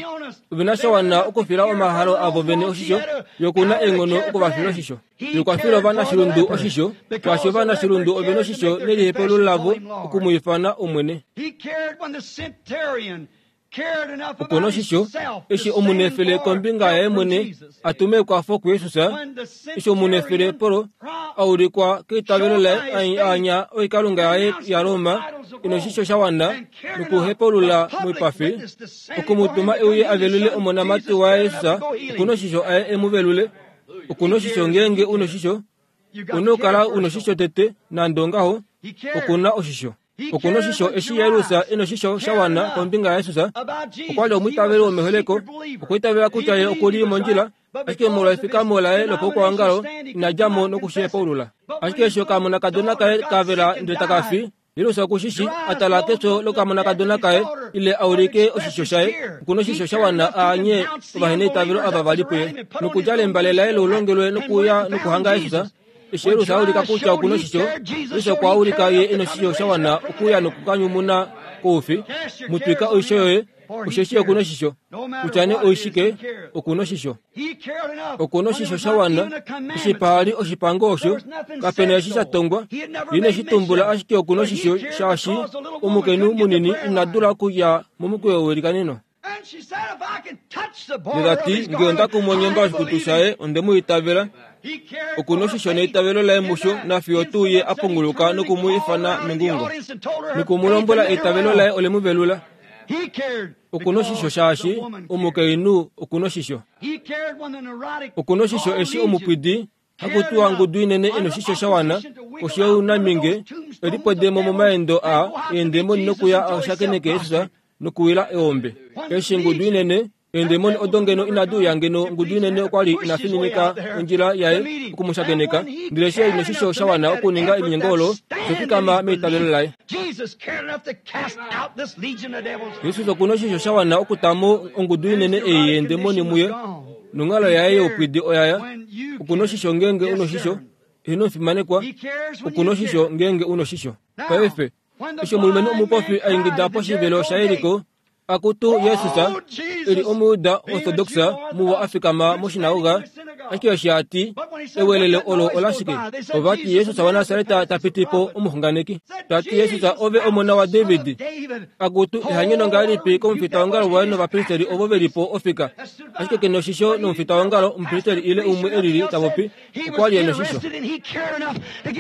D: Ove na sha wana okufila omahalo avo vene oshisho, ye okuna eenghono okuvafila oshisho. Ye okwa fila ovanashilundu oshisho, shaashi ovanashilundu ove noshisho nelihepululo lavo oku mu ifana Omwene. Okuna oshisho, eshi omunefele kombinga yaye mwene a tume ekwafo kuJesus, eshi omunefele polo a ulikwa keitavelo laye a anya oikalunga yaye yaRoma, ina oshisho sha wana nokuhepulula moipafi, okumutuma e uye a velule omonamati waye Jesus, okuna oshisho aye e mu velule. Okuna oshisho ngeenge una oshisho, una okukala una oshisho tete, nande ongaho, okuna oshisho. Okuna oshisho eshi Jairus e noshisho sha wana kombinga yaJesus, okwa li omwiitaveli womeholeko, okwa itavela kutya ye oku li mondjila, ashike molwa efikamo laye lopaukwaongalo ina dja mo nokushi hepaulula. Ashike eshi okamonakadona kaye ka vela ndele taka fi, Yerusa okushishi atala kefyo lokamonakadona kaye ile aulike oshisho shaye okuna oshisho sha wana aanye ovaheneitavelo ava vali puye nokudjala embale laye loulongelwe nokuya nokuhanga Yesus. Eshi Yerusa aulika kutya okuna oshisho, Yesus okwa aulika ye ena oshisho sha wana okuya nokukanyumuna koufi. Mutwika oisho yoye, osheshi okuna oshisho. Kutya nee oishike, okuna oshisho. Okuna oshisho sha wana, eshi paali oshipango osho, kapena eshi sha tongwa, ye ineshi tumbula ashike okuna oshisho shaashi omukainhu munini ina dula okuya momukweyo welikaneno. Ndele tati, ngee onda kumu onyemba yoshikutu shaye, onde mu itavela. Okuna oshisho neitavelo laye musho nafiyo tuu ye a punguluka noku mu ifana mengungo. Noku mu lombwela eitavelo laye ole mu velula. Okuna oshisho shaashi omukainhu okuna oshisho. Okuna oshisho eshi omupwidi hakutiwa ngudu inene ena oshisho sha wana oshounamhinge elipwedemo momaendo a eendemoni nokuya ashakeneke Jesus nokuwila eombe. Eshi ngudu inene eendemoni odo ngeno inadi uya ngeno ngudu inene okwali inafininika ondjila yaye okumushakeneka, ndele eshi ena oshisho sha wana okuninga elinyengo olo, oshafikama meitavelo laye. Jesus okuna oshisho sha wana okutamo ongudu inene ei yeendemoni muye, nonghalo yaye youpwidi oyaya. Okuna oshisho ngeenge una oshisho, ino fimanekwa. Okuna oshisho ngeenge una oshisho. Paife, eshi omulumenhu omupofi a ingida poshivelo shaJeriko, akutu Jesus, eli Omuyuda orthodoxa muwa a fikama moshinagoga, ashike eshi a ti, ewelelo olo olashike? Ova ti Jesus waNasareta ta piti po omuxunganeki. Ta ti Jesus ove omona waDavid. Akutu ehanyeno ngahelipi komufitaongalo waye novapristeri ovo ve li po ofika. Ashike ke noshisho nomufitaongalo, omupristeri ile umwe elili ta popi, okwa li e noshisho.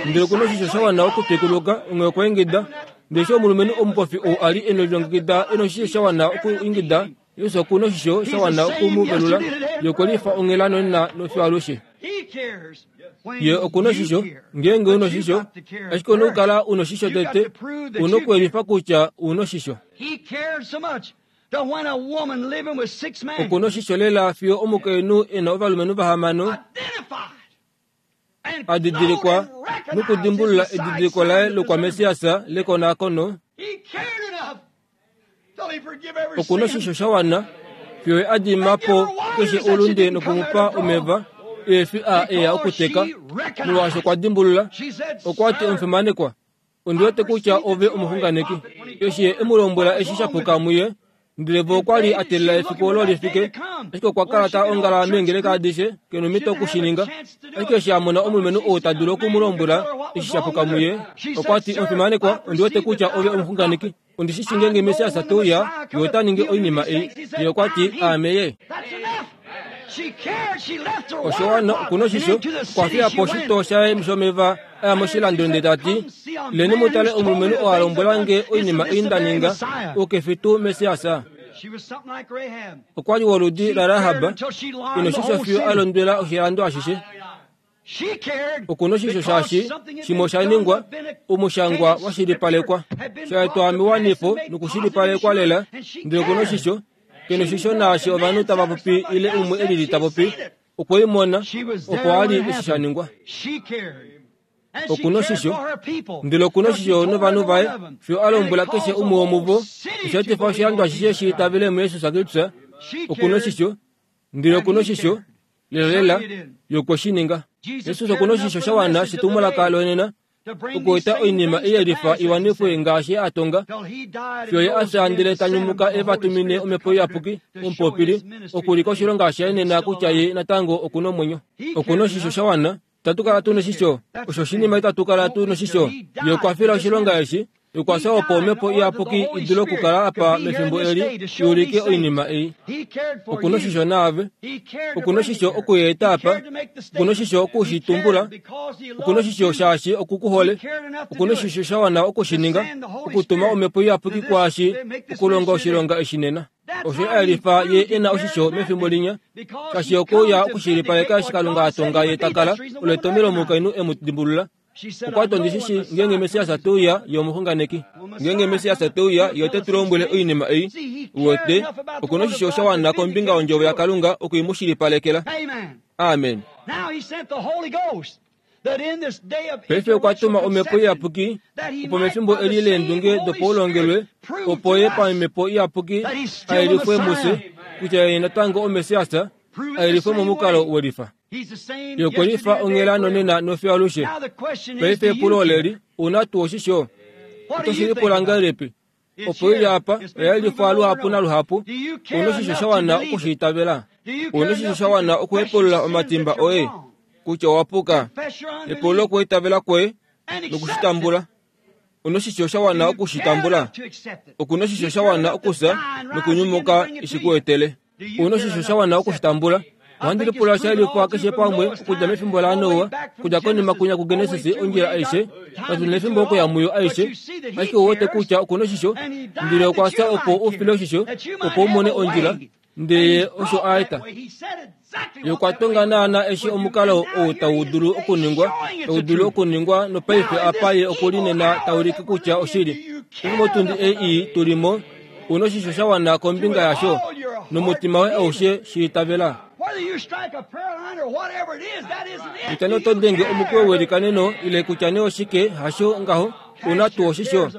D: Ndele okuna oshisho sha wana okutwikuluka, onghee okwa ingida. Ndele eshi omulumenhu omupofi ou a li e nelilongekida e noshisho sha wana okuingida, Jesus okuna oshisho sha wana oku mu velula, ye okwe lifa onghela nonena nofiyo alushe. Ye okuna oshisho, ngeenge una oshisho, ashike una okukala una oshisho tete, una okuelifa kutya una oshisho. Okuna oshisho lela fiyo omukainhu e na ovalumenhu vahamano a didilikwa nokudimbulula edidiliko laye lokwaMessias lekonakono. Okuna oshisho sha wana fiyo ye a dima po keshe oulunde nokumupa omeva eefi a eya okuteka, molwaashi okwa dimbulula. Okwa ti omufimanekwa, ondi wete kutya ove omuxunganeki. Eshi ye e mu lombwela eshi sha puka muye, ndele vo okwa li a teelela efiku olo lifike, ashike okwa kala ta ongala meengeleka adishe, ke nomhito okushininga. Ashike eshi a mona omulumenhu ou ta dulu oku mu lombwela eshi sha puka muye, okwa ti omufimanekwa, ondi wete kutya ove omuxunganeki. Ondi shi shi ngeenge Messias te uya, ye ota ningi oinima ei. Ye okwa ti, aame ye. Osho wana okuna oshisho, okwa fiya po oshitoo shaye shomeva a ya moshilando ndele ta ti, leni mu tale omulumenhu oo a lombwela nge oinima ei nda ninga, ou ke fi tuu Messias. Okwa li woludi laRahab, ina oshisho fiyo a londwela oshilando ashishe. Okuna oshisho shaashi shimwe osha ningwa, omushangwa wa shilipalekwa, sha etwa mewanifo nokushilipalekwa lela, ndele okuna oshisho, ke noshisho naashi ovanhu tava popi ile umwe elili ta popi, okwe i mona, opo a li eshi sha ningwa. Okuna oshisho, ndele okuna oshisho novanhu vaye, fiyo a lombwela keshe umwe womuvo, osha etifa oshilando ashishe shi itavele muJesus Kristus. Okuna oshisho, ndele okuna oshisho, lela lela, ye okwe shi ninga. Jesus okuna oshisho sha wana shetumwalaka lonena, okueta oinima ei yelifa iwanifwe ngaashi a tonga, fiyo ye a fya ndele ta nyumuka e va tumine omhepo iyapuki, omupopili, okulika oshilonga shaye nena kutya ye natango okuna omwenyo. Okuna oshisho sha wana, itatu kala tu noshisho, osho oshinima itatu kala tu noshisho. Ye okwa fila oshilonga eshi, okwa fya opo omhepo iyapuki i dule okukala apa mefimbo eli, i ulike oinima ei. Okuna oshisho naave, okuna oshisho okuyeeta apa, okuna oshisho okushitumbula, okuna oshisho shaashi okukuhole, okuna oshisho sha wana okushininga, okutuma omhepo iyapuki kwaashi okulonga oshilonga eshi nena. Osho a yelifa ye e na oshisho mefimbo linya, shaashi okouya okushilipaleka eshi Kalunga a tonga ye ta kala, olo etomelo omukainhu e mu dimbulula. Okwa ti ondi shi shi ngeenge Messias te uya, ye omuxunganeki. Ngeenge Messias te uya, ye ote tu lombwele oinima ei. Uwete, okuna oshisho sha wana kombinga yondjovo yaKalunga oku i mu shilipalekela. Amen. Paife okwa tuma omhepo iyapuki opo mefimbo eli leendunge dopaulongelwe opo ye pamhepo iyapuki ayelifwe mufye kutya ye natango omesiasa ayelifwe momukalo welifa. Ye okwe lifa onghela nonena nofiyo alushe. Paife epulo oleli, una tuu oshisho? Oto shi lipula ngahelipi? Opo ili apa oya yelifwa luhapu naluhapu, una oshisho sha wana okushiitavela. Una oshisho sha wana okuhepulula omatimba oye kutya owa puka. Epululo okuitavela kwoye nokushitambula. Una oshisho sha wana okushitambula. Okuna oshisho sha wana okufya nokunyumuka ishikuetele. Una oshisho sha wana okushitambula. Ohandi lipula sha yelifwa keshe pamwe okudja mefimbo laNoa kudja konima kunya kuGenesis ondjila aishe katu nefimbo okuya muyo aishe. Ashike ou wete kutya okuna oshisho ndele okwa fya opo u file oshisho opo u mone ondjila ndele osho a eta. Ye okwa tonga naana eshi omukalo ou tau dulu okuningwa tau dulu okuningwa nopaife apa ye okuli nena taulike kutya oshili. Paife motundi ei tulimo una oshisho sha wana kombinga yasho nomutima woye aushe shiitavela. Kutya nee oto denge omukweyo welikaneno ile kutya nee oshike hasho ngaho una tuu oshisho.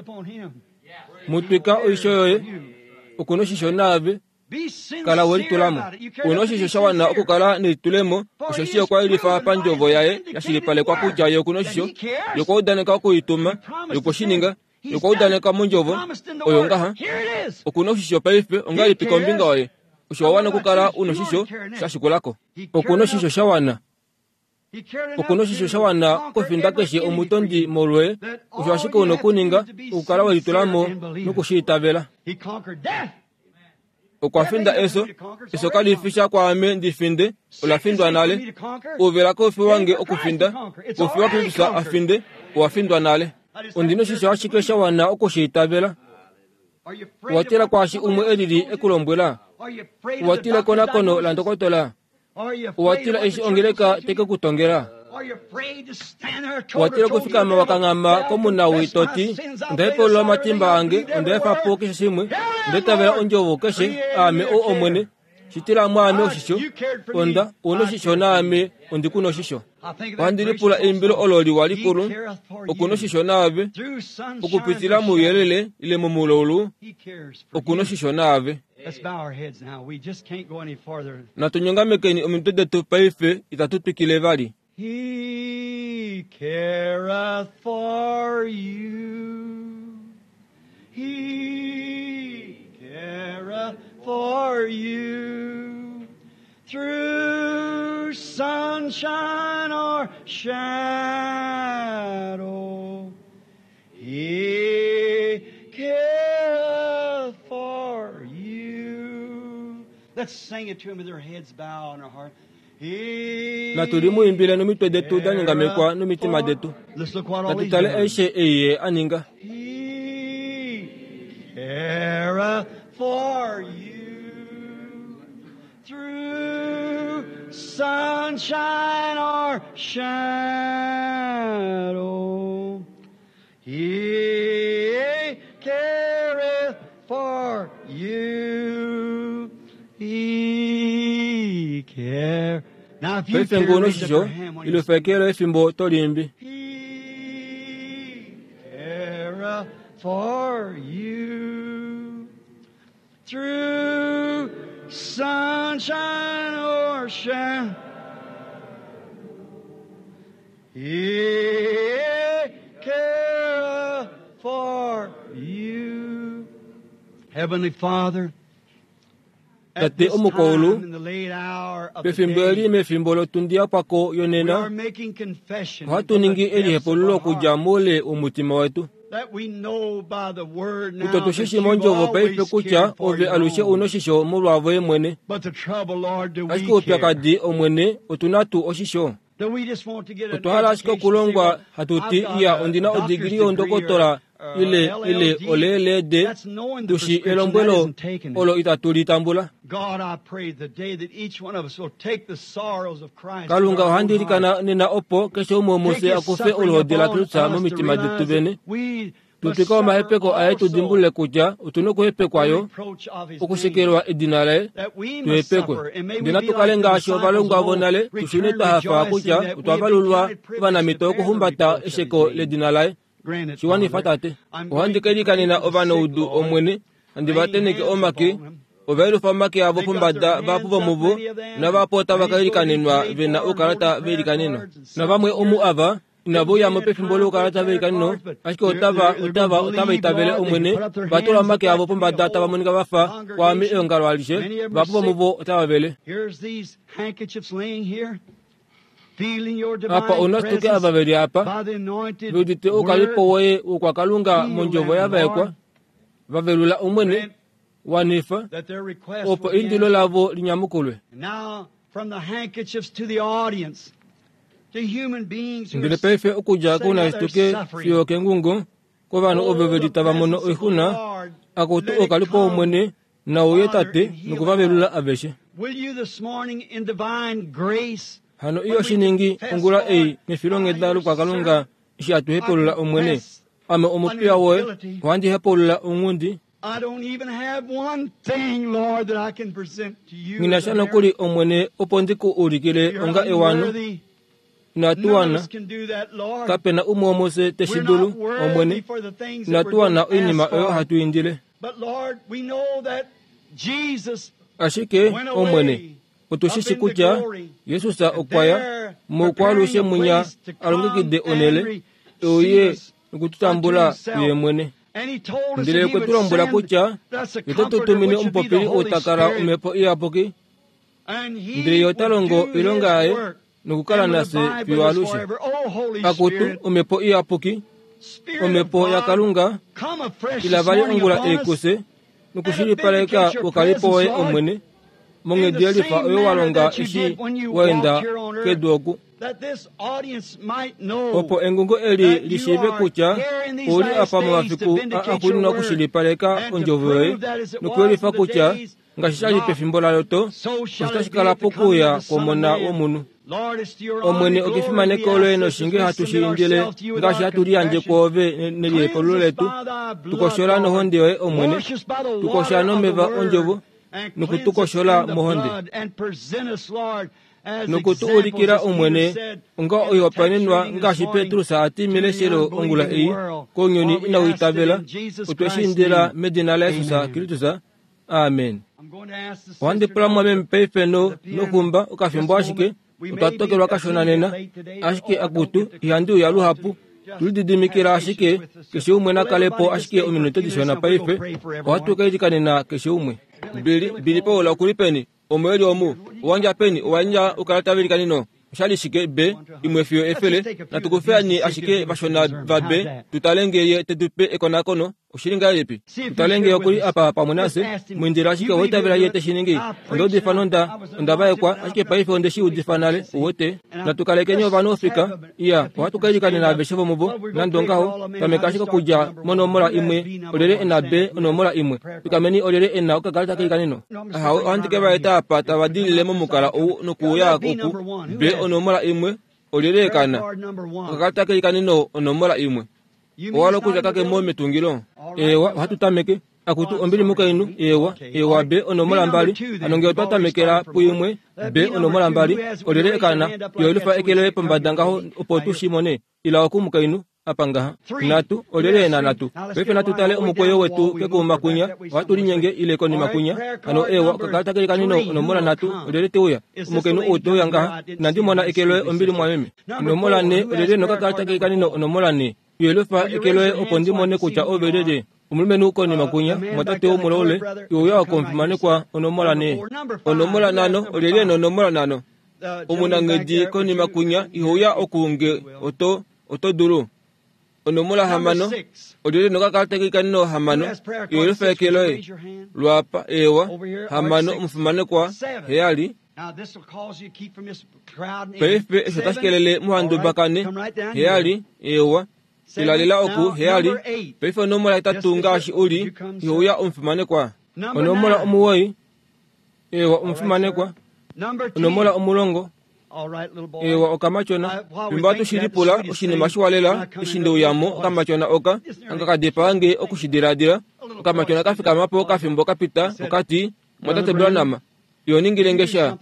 D: Mutwika oisho yoye okuna oshisho naave kala welitulamo. Una oshisho sha wana okukala nelitulemo osheshi okwa yelifa pandjovo yaye yashilipalekwa kutya ye okuna oshisho. Ye okwa udaneka okuituma, ye okwe shi ninga. Ye okwa udaneka mondjovo oyo ngaha. Okuna oshisho paife ongahelipi kombinga yoye? Osho wa wana okukala una oshisho sha shikulako. Okuna oshisho sha wana. Okuna oshisho sha wana okufinda keshe omutondi molwoye. Osho ashike una okuninga okukala welitulamo nokushiitavela. Okwa finda eso. Eso kali fi sha kwaame ndi finde, ola findwa nale. Ouvela koufi wange okufinda, koufi waKristus a finde, owa findwa nale. Ondina oshisho ashike sha wana okushiitavela. Owa tila kwaashi umwe elili ekulombwela. Owa tila ekonakono landokotola. Owa tila eshi ongeleka teke kutongela. Owa tila okufikama wakanghama komunawi toti onda hepulula omatimba ange, onda efa po keshe shimwe, onda itavela ondjovo keshe, aame ou Omwene, shitila mwaame oshisho, onda una oshisho naame ondi kuna oshisho. Ohandi lipula eimbilo olo liwa likulu, okuna oshisho naave, okupitila mouyelele ile momulaulu, okuna oshisho naave. Natunyongamekeni omitwe detu paife itatu twikile vali.
C: He careth for you. He careth for you. Through sunshine or shadow, He careth for you. Let's sing it to Him with our heads bowed and our heart.
D: Natu limuimbile nomitwe detu da nyongamekwa nomitima detu. Natu tale aishe ei ye a ninga.
C: He careth for you through sunshine or shadow. He careth for you. He care. Now if you
D: Paife
C: care,
D: ngoo
C: raise up
D: noshisho
C: your hand when you
D: ilufekelo efimbo tolimbi.
C: He careth for you through sunshine or shine. He careth for you. Heavenly Father, at
D: Tate
C: this
D: omukwaulu,
C: time in the late hour of the
D: pefimbo eli
C: day,
D: mefimbo lotundi kwako
C: we are
D: yonena
C: making confession
D: ohatu
C: from the
D: ningi
C: depths of
D: elihepululo
C: our
D: okudja
C: heart
D: moule womutima wetu.
C: that we know by the word now
D: Kutya
C: that
D: tushishi
C: you've
D: mondjovo paife
C: always
D: kutya
C: cared for
D: ove
C: your
D: alushe
C: own.
D: una oshisho molwavoye mwene.
C: But the trouble, Lord, do we
D: Ashike
C: care?
D: oupyakadi omwene otuna tuu oshisho.
C: Do we just want to get an
D: Otwa hala ashike
C: education?
D: okulongwa
C: Say,
D: hatu
C: well,
D: ti
C: I've got
D: iya
C: a
D: ondina
C: doctor's
D: odigiri
C: degree
D: yondokotola
C: or, uh,
D: ile
C: L L
D: ile
C: D.
D: oleelede
C: That's knowing the
D: tushi
C: prescription, that
D: elombwelo
C: isn't taking it.
D: olo itatu litambula.
C: God, I pray the day that each one of us will take the sorrows of Christ
D: Kalunga
C: in our own
D: ohandi
C: heart.
D: ilikana nena opo keshe umwe
C: Take
D: womufye
C: his
D: akufe
C: suffering
D: oluhodi
C: upon
D: laKristus
C: us to
D: momitima detu
C: realize
D: vene.
C: that we
D: Tutwika omahepeko aye tudimbulule kutya otuna okuhepekwa yo okushekelwa edina laye tuhepekwe. Ndele natukale ngaashi ovalongwa vonale tushune twahafa kutya otwa valulwa ovanamito okuhumbata esheko ledina laye. Shiwanifa tate. Ohandi kelikanena ovanaudu omwene handi vateneke omake ovaelufa omake avo pombada vahapu vomuvo navahapu otava kailikanenwa vena oukalata veilikaneno. Navamwe omu ava inavuyamo pefimbo loukalata veilikaneno ashike otava otava otava itavele omwene vatula omake avo pombada tava monika vafa kwaame eongalo alishe vahapu vomuvo otava vele. Apa ouna tuke ava veli apa veudite oukalipo woye wokwakalunga mondjovo yavaekwa vavelula omwene wanifa opo indilo lavo linyamukulwe. Ndele paife okudja kounashituke fiyo kengungo kovanhu ovo veli tava mono oixuna akutu oukalipo womwene nauye tate nokuvavelula aveshe. Hano iyo shiningi ongula ei mefilonghenda lokwakalunga eshi hatuhepulula omwene. Ame omupiya woye ohandi hepulula onghundi. Nghinasha nokuli omwene opo ndiku ulikile onga ewano. Inatuwana kapena umwe womufye teshidulu omwene. Inatuwana oinima oyo hatu indile. Ashike omwene otushishi kutya Jesus okwaya moukwalushe munya alongekide onele euye nokututambula kuye mwene. Ndele okwe tu lombwela kutya ye ote tu tumine omupopili outakala omhepo iyapuki ndele ye ota longo oilonga yaye nokukala nafye fiyo alushe. Akutu omhepo iyapuki omhepo yakalunga ila vali ongula eikuse nokushilipaleka oukalipo woye omwene monghedi yelifa oyo walonga eshi waenda kedu oku. Opo engungo eli lishiive kutya ouli apa momafiku axuuninwa okushilipaleka ondjovo yoye nokuyelifa kutya ngaashi shali pefimbo laloto osho tashi kala pokuuya kwomona womunhu. Omwene okefimaneko loye noshinge hatu shi indile ngaashi hatu liyandje kwoove nelihepululo letu. Tukoshola nohonde yoye omwene, tukosha nomeva ondjovo nokutukoshola mohonde. Nokutu ulikila omwene onga oihopaenenwa ngaashi Petrus ati meleshelo ongula ei kounyuni inau itavela. Otwe shi indila medina laJesus Kristus. Amen. Ohandi pula mwameme paife noxumba okafimbo ashike otwa tokelwa kashona nena ashike akutu ihandi uya luhapu. Tulididimikila ashike keshe umwe nakalepo ashike ominute dishona paife ohatu kailikanena keshe umwe. Bili bili paula okuli peni omweli omu owandja peni owandja ukalata veilikaneno oshali shike b imwe fiyo efele natukufeani ashike vashona va b tutale ye tetupe ekonakono oshili ngahelipi. Tutale okuli apa pamwe nafye mwindila ashike owaitavela ye teshiningi. Ondaudifa nonda ondavaekwa ashike paife ondeshi udifa nale uwete. Natukalekeni ovanhu ofika iya ohatu kailikanena aveshe vomuvo nande ongaho tameka ashike okudja monomola imwe olyelye ena b onomola imwe fikameni olyelye ena okakalata keilikaneno. Ahawe ohandi ke vaeta apa tava dilile momukala ou nokuuya oku b onomola imwe olyelye ekana okakalata keilikaneno onomola imwe owala okudja kakemo metungilo. Ewa ohatu tameke akutu ombili mukainhu. Ewa ewa b onomola mbali hano ngee otwa tamekela puimwe b onomola mbali olyelye ekana yoelufa eke loye pombada ngaho opo tushimone. Ila oku mukainhu apa ngaha natu olyelye ena natu. Paife natu tale omukweyo wetu kekuma kunya ohatu linyenge ile konima kunya. Hano ewa okakalata keilikaneno onomola natu olyelye teuya omukainhu ou teuya ngaha inandi mona eke loye ombili mwameme. Onomola ne olyelye nokakalata keilikaneno onomola ne yoelufa eke loye opo ndimone kutya ove lyelye. Omulumenhu konima kunya mwatate womulaule youya okomufimanekwa onomola ne. Onomola nano olyelye nonomola nano omunanghedi konima kunya ihouya okuunge oto oto dulu. Onomola hamano olyelye nokakalata keilikaneno hamano yoelufa eke loye lwapa ewa hamano omufimanekwa heyali. Paife esho tashikelele muhandubakane heyali ewa ilalela oku heyali. Paife onomola itatu ngaashi uli ihouya omufimanekwa. Onomola omuwoi ewa omufimanekwa. Onomola omulongo Ewa okamachona fimbo atushilipula oshinima shiwalela eshi ndeuyamo okamachona oka anga kadipaange okushidiladila okamachona kafikamapo kafimbo kapita okati mwatate Branham yoningile sha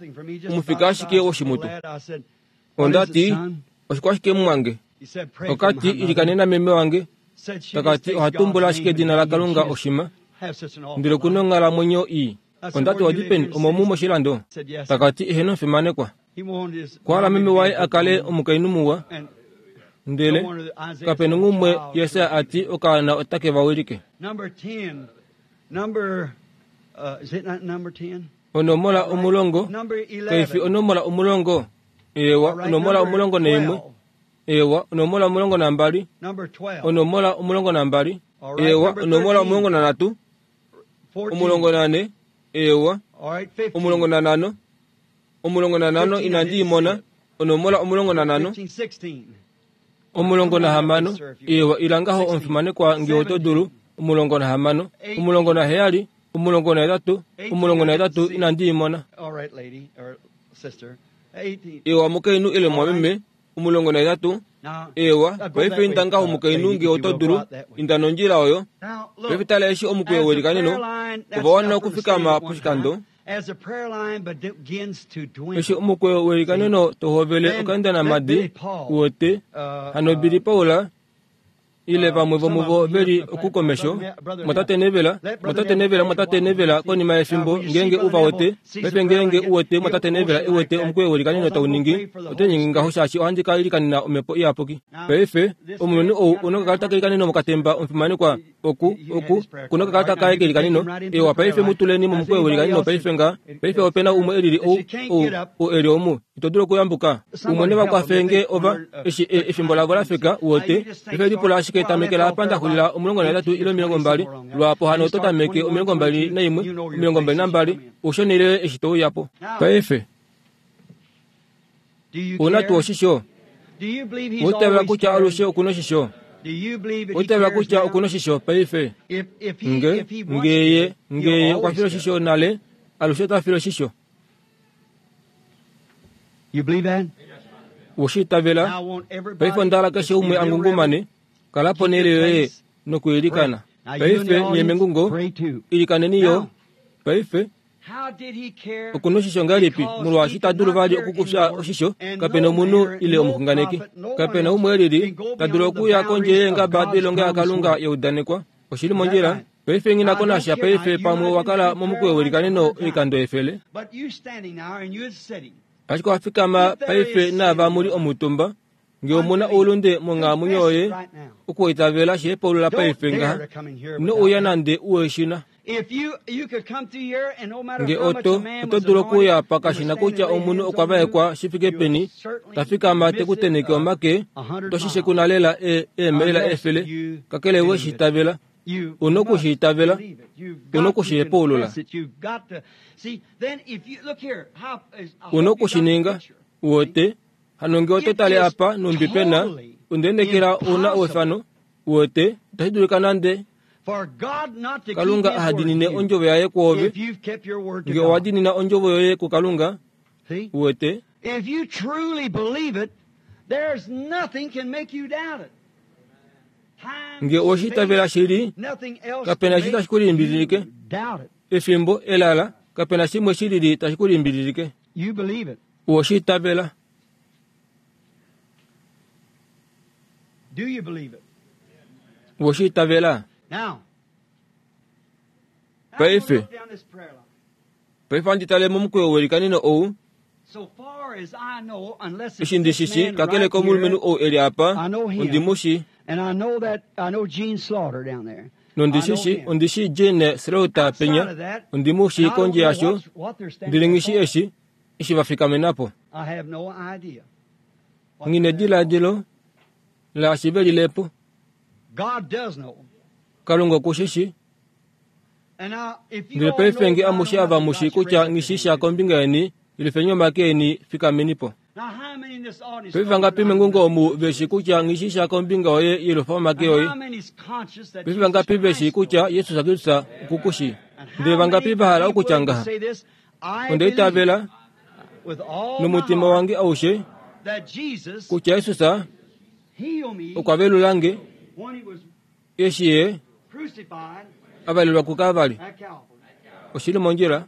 D: omufika ashike woshimutu. Ondati oshikwashike mwange okati ilikanena meme wange takati ohatumbula ashike edina la Kalunga oshima ndele okuna onghalamwenyo ii. Ondati wadipeni omomu moshilando takati eheno mfimanekwa kwala meme waye akale omukainhu muwa ndele kapena ngumwe Yesaya ati okaana otake vawilike. Onomola omulongo kaifi onomola omulongo ewa onomola omulongo neimwe ewa onomola omulongo nambali onomola omulongo nambali ewa onomola omulongo nanhatu omulongo nane ewa omulongo nanhano omulongo nanhano inandi imona onomola omulongo nanhano omulongo nahamano ewa ilangaho omufimanekwa nge oto dulu omulongo nahamano omulongo naheyali omulongo nahetatu omulongo nahetatu inandi imona. Ewa mukainhu ile mwameme omulongo nahetatu ewa paife indangaho mukainhu nge oto dulu inda nondjila oyo paife tala eshi omukweyo welikaneno ova wana okufikama poshikando eshi omukweyo welikaneno tohovele okaenda namadi uwete hano bili Paula ile vamwe vomuvo veli okukomesho mwatate Nevela mwatate Nevela mwatate Nevela konima yefimbo ngenge uva wete paife ngenge uwete mwatate Nevela iwete omukweyo welikaneno tauningi ote ngaho shaashi ohandi ka ilikanena omhepo iyapuki. Paife omulumenhu ou onokakalata kelikaneno mokatemba omufimanekwa oku oku kunokakalata kaye kelikaneno ewa paife mutuleni momukweyo welikaneno paife nga paife opena umwe elili ou ou ou eli omu ito dulu okuyambuka umwe nevakwafenge ova eshi efimbo lavo lafika uwete paife lipula ashike tamekela apa ndaxulila omulongo nahetatu ile omilongo mbali lwapo hano oto tameke omilongo mbali naimwe omilongo mbali nambali ushonile eshi touyapo. Paife una tuu oshisho utavela kutya alushe okuna oshisho utavela kutya okuna oshisho paife nge ngeye ngeye okwafila oshisho nale alushe otafila oshisho. Ushitavela paife ondala keshe umwe angungumane kalapo nele yoye nokuilikana paife nyemengungo ilikaneni yo paife okuna oshisho ngahelipi molwaashi tadulu vali okukufya oshisho kapena omunhu ile omuxunganeki kapena umwe elili tadulu okuya kondje yeengaba doilonga yaKalunga yaudanekwa oshili mondjila paife nghinako nasha paife pamwe wakala momukweyo welikaneno oikando efele ashike owafikama paife naava muli omutumba nge omuna oulunde monghalamwenyo yoye okuitavela sheepaulula paife ngaha ino uya nande uweshina nge oto oto dulu okuya pakashina kutya omunhu okwa vaekwa shifike peni tafikama tekuteneke omake toshishe kuna lela eemelela efele kakele weshitavela una okushitavela una okushihepaulula una okushininga uwete hano nge oto tale apa numbi pena undenekela una owefano uwete itashi dulika nande Kalunga ahadinine ondjovo yaye kwoove nge owadinina ondjovo yoye kuKalunga uwete.
C: If you truly believe it, there's nothing can make you doubt it.
D: Nge oshitavela shili kapena shi tashi kulimbililike efimbo elala kapena shimwe shilili tashi kulimbililike uwoshitavela.
C: Do you believe it?
D: Uwoshitavela.
C: Now,
D: paife paife anditale momukweyo welikaneno ou
C: so far as I know, unless
D: eshi ndishishi kakele komulumenhu ou eli apa ondimushi
C: and I know that I know Gene Slaughter down there.
D: nondishishi ondishi Gene Slaughter penya ondimushi kondje yasho ndilingishi eshi eshi vafikamenapo
C: I have no idea.
D: ngine diladilo laashi velilepo
C: God does know.
D: Kalunga okushishi
C: And now, if you
D: ndele
C: all
D: paife
C: know
D: nge
C: God
D: amushe ava mushi kutya ngishisha kombinga yeni ilifenyi omake eni fikamenipo.
C: Now, how many in this audience
D: Paife vangapi mengungo omu veshi kutya ngishisha kombinga yoye ilufa omake yoye
C: How many is conscious that
D: paife vangapi veshi kutya Yesu Kristu okukushi ndele vangapi vahala okutya ngaha
C: say this? I
D: ondeitavela Nomutima wange aushe kutya Jesus okwa velulange eshi ye avalelwa kuKalvari. Oshili mondjila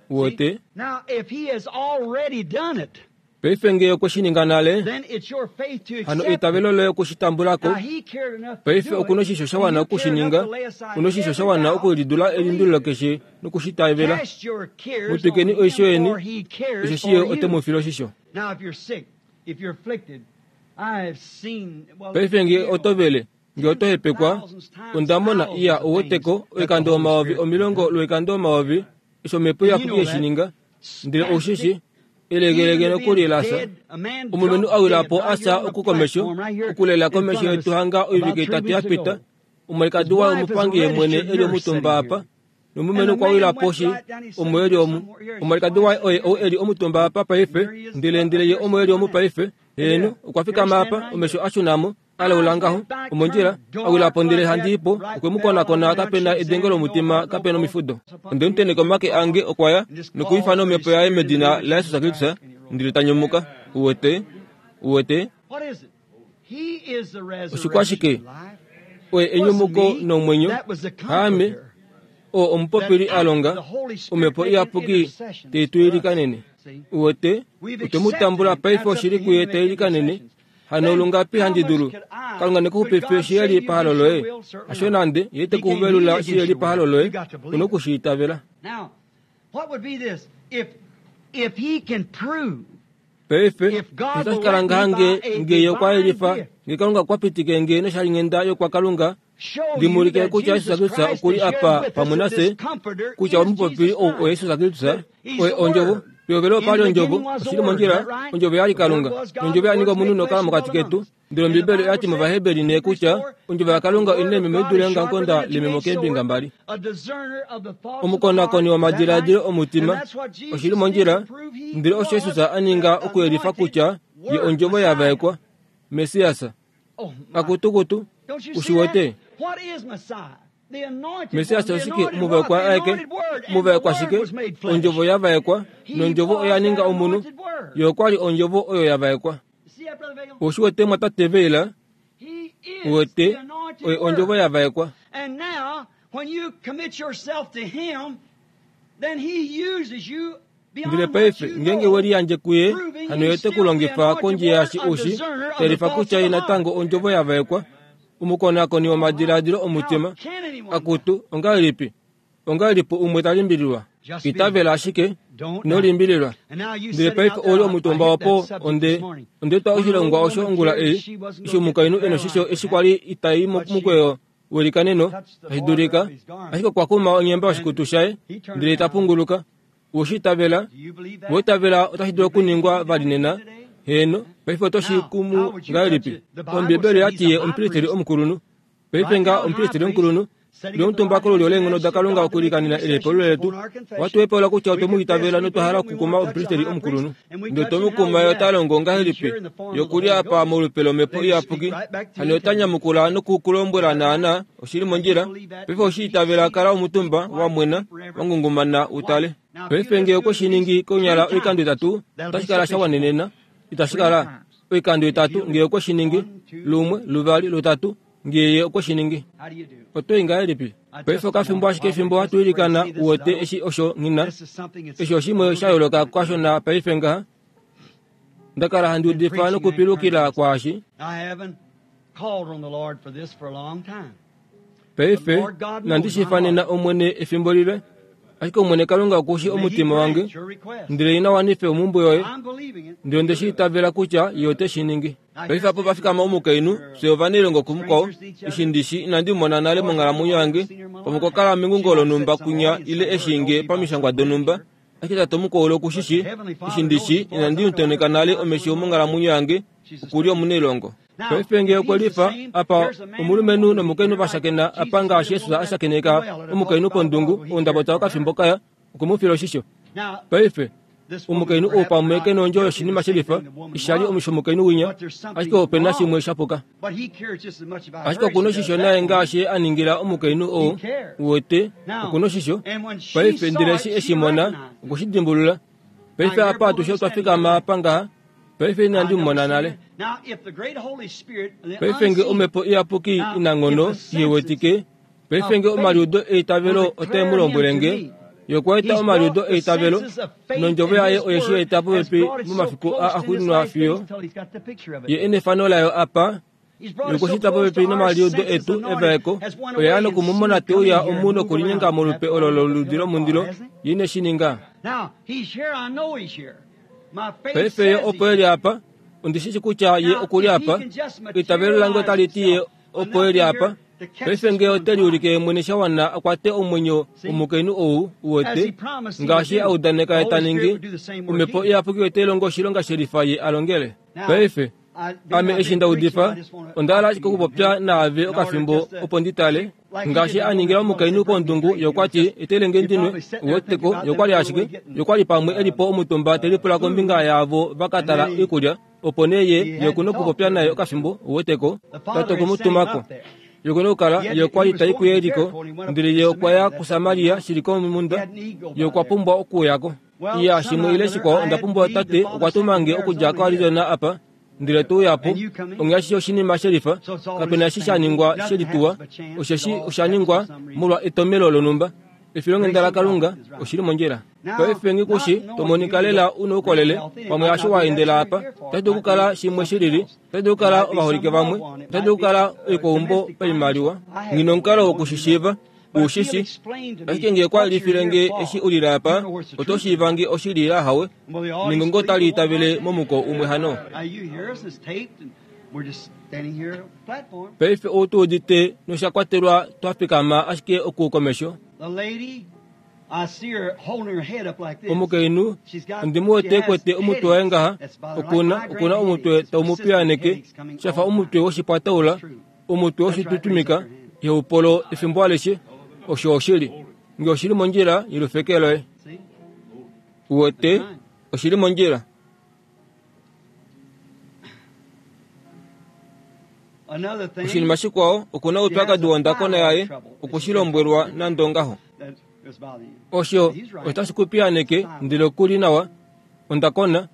D: wote. Paife nge okweshininga nale, hano eitavelo loye okushitambulako. Paife okuna oshisho sha wana okushininga, una oshisho sha wana okulidula elindululo keshe nokushitavela. Mutwikeni oisho yeni, osheshi ye ote mu file oshisho. Paife nge otovele, nge otohepekwa, ondamona iya ouweteko oikando omayovi omilongo lwoikando omayovi eshi omhepo iyapuki yeshininga, ndele oushishi elegelege nokuli lasa. Omulumenhu awilapo asa okukomesho okulela komesho yetu hanga oivike itatu yapita. Omwalikadi waye omupangi yemwene eli omutumba apa, nomulumenhu okwa wila poshi omo eli omu. Omwalikadi waye oye ou eli omutumba apa paife, ndele ndele ye omo eli omu paife. Heeno, okwa fikama apa, omesho ashunamo alaula ngaho omondjila awilapo ndele handiipo okwe mu konakona kapena edenge lomutima kapena omifudo. Onde muteneka omake ange okwa ya nokuifana omhepo yaye medina laJesus Kristus ndele ta nyumuka. Uwete, uwete oshikwashike? Oye enyumuko nomwenyo. Haame oo omupopili a longa omhepo iyapuki teituilikanene. Uwete otwe mu tambula paife oshili kuye teilikanene. Hano lungapi handi dulu Kalunga nekuxupife shi eli pahalo loye, hasho nande ye te kuvelula shi eli pahalo loye, una okushiitavela. Paife otashi kala ngaha nge nge okwa yelifa nge Kalunga okwa pitike nge noshalinghenda yokwaKalunga ndimulike kutya Jesus Kristus okuli apa pamwe nafye, kutya omupopili ou oye Jesus Kristus, oye ondjovo. Pehovelo opa li ondjovo, oshili mondjila, ondjovo yali Kalunga, nondjovo ya ninga omunhu nokala mokati ketu. Ndele Ombibeli oya ti mOvaheberi nee kutya ondjovo yaKalunga oina ememo i dule eongamukonda lememo keembinga mbali. Omukonakoni womadiladilo omutima, oshili mondjila, ndele osho Jesus a ninga okuyelifa kutya ye ondjovo ya vaekwa, Messias. Akutukutu, ushiwete? Messias oshike? Omuvaekwa aeke, omuvaekwa shike? Ondjovo ya vaekwa, nondjovo oya ninga omunhu. Ye okwa li ondjovo oyo ya vaekwa. Oshiwete mwatate Veila, uwete, oye ondjovo ya vaekwa. Ndele paife ngeenge we liyandje kuye, hano ye te ku longifa kondje yaashi ushi, telifa kutya ye natango ondjovo ya vaekwa. Omukonakoni womadiladilo omutima, akutu, ongahelipi? Ongahelipi umwe ta limbililwa? Itavela ashike, ino limbililwa. Ndele paife ouli omutumba opo onde onde twa oshilongwa osho ongula ei, eshi omukainhu ena oshisho eshi kwali itai mukweyo welikaneno, tashi dulika, ashike okwa kuma onyemba yoshikutu shaye, ndele ta punguluka. Ushitavela, weitavela otashi dulu okuningwa vali nena. Heeno, paife otoshi kumu ngahelipi? Ombibeli oyati ye omupristeli omukulunhu. Paife nga omupristeli omukulunhu, lyomutumba kolulyo leenghono daKalunga okulikanena elepolo letu, ohatu hepaula kutya otwe mu itavela notwa hala okukuma omupristeli omukulunhu. Ndele otwe mu kuma ye ota longo ngahelipi? Ye okuli apa molupe lomhepo iyapuki. Hano ota nyamukula nokukulombwela naana oshili mondjila. Paife oshiitavela kala omutumba wa mwena wa ngungumana utale. Paife nge okwe shi ningi konyala oikando itatu, otashi kala sha wanenena. Itashi kala oikando itatu nge okwe shi ningi lumwe, luvali, lutatu nge ye okwe shi ningi. Otoi ngahelipi? Paife okafimbo ashike fimbo hatu ilikana uwete eshi osho nghina. Eshi oshimwe sha yooloka kwasho na paife ngaha. Ndakala handi udifa nokupilukila kwaashi. Paife nandi shifanena Omwene efimbo lile, ashike Omwene Kalunga okushi omutima wange, ndele ina wanife omhumbwe yoye, ndele onde shi itavela kutya ye ote shi ningi. Paife apo pa fikama omukainhu, fye ovanailongo kumukwao, eshi ndishi inandi mona nale monghalamwenyo yange, pamwe okwa kala mengungo lonhumba kunya ile eshi nge pamishangwa donhumba, ashike tate omukwao okushishi, eshi ndishi inandi mutoneka nale omesho monghalamwenyo yange, okuli omunailongo. Paife nge okwe lifa apa omulumenhu nomukainhu va shakena apa ngaashi Jesus a shakeneka omukainhu pondungu oundabota okafimbo kaya, okwe mu fila oshisho. Paife omukainhu ou pamwe ke nondjo yoshinima shelifa, isha li shomukainhu winya, ashike ope na shimwe sha puka. Ashike okuna oshisho naye ngaashi a ningila omukainhu ou, uwete, okuna oshisho. Paife ndele eshi eshi mona, okwe shi dimbulula. Paife apa atushe otwa fikama apa ngaha. Paife inandi mumona nale. Paife nge omhepo iyapuki inanghono iwetike. Paife nge omaliudo eitavelo otae mu lombwele nge. Yokwaeta omaliudo eitavelo nondjovo yaye oye shi eta popepi momafiku a axuuninwa fiyo ye enefano layo apa. Yokushita popepi nomaliudo etu evaeko oye ya nokumumona te uya omu nokulinyenga molupe olo loludi lomundilo ye ine shi ninga. Paife ye opo eli apa, ondi shi shi kutya ye okuli apa. Eitavelo lange otali ti ye opo eli apa. Paife nge ote liulike mwene sha wana akwate omwenyo womukainhu ou uwete ngaashi a udaneka ye ta ningi, omhepo iyapuki otai longo oshilonga shelifa ye a longele. Paife ame eshi nda udifa, onda hala ashike okupopya naave okafimbo opo ndi tale ngaashi a ningila omukainhu kondungu yokwati etelenge ndinwe uweteko yokwali ashike yokwali pamwe elipo omutumba telipula kombinga yaavo vakatala oikulya opo nee ye yokuna okupopya naye okafimbo uweteko tate okumutumako yokuna okukala yokwali tai kuYeriko ndele ye okwa ya kuSamaria shili komunda ye okwa pumbwa okuuyako. Iya shimwe ile shikwao onda pumbwa tate okwa tuma nge okudja koArizona apa ndele to uyapo ongeashi oshinima shelifa kapena eshi sha ningwa shelituwa osheshi osha ningwa molwa etomelo lonhumba. Efilonghenda laKalunga oshili mondjila. Paife ngikushi tomonika lela una oukolele pamwe asho wa endela apa. Otashi dulu okukala shimwe shilili, otashi dulu okukala ovaholike vamwe, otashi dulu okukala oikwaumbo paimaliwa. Nghi nomukalo wokushishiiva ushishi, ashike nge okwa lifile nge eshi ulile apa, oto shiiva nge oshili ile ahawe, ningo otali itavele momuko umwe hano. Paife ou tu udite nosha kwatelwa twa fikama ashike oku komesho. Omukainhu ondi mu wete ekwete omutwe waye ngaha, okuna okuna omutwe tau mu piyaaneke shafa omutwe woshipwataula, omutwe woshitutumika yeupolo efimbo alishe. Osho oshili nge oshili mondjila yelufeke loye. Uwete oshili mondjila. Oshinima shikwao okuna oupyakadi wondakona yaye okushilombwelwa nande ongaho. Osho otashi ku piyaaneke ndele okuli nawa ondakona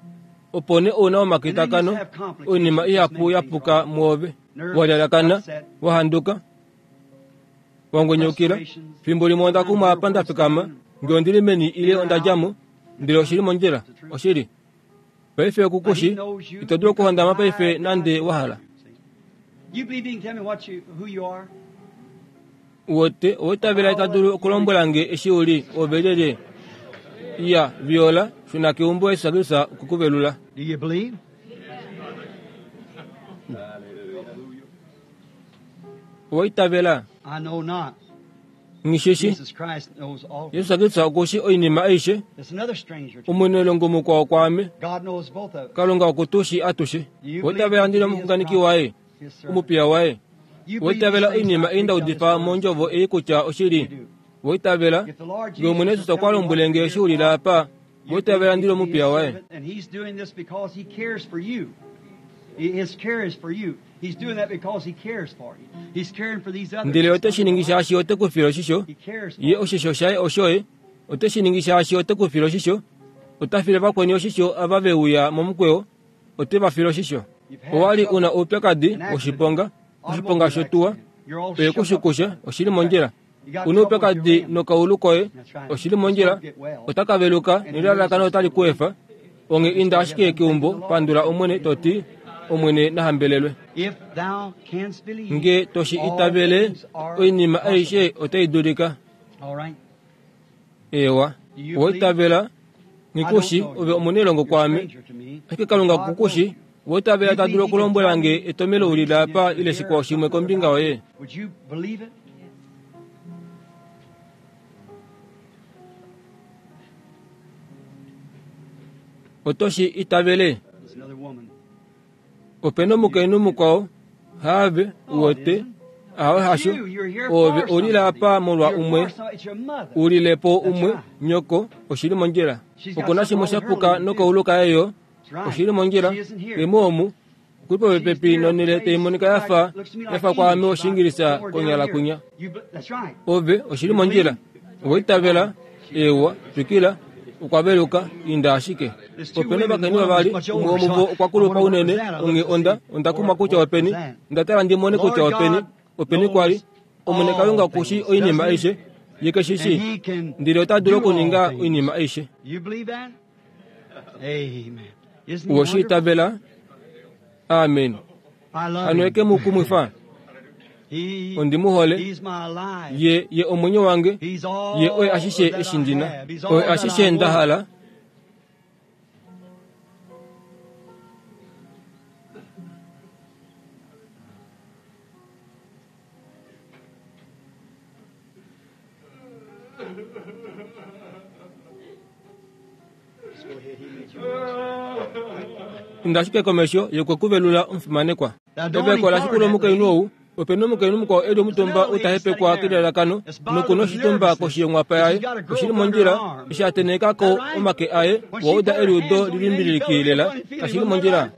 D: opo nee ouna omakitakano oinima ihapu yapuka mwoove walyalakana wahanduka wangwenyukila. Fimbo limwe onda kumwa apa nda fikama nge ondili meni ile onda djamo ndele oshili mondjila oshili. Paife okukushi ito dulu okuhondama paife nande wahala. Uwete oweitavela ita dulu okulombwela nge eshi uli ove lyelye. Iya viola shuna keumbo Jesus Kristus okukuvelula. Oweitavela Ngishishi Jesus Kristus okushi oinima aishe. Omunelongo mukwao kwaame Kalunga okutushi atushe. Oweitavela ndili omuxunganeki waye omupiya waye. Oweitavela oinima ei ndaudifa mondjovo ei kutya oshili. Oweitavela nge Omwene Jesus okwa lombwele nge eshi ulile apa. Oweitavela ndili omupiya waye. Ndele ote shi ningi shaashi ote ku file oshisho. Ye oshisho shaye oshoye. Ote shi ningi shaashi ote ku file oshisho. Ota file vakweni oshisho ava ve uya momukweyo. Ote va file oshisho. Owali una oupyakadi woshiponga, oshiponga shotuwa, oye kushukusha, oshili mondjila. Una oupyakadi nokaulu koye, oshili mondjila. Ota ka veluka nelalakano otali ku efa. Onge inda ashike keumbo pandula Omwene toti Omwene nahambelelwe. Nge toshi itavele oinima aishe otai dulika. Ewa, oweitavela ngikushi ove omunelongo kwaame. Ashike Kalunga kukushi oweitavela ta dulu okulombwela nge etomelo ulile apa ile shikwao shimwe kombinga yoye. Otoshi itavele. Opena omukainhu mukwao haave uwete ahawe hasho ove ulile apa molwa umwe ulilepo umwe nyoko oshili mondjila. Okuna shimwe shapuka nokaulu kaye oshili mondjila. Emoomu okuli popepi nonhele taimonika yafa yafa kwaame Oshingilisa konyala kunya. Ove oshili mondjila. Oweitavela ewa twikila Okwa veluka inda ashike. Opena ovakainhu vavali, umwe womuvo okwa kulupa unene, onghee onda onda kumwa kutya openi. Onda tala ndi mone kutya openi, openi kwali. Omwene Kalunga okushi oinima aishe, ye keshi shi, ndele ota dulu okuninga oinima aishe. Owe shi itavela? Amen. Hano eke mu kumwifa. Ondi mu hole. Ye ye omwenyo wange. Ye oye ashishe eshi ndina. Oye ashishe nda hala. Inda ashike komesho yokukuvelula omufimanekwa. Eveko lashikula omukainhu ou. Opena omukainhu mukwao eli omutumba utahepekwa kelalakano nokuna oshitumba koshi yonghwapa yaye. Oshili mondjila eshi a tenhekako omake aye wauda eliudo lilimbiliki lela. Kashili mondjila.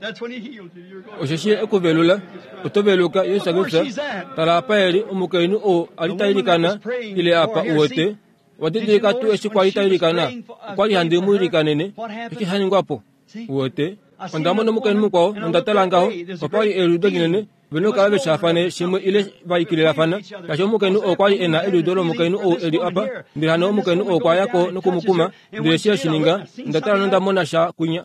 D: Osheshi ekuvelula oto veluka Yesu Kristus. Tala apa eli omukainhu ou ali tailikana ile apa uwete. Wadidilika tuu eshi kwali tailikana. Okwali handi mu ilikanene. Eshi sha ningwapo uwete. Onda mona omukainhu mukwao nonda tala ngaho. Opali eliudo linene. Vena okukala veshafane shimwe ile vaikililafana. Shaashi omukainhu oo kwali ena eliudo lomukainhu ou eli apa, ndele hano omukainhu oo okwa yako nokumukuma, ndele eshi eshininga, onda tala nonda mona sha kwinya.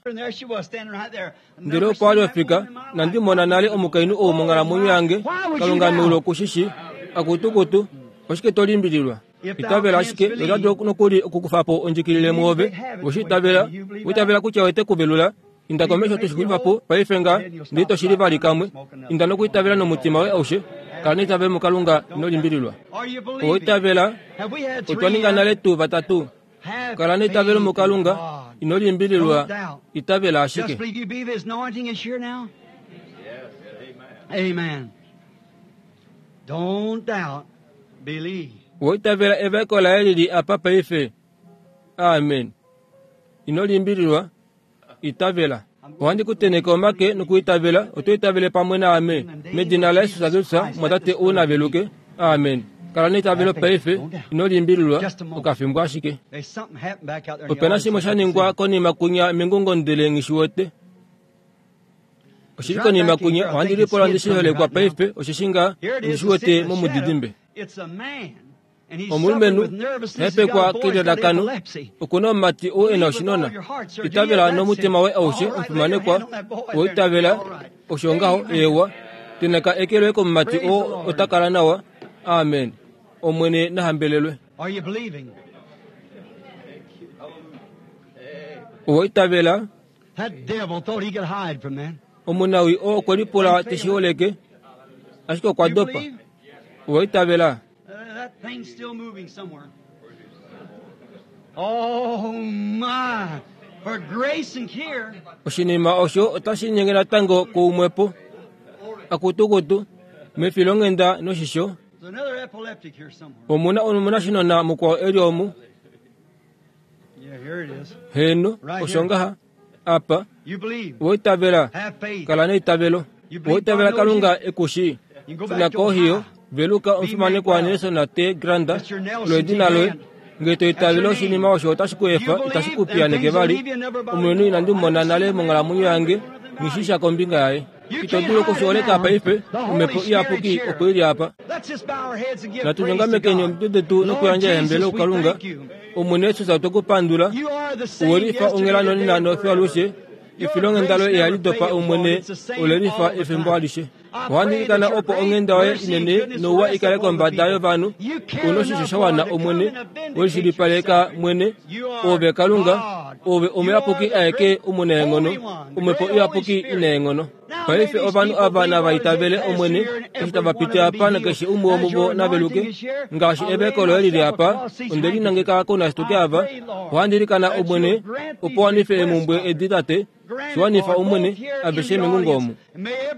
D: Ndele opo ali ofika, nandi mona nale omukainhu ou monghalamwenyo yange, Kalunga meulu okushishi, akutukutu, oshike to limbililwa? Itavela ashike, ota dulu nokuli okukufa po ondjikilile mwoove. Oshi itavela, uitavela kutya ote kuvelula. Inda komesho toshixulifa po paife nga ndele toshili vali kamwe. Inda nokuitavela nomutima woye aushe. Kala neitavelo muKalunga, ino limbililwa. Oitavela, otwa ninga nale tuu vatatu. Kala neitavelo muKalunga, ino limbililwa, itavela ashike. Oitavela evaeko laye lili apa paife. Amen. Ino limbililwa, itavela. Ohandi kutenheke omake nokuitavela, oto itavele pamwe naame. Medina la Yesu Kristus, mwatate ou naveluke. Amen. Kala neitavelo paife, ino limbililwa, okafimbo ashike. Opena shimwe sha ningwa konima kunya mengungo ndele nghishiwete. Oshili konima kunya, ohandi lipola ndishiholekwa paife, osheshi nga ndishiwete momudidimbe. Omulumenhu hepekwa kelalakano, okuna omumati ou ena oshinona. Itavela nomutima woye aushe, omufimanekwa. Oitavela, osho ngaho, eewa. Tenheka eke loye komumati oo ota kala nawa. Amen. Omwene nahambelelwe. Oitavela. Omunawi oo okwe lipula teshiholeke, ashike okwa dopa. Oitavela.
C: That thing's still moving somewhere. Oh my! For grace and care.
D: Oshinima osho otashi nyenge natango koumwepo. Akutukutu, mefilonghenda noshisho.
C: There's another epileptic here somewhere.
D: Omuna omunashinona mukwao eli omu.
C: Yeah, here it is.
D: Heno, osho ngaha, apa.
C: You believe.
D: Oitavela.
C: Have faith.
D: Kala neitavelo. Oitavela Kalunga ekushi. Shuna kohiyo. Veluka omufimanekwa Nelson T. Granda, lwedina loye. Ngele to itavele oshinima osho otashi ku efa, itashi ku piyaneke vali. Omulumenhu inandi mu mona nale monghalamwenyo yange, nghishisha kombinga yaye. Ito dulu okushiholeka paife, omhepo iyapuki opo ili apa. Natu nyongamekeni omitwe detu nokuyandja ehambelelo kuKalunga. Omwene Jesus otwe ku pandula. Uwelifa onghela nonena nofiyo alushe. Efilonghenda loye ihali dopa Omwene, olelifa efimbo alishe. Ohandi ilikana opo onghenda yoye inene nouwa ikale kombada yovanhu. Una oshisho sha wana Omwene, welishilipaleka mwene, ove Kalunga, ove omuyapuki aeke omunaenghono, omhepo iyapuki inaenghono. Paife ovanhu ava nava itavele Omwene, eshi tava piti apa nakeshe umwe womuvo naveluke. Ngaashi eveko loye lili apa, onde linangeka kounashituke ava. Ohandi ilikana Omwene, opo wanife eemhumbwe edi tate, shiwanifa Omwene, aveshe mengungo omu.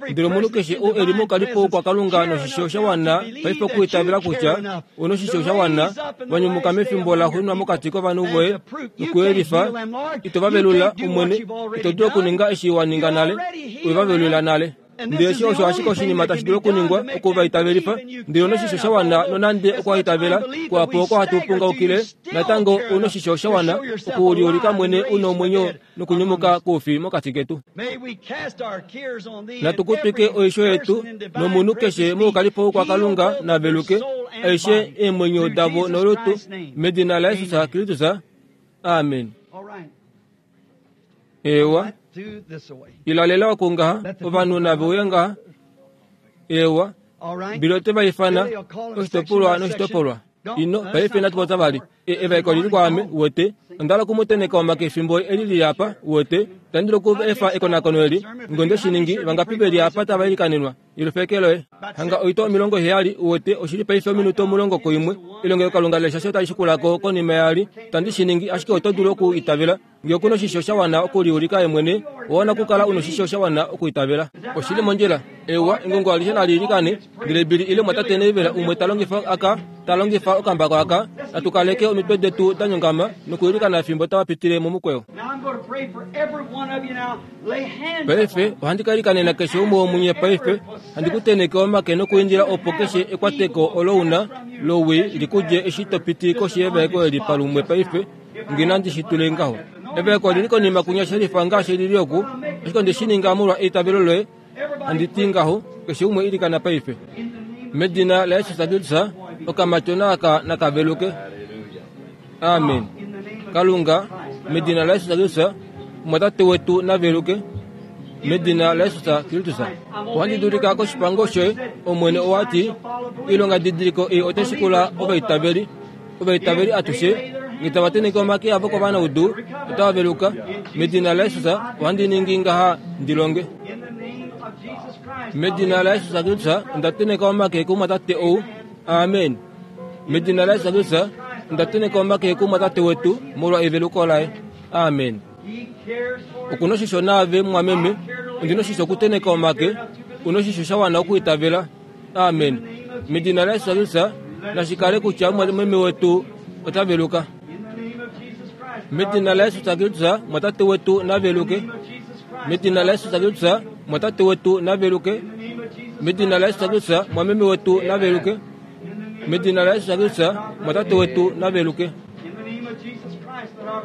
D: Ndele omunhu keshe ou eli mokalipo kwaKalunga noshisho sha wana paife okuitavela kutya una oshisho sha wana, wanyumuka mefimbo la xuuninwa mokati kovanhu voye nokuyelifa, ito va velula Omwene, ito dulu okuninga eshi wa ninga nale, we va velula nale. Ndele eshi osho ashike oshinima tashi dulu okuningwa okuvaitavelifa, ndele onoshisho sha wana nonande okwaitavela kuhapu oko hatu pungaukile, natango onoshisho sha wana okuliulika mwene una omwenyo nokunyumuka koufi mokati ketu. Natukutwike oisho yetu nomunhu keshe moukalipo kwaKalunga naveluke aishe eemwenyo davo nolutu medina laJesus Kristus. Amen. Ewa ilalela okungaha ovanhu nave uye ngaha. Ewa bilo te vaifana oshitopolwa noshitopolwa ino paife natupota vali evaeko lili kwaame wete ondala kumuteneka omake efimbo eli lili apa wete tandilo ku efa ekonakono eli ngonde shiningi vangapi veli apa tava ilikanenwa ilufekeloe hanga oito omilongo heyali wete oshili paife ominuto omulongo koimwe elongelokalunga leshasho otali shikulako konima yali tandi shiningi ashike oto dulu okuitavela ngee okuna oshisho sha wana okuliulika emwene owana okukala una oshisho sha wana okuitavela oshili mondjila. Ewa engongo alishe naliilikane ndele bili ile mwatate neivela umwe talongifa aka talongifa okambako aka natukaleke omitwe detu danyongama nokuilikana efimbo tavapitile momukweyo. Paife ohandi kailikanena keshe umwe womunye paife handi kuteneke omake nokuindila opo keshe ekwateko olo una lowi likudje eshi topiti koshi yevaeko eli palumwe paife ngina ndishitule ngaho. Evaeko lili konima kunya shelifa ngaashi lili oku ashike ondeshininga molwa eitavelo loye handi ti ngaho keshe umwe ilikana paife medina laJesus Kristus okamatyona aka nakaveluke. Amen. Kalunga medina laJesus Kristus mwatate wetu naveluke medina laJesus Kristus. Ohandi dulika koshipango shoye omwene owati ilonga didiliko ei otashikula ovaitaveli ovaitaveli atushe ngitavateneke omake avo kovanaudu otavaveluka medina laJesus ohandi ningi ngaha ndilonge medina laJesus Kristus ondateneka omake kumwatate ou. Amen. Medina laJesus Kristus ondateneka omake kumwatate wetu molwa eveluko laye. Amen. Okuna oshisho naave mwameme ondina oshisho okuteneka omake una oshisho sha wana okuitavela. Amen. Medina laJesus Kristus nashikale kutya mwameme wetu otaveluka. Medina laJesus Kristus mwatate wetu naveluke. Medina laJesus Kristus mwatate wetu naveluke. Medina laJesus Kristus mwameme wetu naveluke. Medina laJesus Kristus mwatate wetu naveluke.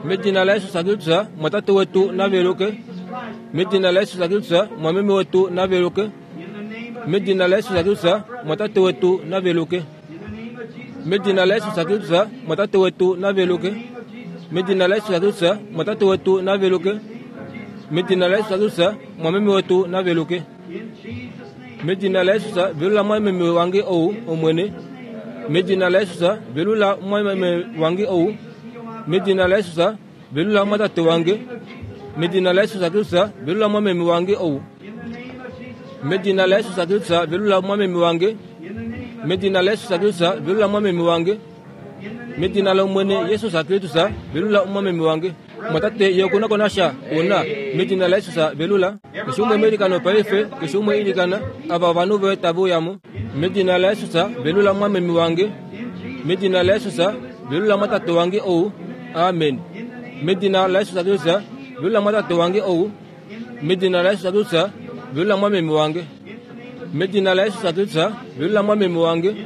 D: Medina laJesus Kristus mwatate wetu naveluke. Medina laJesus Kristus mwameme wetu naveluke. Medina laJesus Kristus mwatate wetu naveluke. Medina laJesus Kristus mwatate wetu naveluke. Medina laJesus Kristus mwatate wetu naveluke. Medina laJesus Kristus mwameme wetu naveluke. Medina laJesus velula mwameme wange ou omwene. Medina laJesus velula mwameme wange ou. Medina laJesus velula mwatate wange. Medina laJesus Kristus velula mwameme wange ou. Medina laJesus Kristus velula mwameme wange. Medina laJesus Kristus velula mwameme wange. Medina la omwene Jesus Kristus velula mwameme wange. Mwatate yokuna konasha una medina laJesus velula. Keshe umwe melikano paife keshe umwe ilikana ava ovanhu voye tavuyamo. Medina laJesus velula mwameme wange. Medina laJesus velula mwatate wange ou. Amen. Medina laJesus Kristus velula mwatate wange ou. Medina laJesus Kristus velula mwameme wange. Medina laJesus Kristus velula mwameme wange.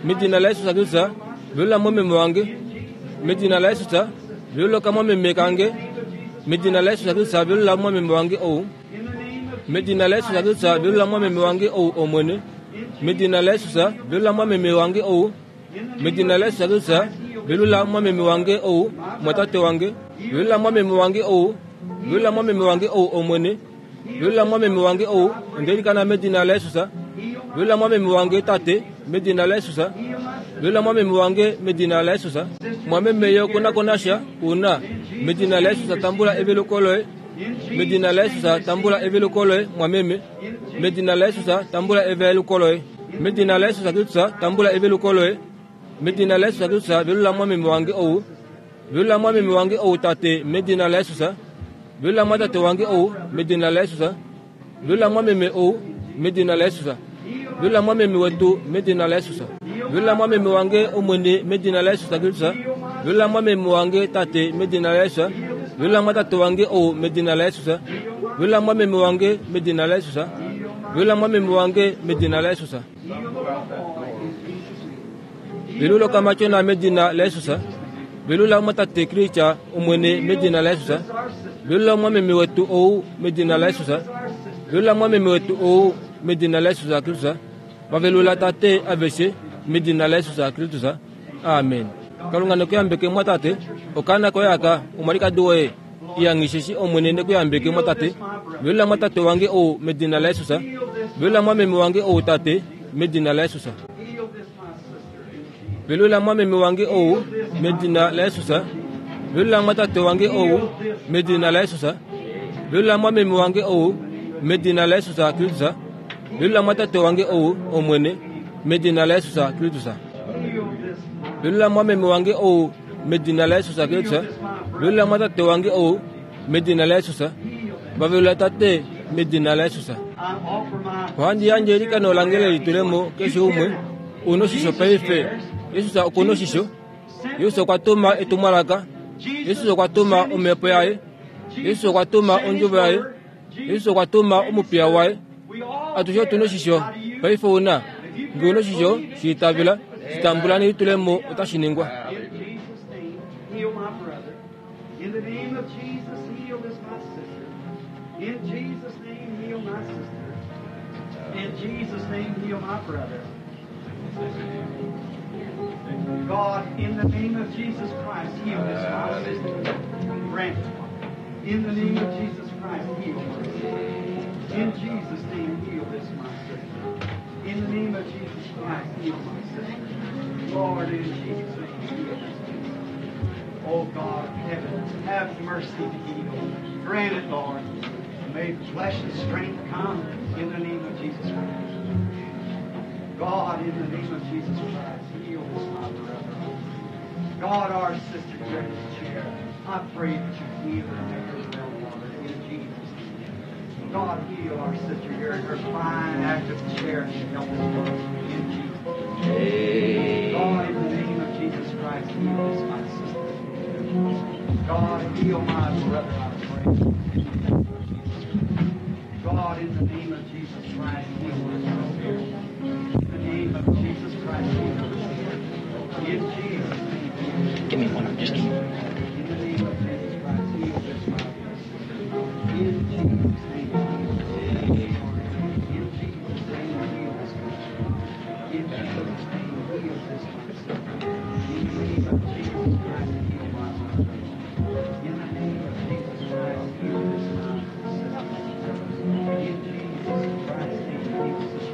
D: Medina laJesus Kristus velula mwameme wange. Medina laJesus velula kamwameme kange. Medina laJesus Kristus velula mwameme wange ou. Medina laJesus Kristus velula mwameme wange ou omwene. Medina laJesus velula mwameme wange ou. Medina laJesus Kristus velula mwameme wange ou mwatate wange. Velula mwameme wange ou. Velula mwameme wange ou omwene. Velula mwameme wange ou ondelikana medina laJesus. Velula mwameme wange tate medina laJesus. Velula mwameme wange medina laJesus. Mwameme yo konakonasha una medina laJesus tambula eveluko loye. Medina laJesus tambula eveluko loye mwameme. Medina laJesus tambula eveluko loye. Medina laJesus Kristus tambula eveluko loye. Medina laJesus Kristus velula mwameme wange ou. Velula mwameme wange ou tate medina laJesus. Velula mwatate wange ou medina laJesus. Velula mwameme ou medina laJesus. Velula mwameme wetu medina laJesus. Velula mwameme wange omwene medina laJesus Kristus. Velula mwameme wange tate medina laJesus. Velula mwatate wange ou medina laJesus. Velula mwameme wange medina laJesus. Velula mwameme wange medina la Yesus. Velula okamatyona medina la Yesus. Velula mwatate Kristu omwene medina la Yesus. Velula mwameme wetu ou medina la Yesus. Velula mwameme wetu ou medina la Yesus Kristu. Vavelula tate aveshe medina la Yesus Kristu. Amen. Kalunga nekuyambeke mwatate okana koyaka omwalikadi woye iyangisheshi omwene nekuyambeke mwatate. Velula mwatate wange ou medina la Yesus. Velula mwameme wange ou tate medina la Yesus. Velula mwameme wange ou medina la Yesus. Velula mwatate wange ou medina la Yesus. Velula mwameme wange ou medina la Yesus Kristu. Velula mwatate wange ou omwene medina la Yesus Kristu. Velula mwameme wange ou medina la Yesus Kristu. Velula mwatate wange ou medina la Yesus. Vavelula tate medina la Yesus. Ohandi yandje elikano lange lelitulemo keshe umwe unoshisho paife. Yesus okunoshisho. Yesus okwa tuma etumwalaka. Yesus okwa tuma omhepo yaye. Yesus okwa tuma ondjuvo yaye. Yesus okwa tuma omupiya waye. Atushe otunoshisho paife una nge unoshisho shiitavela shitambula nelitulemo otashi ningwa.
C: In the name of Jesus, heal this my sister. In Jesus' name, heal my sister. In Jesus' name, heal my brother. God, in the name of Jesus Christ, heal this my sister. Grant. In the name of Jesus Christ, heal my sister. In Jesus' name, heal this my sister. In the name of Jesus Christ, heal my sister. Lord, in Jesus' name, heal this sister. Oh God of heaven, have mercy to heal. Grant it, Lord. May flesh and strength come in the name of Jesus Christ. God, in the name of Jesus Christ, heal this my brother. God, our sister here in this chair, I pray that you heal her and make her well, Lord, in Jesus' name. God, heal our sister here in her fine, active chair and help us, Lord, in Jesus' name. God, in the name of Jesus Christ, heal this my sister. God, heal my brother, I pray. In the name of Jesus Christ. God, in the name of Jesus Christ, heal my sister. In the name of Jesus Christ, heal my sister. In Jesus' name.
E: Give me one. Just give me.
C: In the name of Jesus Christ, heal this my sister. In Jesus' name, heal this In Jesus' name, heal this In Jesus' name, heal this sister. In the name of Jesus Christ, heal my brother. In the name of Jesus Christ, heal this my sister. In Jesus Christ's name, heal this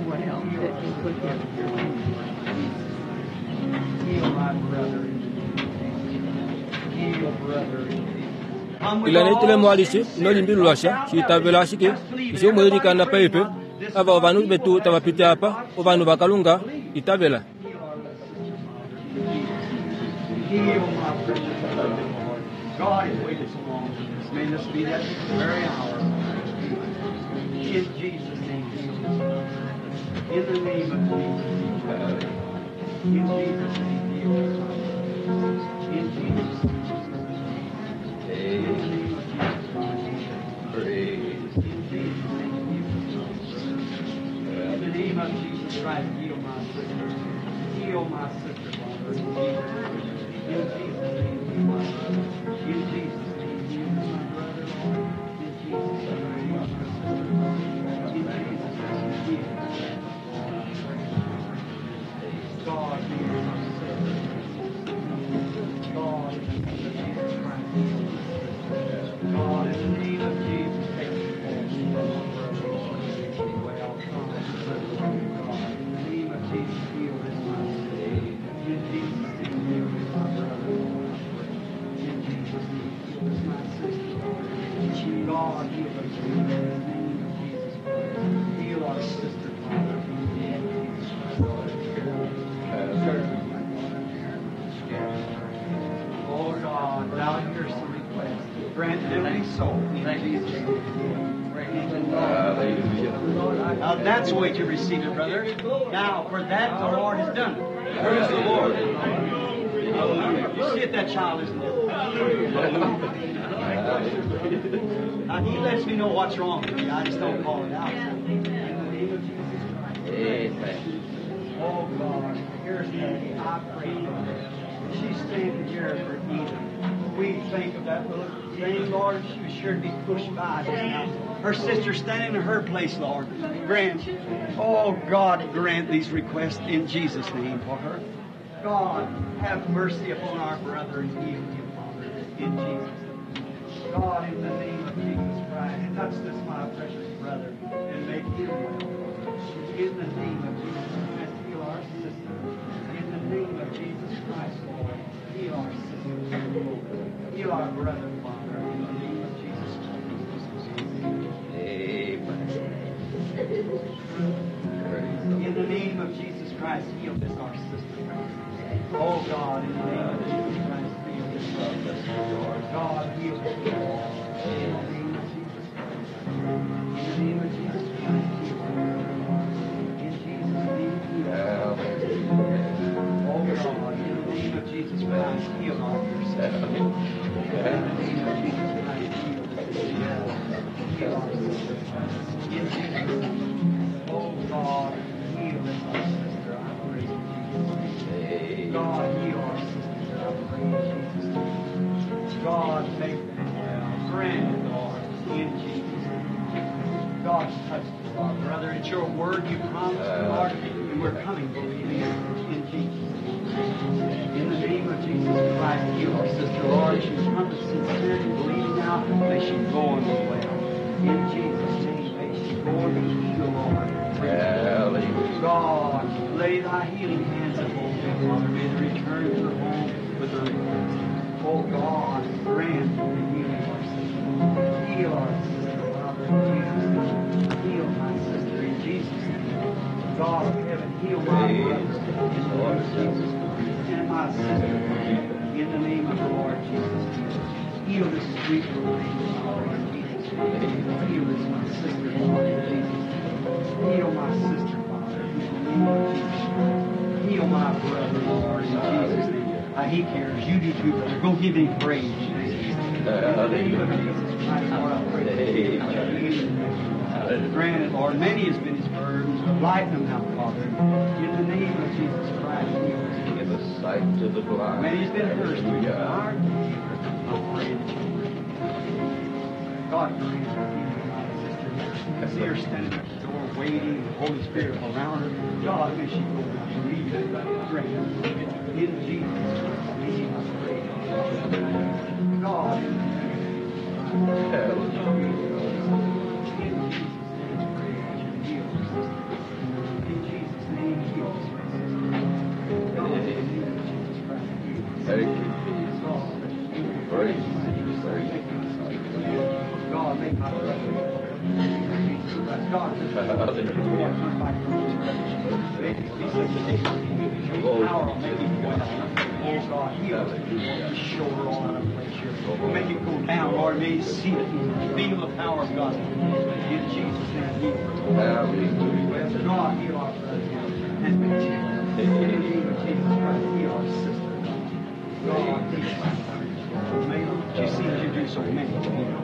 F: What else that you put here?
C: Heal my brother in the name of Jesus. Heal brother in Jesus. Come with
D: Ila nelitulemo
C: all
D: alishe inolimbilulwasha shiitavela ashike ishi omwelikana paife ava ovanhu vetu tavapiti apa ovanhu vakalunga itavela.
C: Heal my precious brother, Lord. God has waited so long for this. May this be that very hour. In Jesus' name, heal this. In the name of Jesus, heal this. In Jesus' name, heal this. In Jesus' name. In the name of Jesus Christ. In Jesus' name, heal this. In the name of Jesus Christ, heal my sister. Heal my sister, Father. In Jesus' name. In Jesus' name, heal my brother. In Jesus' name, heal my brother, Lord. In Jesus' name, heal my sister. In Jesus' name, heal. God, heal my sister. God, in the name of Jesus Christ, heal my sister. God, in the name of Jesus, take the well. God, in the name of Jesus, heal this my sister. In Jesus' name, heal this my brother. In Jesus' name, heal this my sister. God, heal us in the name of Jesus Christ. Heal our sister, Father, in the name of Jesus Christ. Oh God, thou hearest the request. Grant it every soul in Jesus' name. Now that's the way to receive it, brother. Now, for that the Lord has done it. Praise the Lord. Hallelujah. You see it, that child isn't it? Now, he lets me know what's wrong with me. I just don't call it out. In the name of Jesus Christ.
B: Amen.
C: Oh, God, here's Nancy. I pray for her. She's standing here for Eden. We think of that little thing, Lord. She was sure to be pushed by just now. Her sister's standing in her place, Lord. Grant, oh, God, grant these requests in Jesus' name for her. God, have mercy upon our brother and heal him, Father, in Jesus' name. God, in the name of Jesus Christ, touch this, my precious brother, and make him well. In the name of Jesus Christ, heal our sister. In the name of Jesus Christ, Lord, heal our sister. Heal our brother, Father, in the name of Jesus Christ.
B: Amen. Praise the
C: In the name of Jesus Christ, heal this, our sister. Oh God, in the name of Jesus Christ, heal this, our sister. God, heal this. In the name of Jesus Christ. In the name of Jesus Christ, heal her. In Jesus' name, heal her.
B: Hallelujah.
C: Oh God, in the name of Jesus Christ, heal our dear sister. In the name of Jesus Christ, heal this sister. Heal our sister. In Jesus' name. Oh God, heal this our sister. I pray in Jesus' name.
B: Amen.
C: God, heal our sister. I pray in Jesus' name. God, make them well. Grant it, Lord, in Jesus' name. God, touch us, our brother. It's your word you promised, Lord, and we're coming believing it in Jesus' name. In the name of Jesus Christ, heal our sister, Lord. She's come to sincerely believing now. May she go and be well. In Jesus' name, may she go and be healed, Lord.
B: Hallelujah.
C: God, lay thy healing hands upon them, Father. May they return to their home with their request. Oh God, grant the healing of our sister. Heal our sister, Father, in Jesus' name. Heal my sister in Jesus' name. God of heaven, heal my brother in the name of Jesus Christ. And my sister, in the name of the Lord Jesus Christ. Heal this sweet little thing, Father, in Jesus' name. Heal this, my sister, Lord, in Jesus' name. Heal my sister, Father, in the name of Jesus Christ. Heal my brother, Lord, in Jesus' name. Uh, he cares. You do too, brother. Go give him praise. In the name of Jesus Christ, Lord, I pray.
B: Amen.
C: Grant it, Lord. Many has been his burdens, but lighten them now, Father. In the name of Jesus Christ, heal us.
B: Give us sight to the blind.
C: Many has been thirsty.
B: Hallelujah.
C: I pray that you God grant her healing, my sister. I see her standing at the door waiting, the Holy Spirit around her. God, may she go now. Believe it. Grant it. In Jesus' name, I pray. God, in the name of
B: Hallelujah.
C: In Jesus' name, I pray that you heal her sister. In Jesus' name, heal her sister. God, in the name of Jesus Christ, heal her.
B: Thank you, Jesus. Praise you, praise you.
C: God, make my brother. Jesus Christ. God,
B: Hallelujah.
C: Power will make it well. Oh God, heal us. Shoulder all out of place here. Make it go down, Lord. May you see it and feel the power of God. In Jesus' name, heal.
B: Hallelujah.
C: God, heal our brother and make him well. In the name of Jesus Christ, heal our sister. God, heal our sister. May she seems to do so many.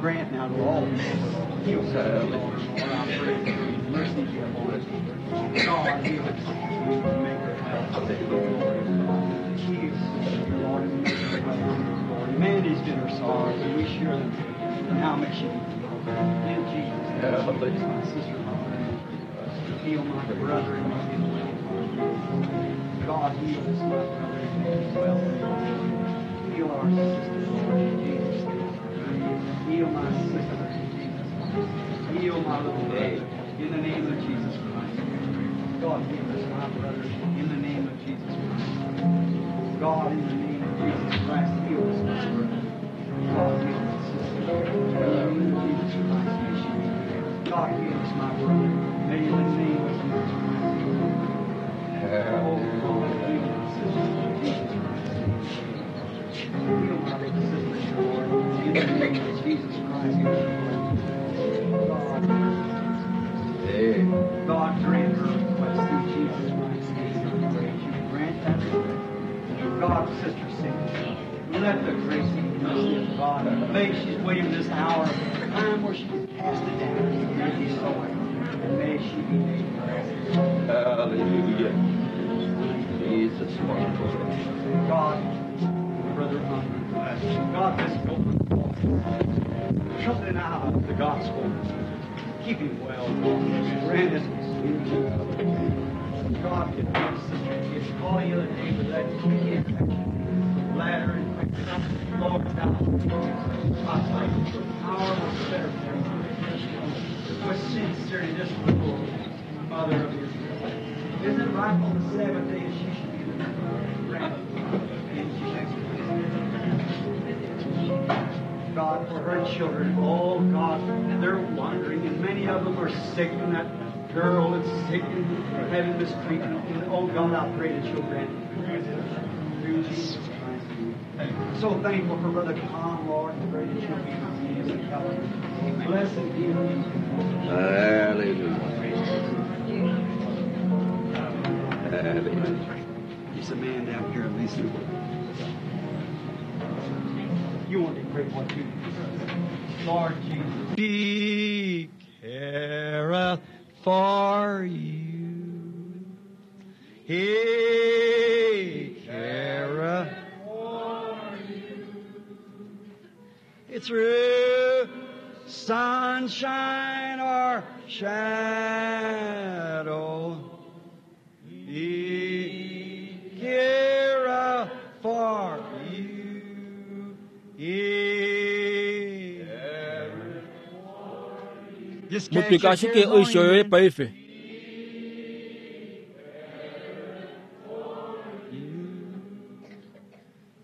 C: Grant now to all people. Heal sister, Lord. Lord, I pray. Mercy be upon us. God, heal us. Make her well. Heal sister, Lord, and make her well. Lord, many's been her sorrows, and we share them. Now may she be healed. In Jesus' name, my sister, Lord. Heal my brother and make him well. God, heal this my brother and make him well. Heal our sister, Lord, in Jesus' name. Heal my sister in Jesus' name. Heal my little brother in the name of Jesus Christ. God, heal this my brother in the name of Jesus Christ. God, in the name of Jesus Christ, heal this my brother. God, heal this sister. In the name of Jesus Christ, may she be healed. God, heal this my brother. May in the name of Jesus Christ. heal him. Oh, God, heal my sister in Jesus Christ. Heal my little sister, Lord. In the name of Jesus Christ, heal her. God,
B: Amen.
C: God grant her request through Jesus Christ's name. I pray that you grant that request. God, Sister Cindy, Let the grace and mercy of God may she's waiting this hour, time where she can cast it down and be sold. And may she be made well.
B: Hallelujah. Jesus, wonderful.
C: God, brother, um, God, this open door, something out of the gospel. Keep him well, God. Grant it. God, if my sister gets caught the other day with that infection, bladder infection, Lord, thou I pray for the power of better with sincerity, this little mother of Israel. Isn't it right on the seventh day she should be the grandmother? In Jesus Christ. God, for her children, oh God, they're wandering, and many of them are sick, and that girl is sick and having mistreatment. And oh God, I pray that you'll grant it through Jesus Christ. So thankful for Brother Tom, Lord, and pray that you'll be with him and help him. Blessed be him.
B: Hallelujah. Hallelujah.
C: There's a man down here, Lisa. You want to pray for too. Lord Jesus.
A: He careth for you. He careth for you. It's through sunshine or shadow. He careth for you. He Just cast
D: mupika
A: your
D: ashike
A: cares on
D: oisho yoye
A: him.
D: paife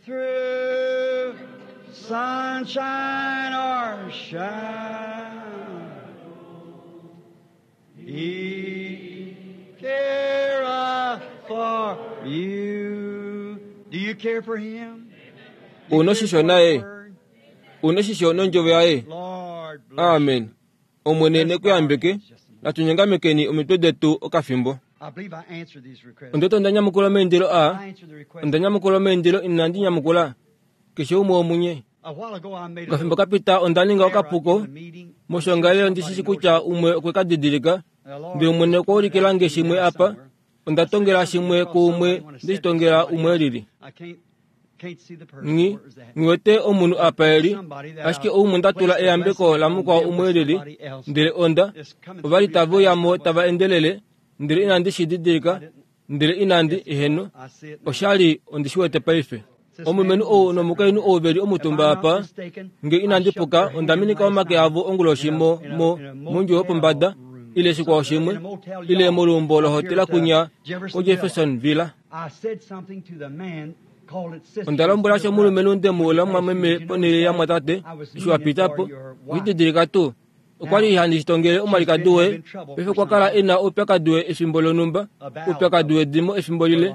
A: Through sunshine or shadow, He careth for you. Do you care for Him? Do you
D: Una
A: care
D: shisho
A: for
D: naye.
A: His word?
D: une shisho nondjovo yaye
A: Lord, bless
D: amen omwene nekuyambeke natunyangamekeni omitwe detu okafimbo
C: I believe I answered these requests.
D: ondoto ndanyamukula omaindilo a
C: I answered the request.
D: ondanyamukula omaindilo inandi nyamukula keshe umwe omunye
C: A while ago I made a
D: okafimbo kapita ondaninga
C: error
D: okapuko
C: in the meeting.
D: moshongalelo ndishishi kutya umwe okwekadidilika
C: The Lord
D: ndele omwene okwaulikilange shimwe apa ondatongela shimwe kuumwe ndishitongela umwe lili
C: I can't can't see the person.
D: ngi
C: Where is that?
D: ngiwete omunhu apa eli ashike oumwe ndatula eyambeko lamukwao umwe lili ndele onda ovali taveuyamo tava endelele ndele inandi shididilika ndele inandi eheno
C: I see it now.
D: oshali ondishiwete paife omulumenhu ou nomukainhu ou veli omutumba apa nge inandi puka ondaminika omake avo onguloshi mo mo mondjuwo yopombada ile shikwao shimwe ile molumbo lohotela kunya ko Jefferson Villa
C: I said something to the man called it sister.
D: onda lombwela sho omulumenhu ndemuula mwameme ponele ya mwatate eshi wapitapo oshididilika tuu okwali handi shitongele omwalikadi woye paife okwa kala ena oupyakadi we efimbo lonumba oupyakadi wedimo efimbo lile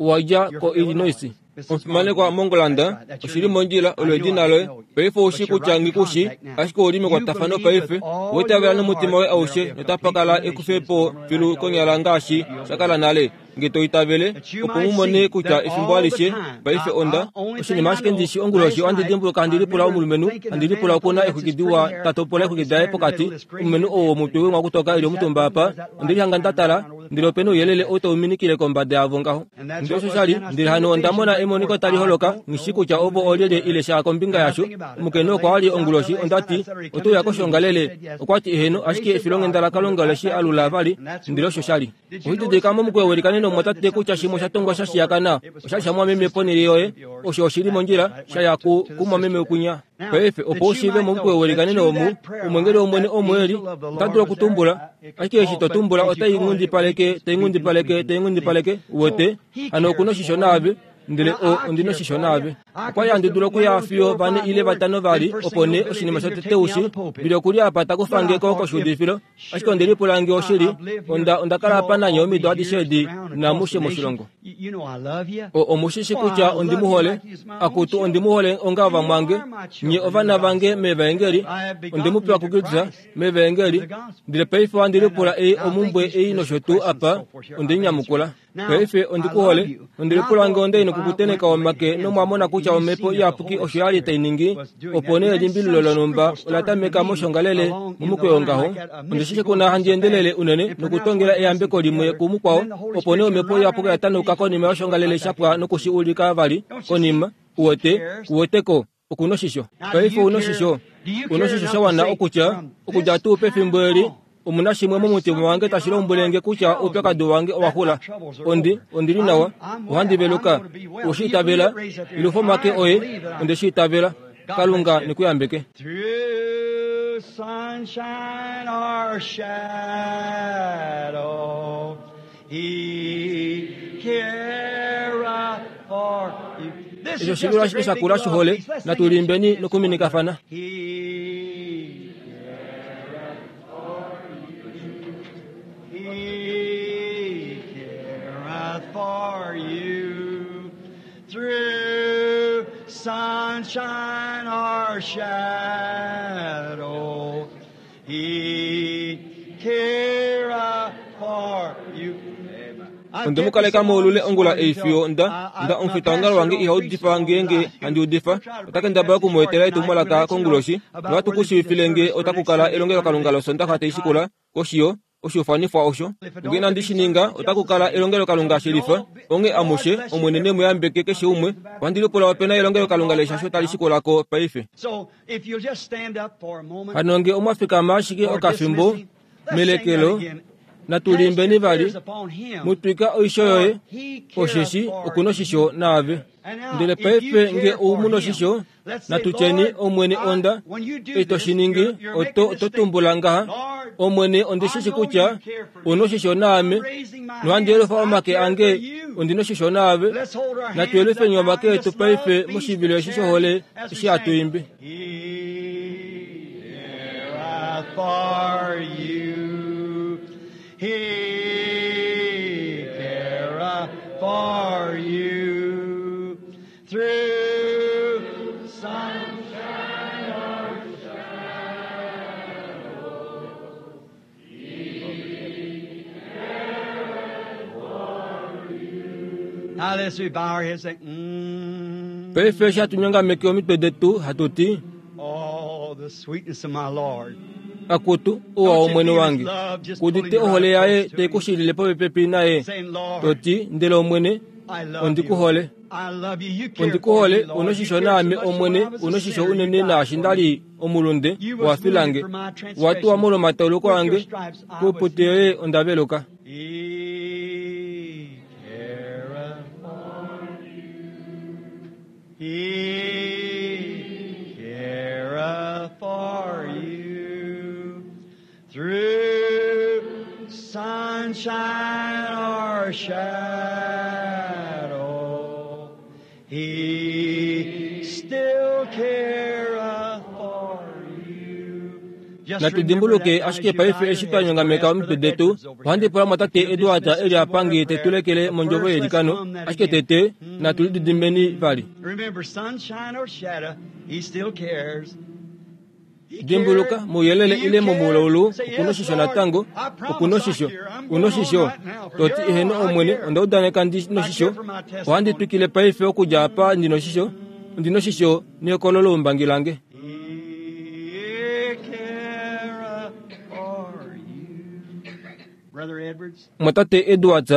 D: owadja ko Illinois omufimanekwa mongolanda oshili mondjila olo edina loye paife oushi kutya ngikushi ashike ouli mekwatafano paife owaitavela nomutima woye aushe notapakala ekufepo filu konyala ngaashi shakala nale nge toitavele opo mumone kutya efimbo alishe paife onda oshinima ashike ndishi onguloshi ohandi dimbuluka handi lipula omulumenhu handi lipula okuna exwiki diwa tatopola exwiki daye pokati omulumenhu ou womutwe we mwakutoka eli omutumba apa ondilihanga ndatala ndele opena ouyelele ou tauminikile kombada yavo ngaho ndele osho shali ndele hano ondamona emoniko tali holoka nghishi kutya ovo olyelye ile sha kombinga yasho omukainhu okwa ali onguloshi ondati otouya koshongalele okwati eheno ashike efilonghenda lakalunga leshi alula vali ndele osho shali oshididilika momukweyo welikanene omwatate kutya shimwe osha tongwa sha shiyakana oshali sha mwameme ponele yoye osho oshili mondjila shaya ku kumwameme kunya paife opo ushiive momukweyo welikanene omu omwengeli womwene omweli ota dulu okutumbula ashike eshi totumbula otai ngundipaleke tai ngundipaleke tai ngundipaleke uwete hano okuna oshisho naave ndele o ondina oshisho naave okwali handi dulu okuya fiyo vane ile vatano vali opo nee oshinima shotete ushi bili okuli apa takufangeko koshuudifilo ashike ondelipula nge oshili onda ondakala apa nanye omido adishe edi namushe moshilongo
C: You know I love you.
D: o omushishi kutya ondimuhole akutu ondimuhole onga vamwange nye ovana vange mevaengeli ondimupewa kukilisa mevaengeli ndele paife wandilipula ei omumbwe ei nosho tuu apa ondinyamukula paife ondikuhole ondilipula nge ondeine kukuteneka omake nomwamona kutya kutya omhepo iyapuki osho ya li tai ningi opo nee elimbililo lonhumba ola tameka moshongalele momukweyo ngaho onde shi kuna handi endelele unene nokutongela eyambeko limwe kumukwao opo nee omhepo iyapuki oya tanuka konima yoshongalele shapwa nokushi ulika vali konima uwete uweteko okunoshisho paife unoshisho unoshisho sha wana okutya okudja tuu pefimbo eli omuna shimwe momutima wange tashi lombwelenge kutya oupyakadi wange owa xula ondi ondili nawa ohandi veluka ushi itavela ilufa omake oye onde shi itavela kalunga nekuyambeke
A: Through sunshine or shadow, He careth for you. This
D: esho
A: is just
D: shilula
A: a great big
D: shakula
A: love
D: shihole
A: piece. Let's sing it.
D: natulimbeni nokuminikafana
A: He careth for you. He careth for you through sunshine or shadow. He careth for you.
D: onde mukaleka moulule ongula eifiyo nda nda omufitaongalo wange ihaudifa ngeenge handi udifa otakendabala okumuetela etumwalaka konguloshi nohatu kushiifilenge otakukala elongelokalunga losondaxa taishikula koshiyo oshiufanifwa osho ngee inandi shi ninga otakukala elongelokalunga shelifa onge amushe omwene nemuyambeke keshe umwe ohandi lipula opena elongelokalunga leshasho tali shikulako paife
A: So if you'll just stand up for a moment.
D: hano nge omwafikama ashike okafimbo melekelo natulimbeni vali mutwika oisho yoye osheshi okunoshisho naave ndele paife nge oumu noshisho natutyeni omwene onda eshi toshiningi oto oto tumbula ngaha omwene ondishishi kutya unoshisho naame nohandi yelufa omake ange ondinoshisho naave natuyelufeni omake etu paife moshivilo eshi shohole eshi hatuimbi
A: He careth for you. He careth for you. Through sunshine or shadow. He careth for you. Now let's we bow our heads and say, mm.
D: paife eshi hatunyongameke omitwe detu hatuti
A: Oh, the sweetness of my Lord.
D: akutu uwa omwene wange kudite ohole yaye teikushilile popepi naye
A: Saying, Lord,
D: toti ndele omwene
A: I love
D: ondikuhole
A: you. I love you. You care for me,
D: ondikuhole
A: Lord. You
D: unoshisho
A: cared so
D: naame
A: much when
D: omwene
A: I was a
D: unoshisho
A: sinner. You
D: unene
A: died
D: naashi
A: for me.
D: ndali omulunde
A: You was
D: wafilange
A: wounded for my transgressions.
D: watuwa molwomatauluko
A: With your
D: ange
A: stripes I was
D: kuuputi yoye ondaveluka
A: He careth for you. He careth for you. Through sunshine or shadow, He still careth for you. Just remember
D: natudimbuluke
A: that now as
D: ashike
A: you bow
D: paife
A: your
D: eshi
A: heads,
D: twanyongameka
A: we'll ask
D: omitwe
A: Brother
D: detu
A: Edwards over
D: ohandi
A: here.
D: pula mwatate
A: He'll
D: Edward
A: dismiss us
D: eli
A: with a word
D: apangi
A: of prayer.
D: tetulekele
A: But
D: mondjovo
A: first, let's
D: yelikano
A: hum that
D: ashike
A: again.
D: tete natulididimbeni vali
A: Remember, sunshine or shadow, he still cares. He
D: dimbuluka
A: cared.
D: muyelele
A: Do you
D: ile
A: care?
D: momulaulu
A: Say, yes,
D: okunoshisho
A: Lord.
D: natango
A: I promise I
D: okunoshisho
A: care. I'm going on
D: unoshisho
A: right now. From
D: toti
A: here on,
D: eheno
A: I
D: omwene
A: care.
D: onda udaneka ndi
A: I care
D: noshisho
A: for my
D: ohandi
A: testimony.
D: twikile paife okudja apa ndi noshisho ndi noshisho nekololo umbangi lange
A: He careth for you. Brother Edwards,
D: mwatate Edwards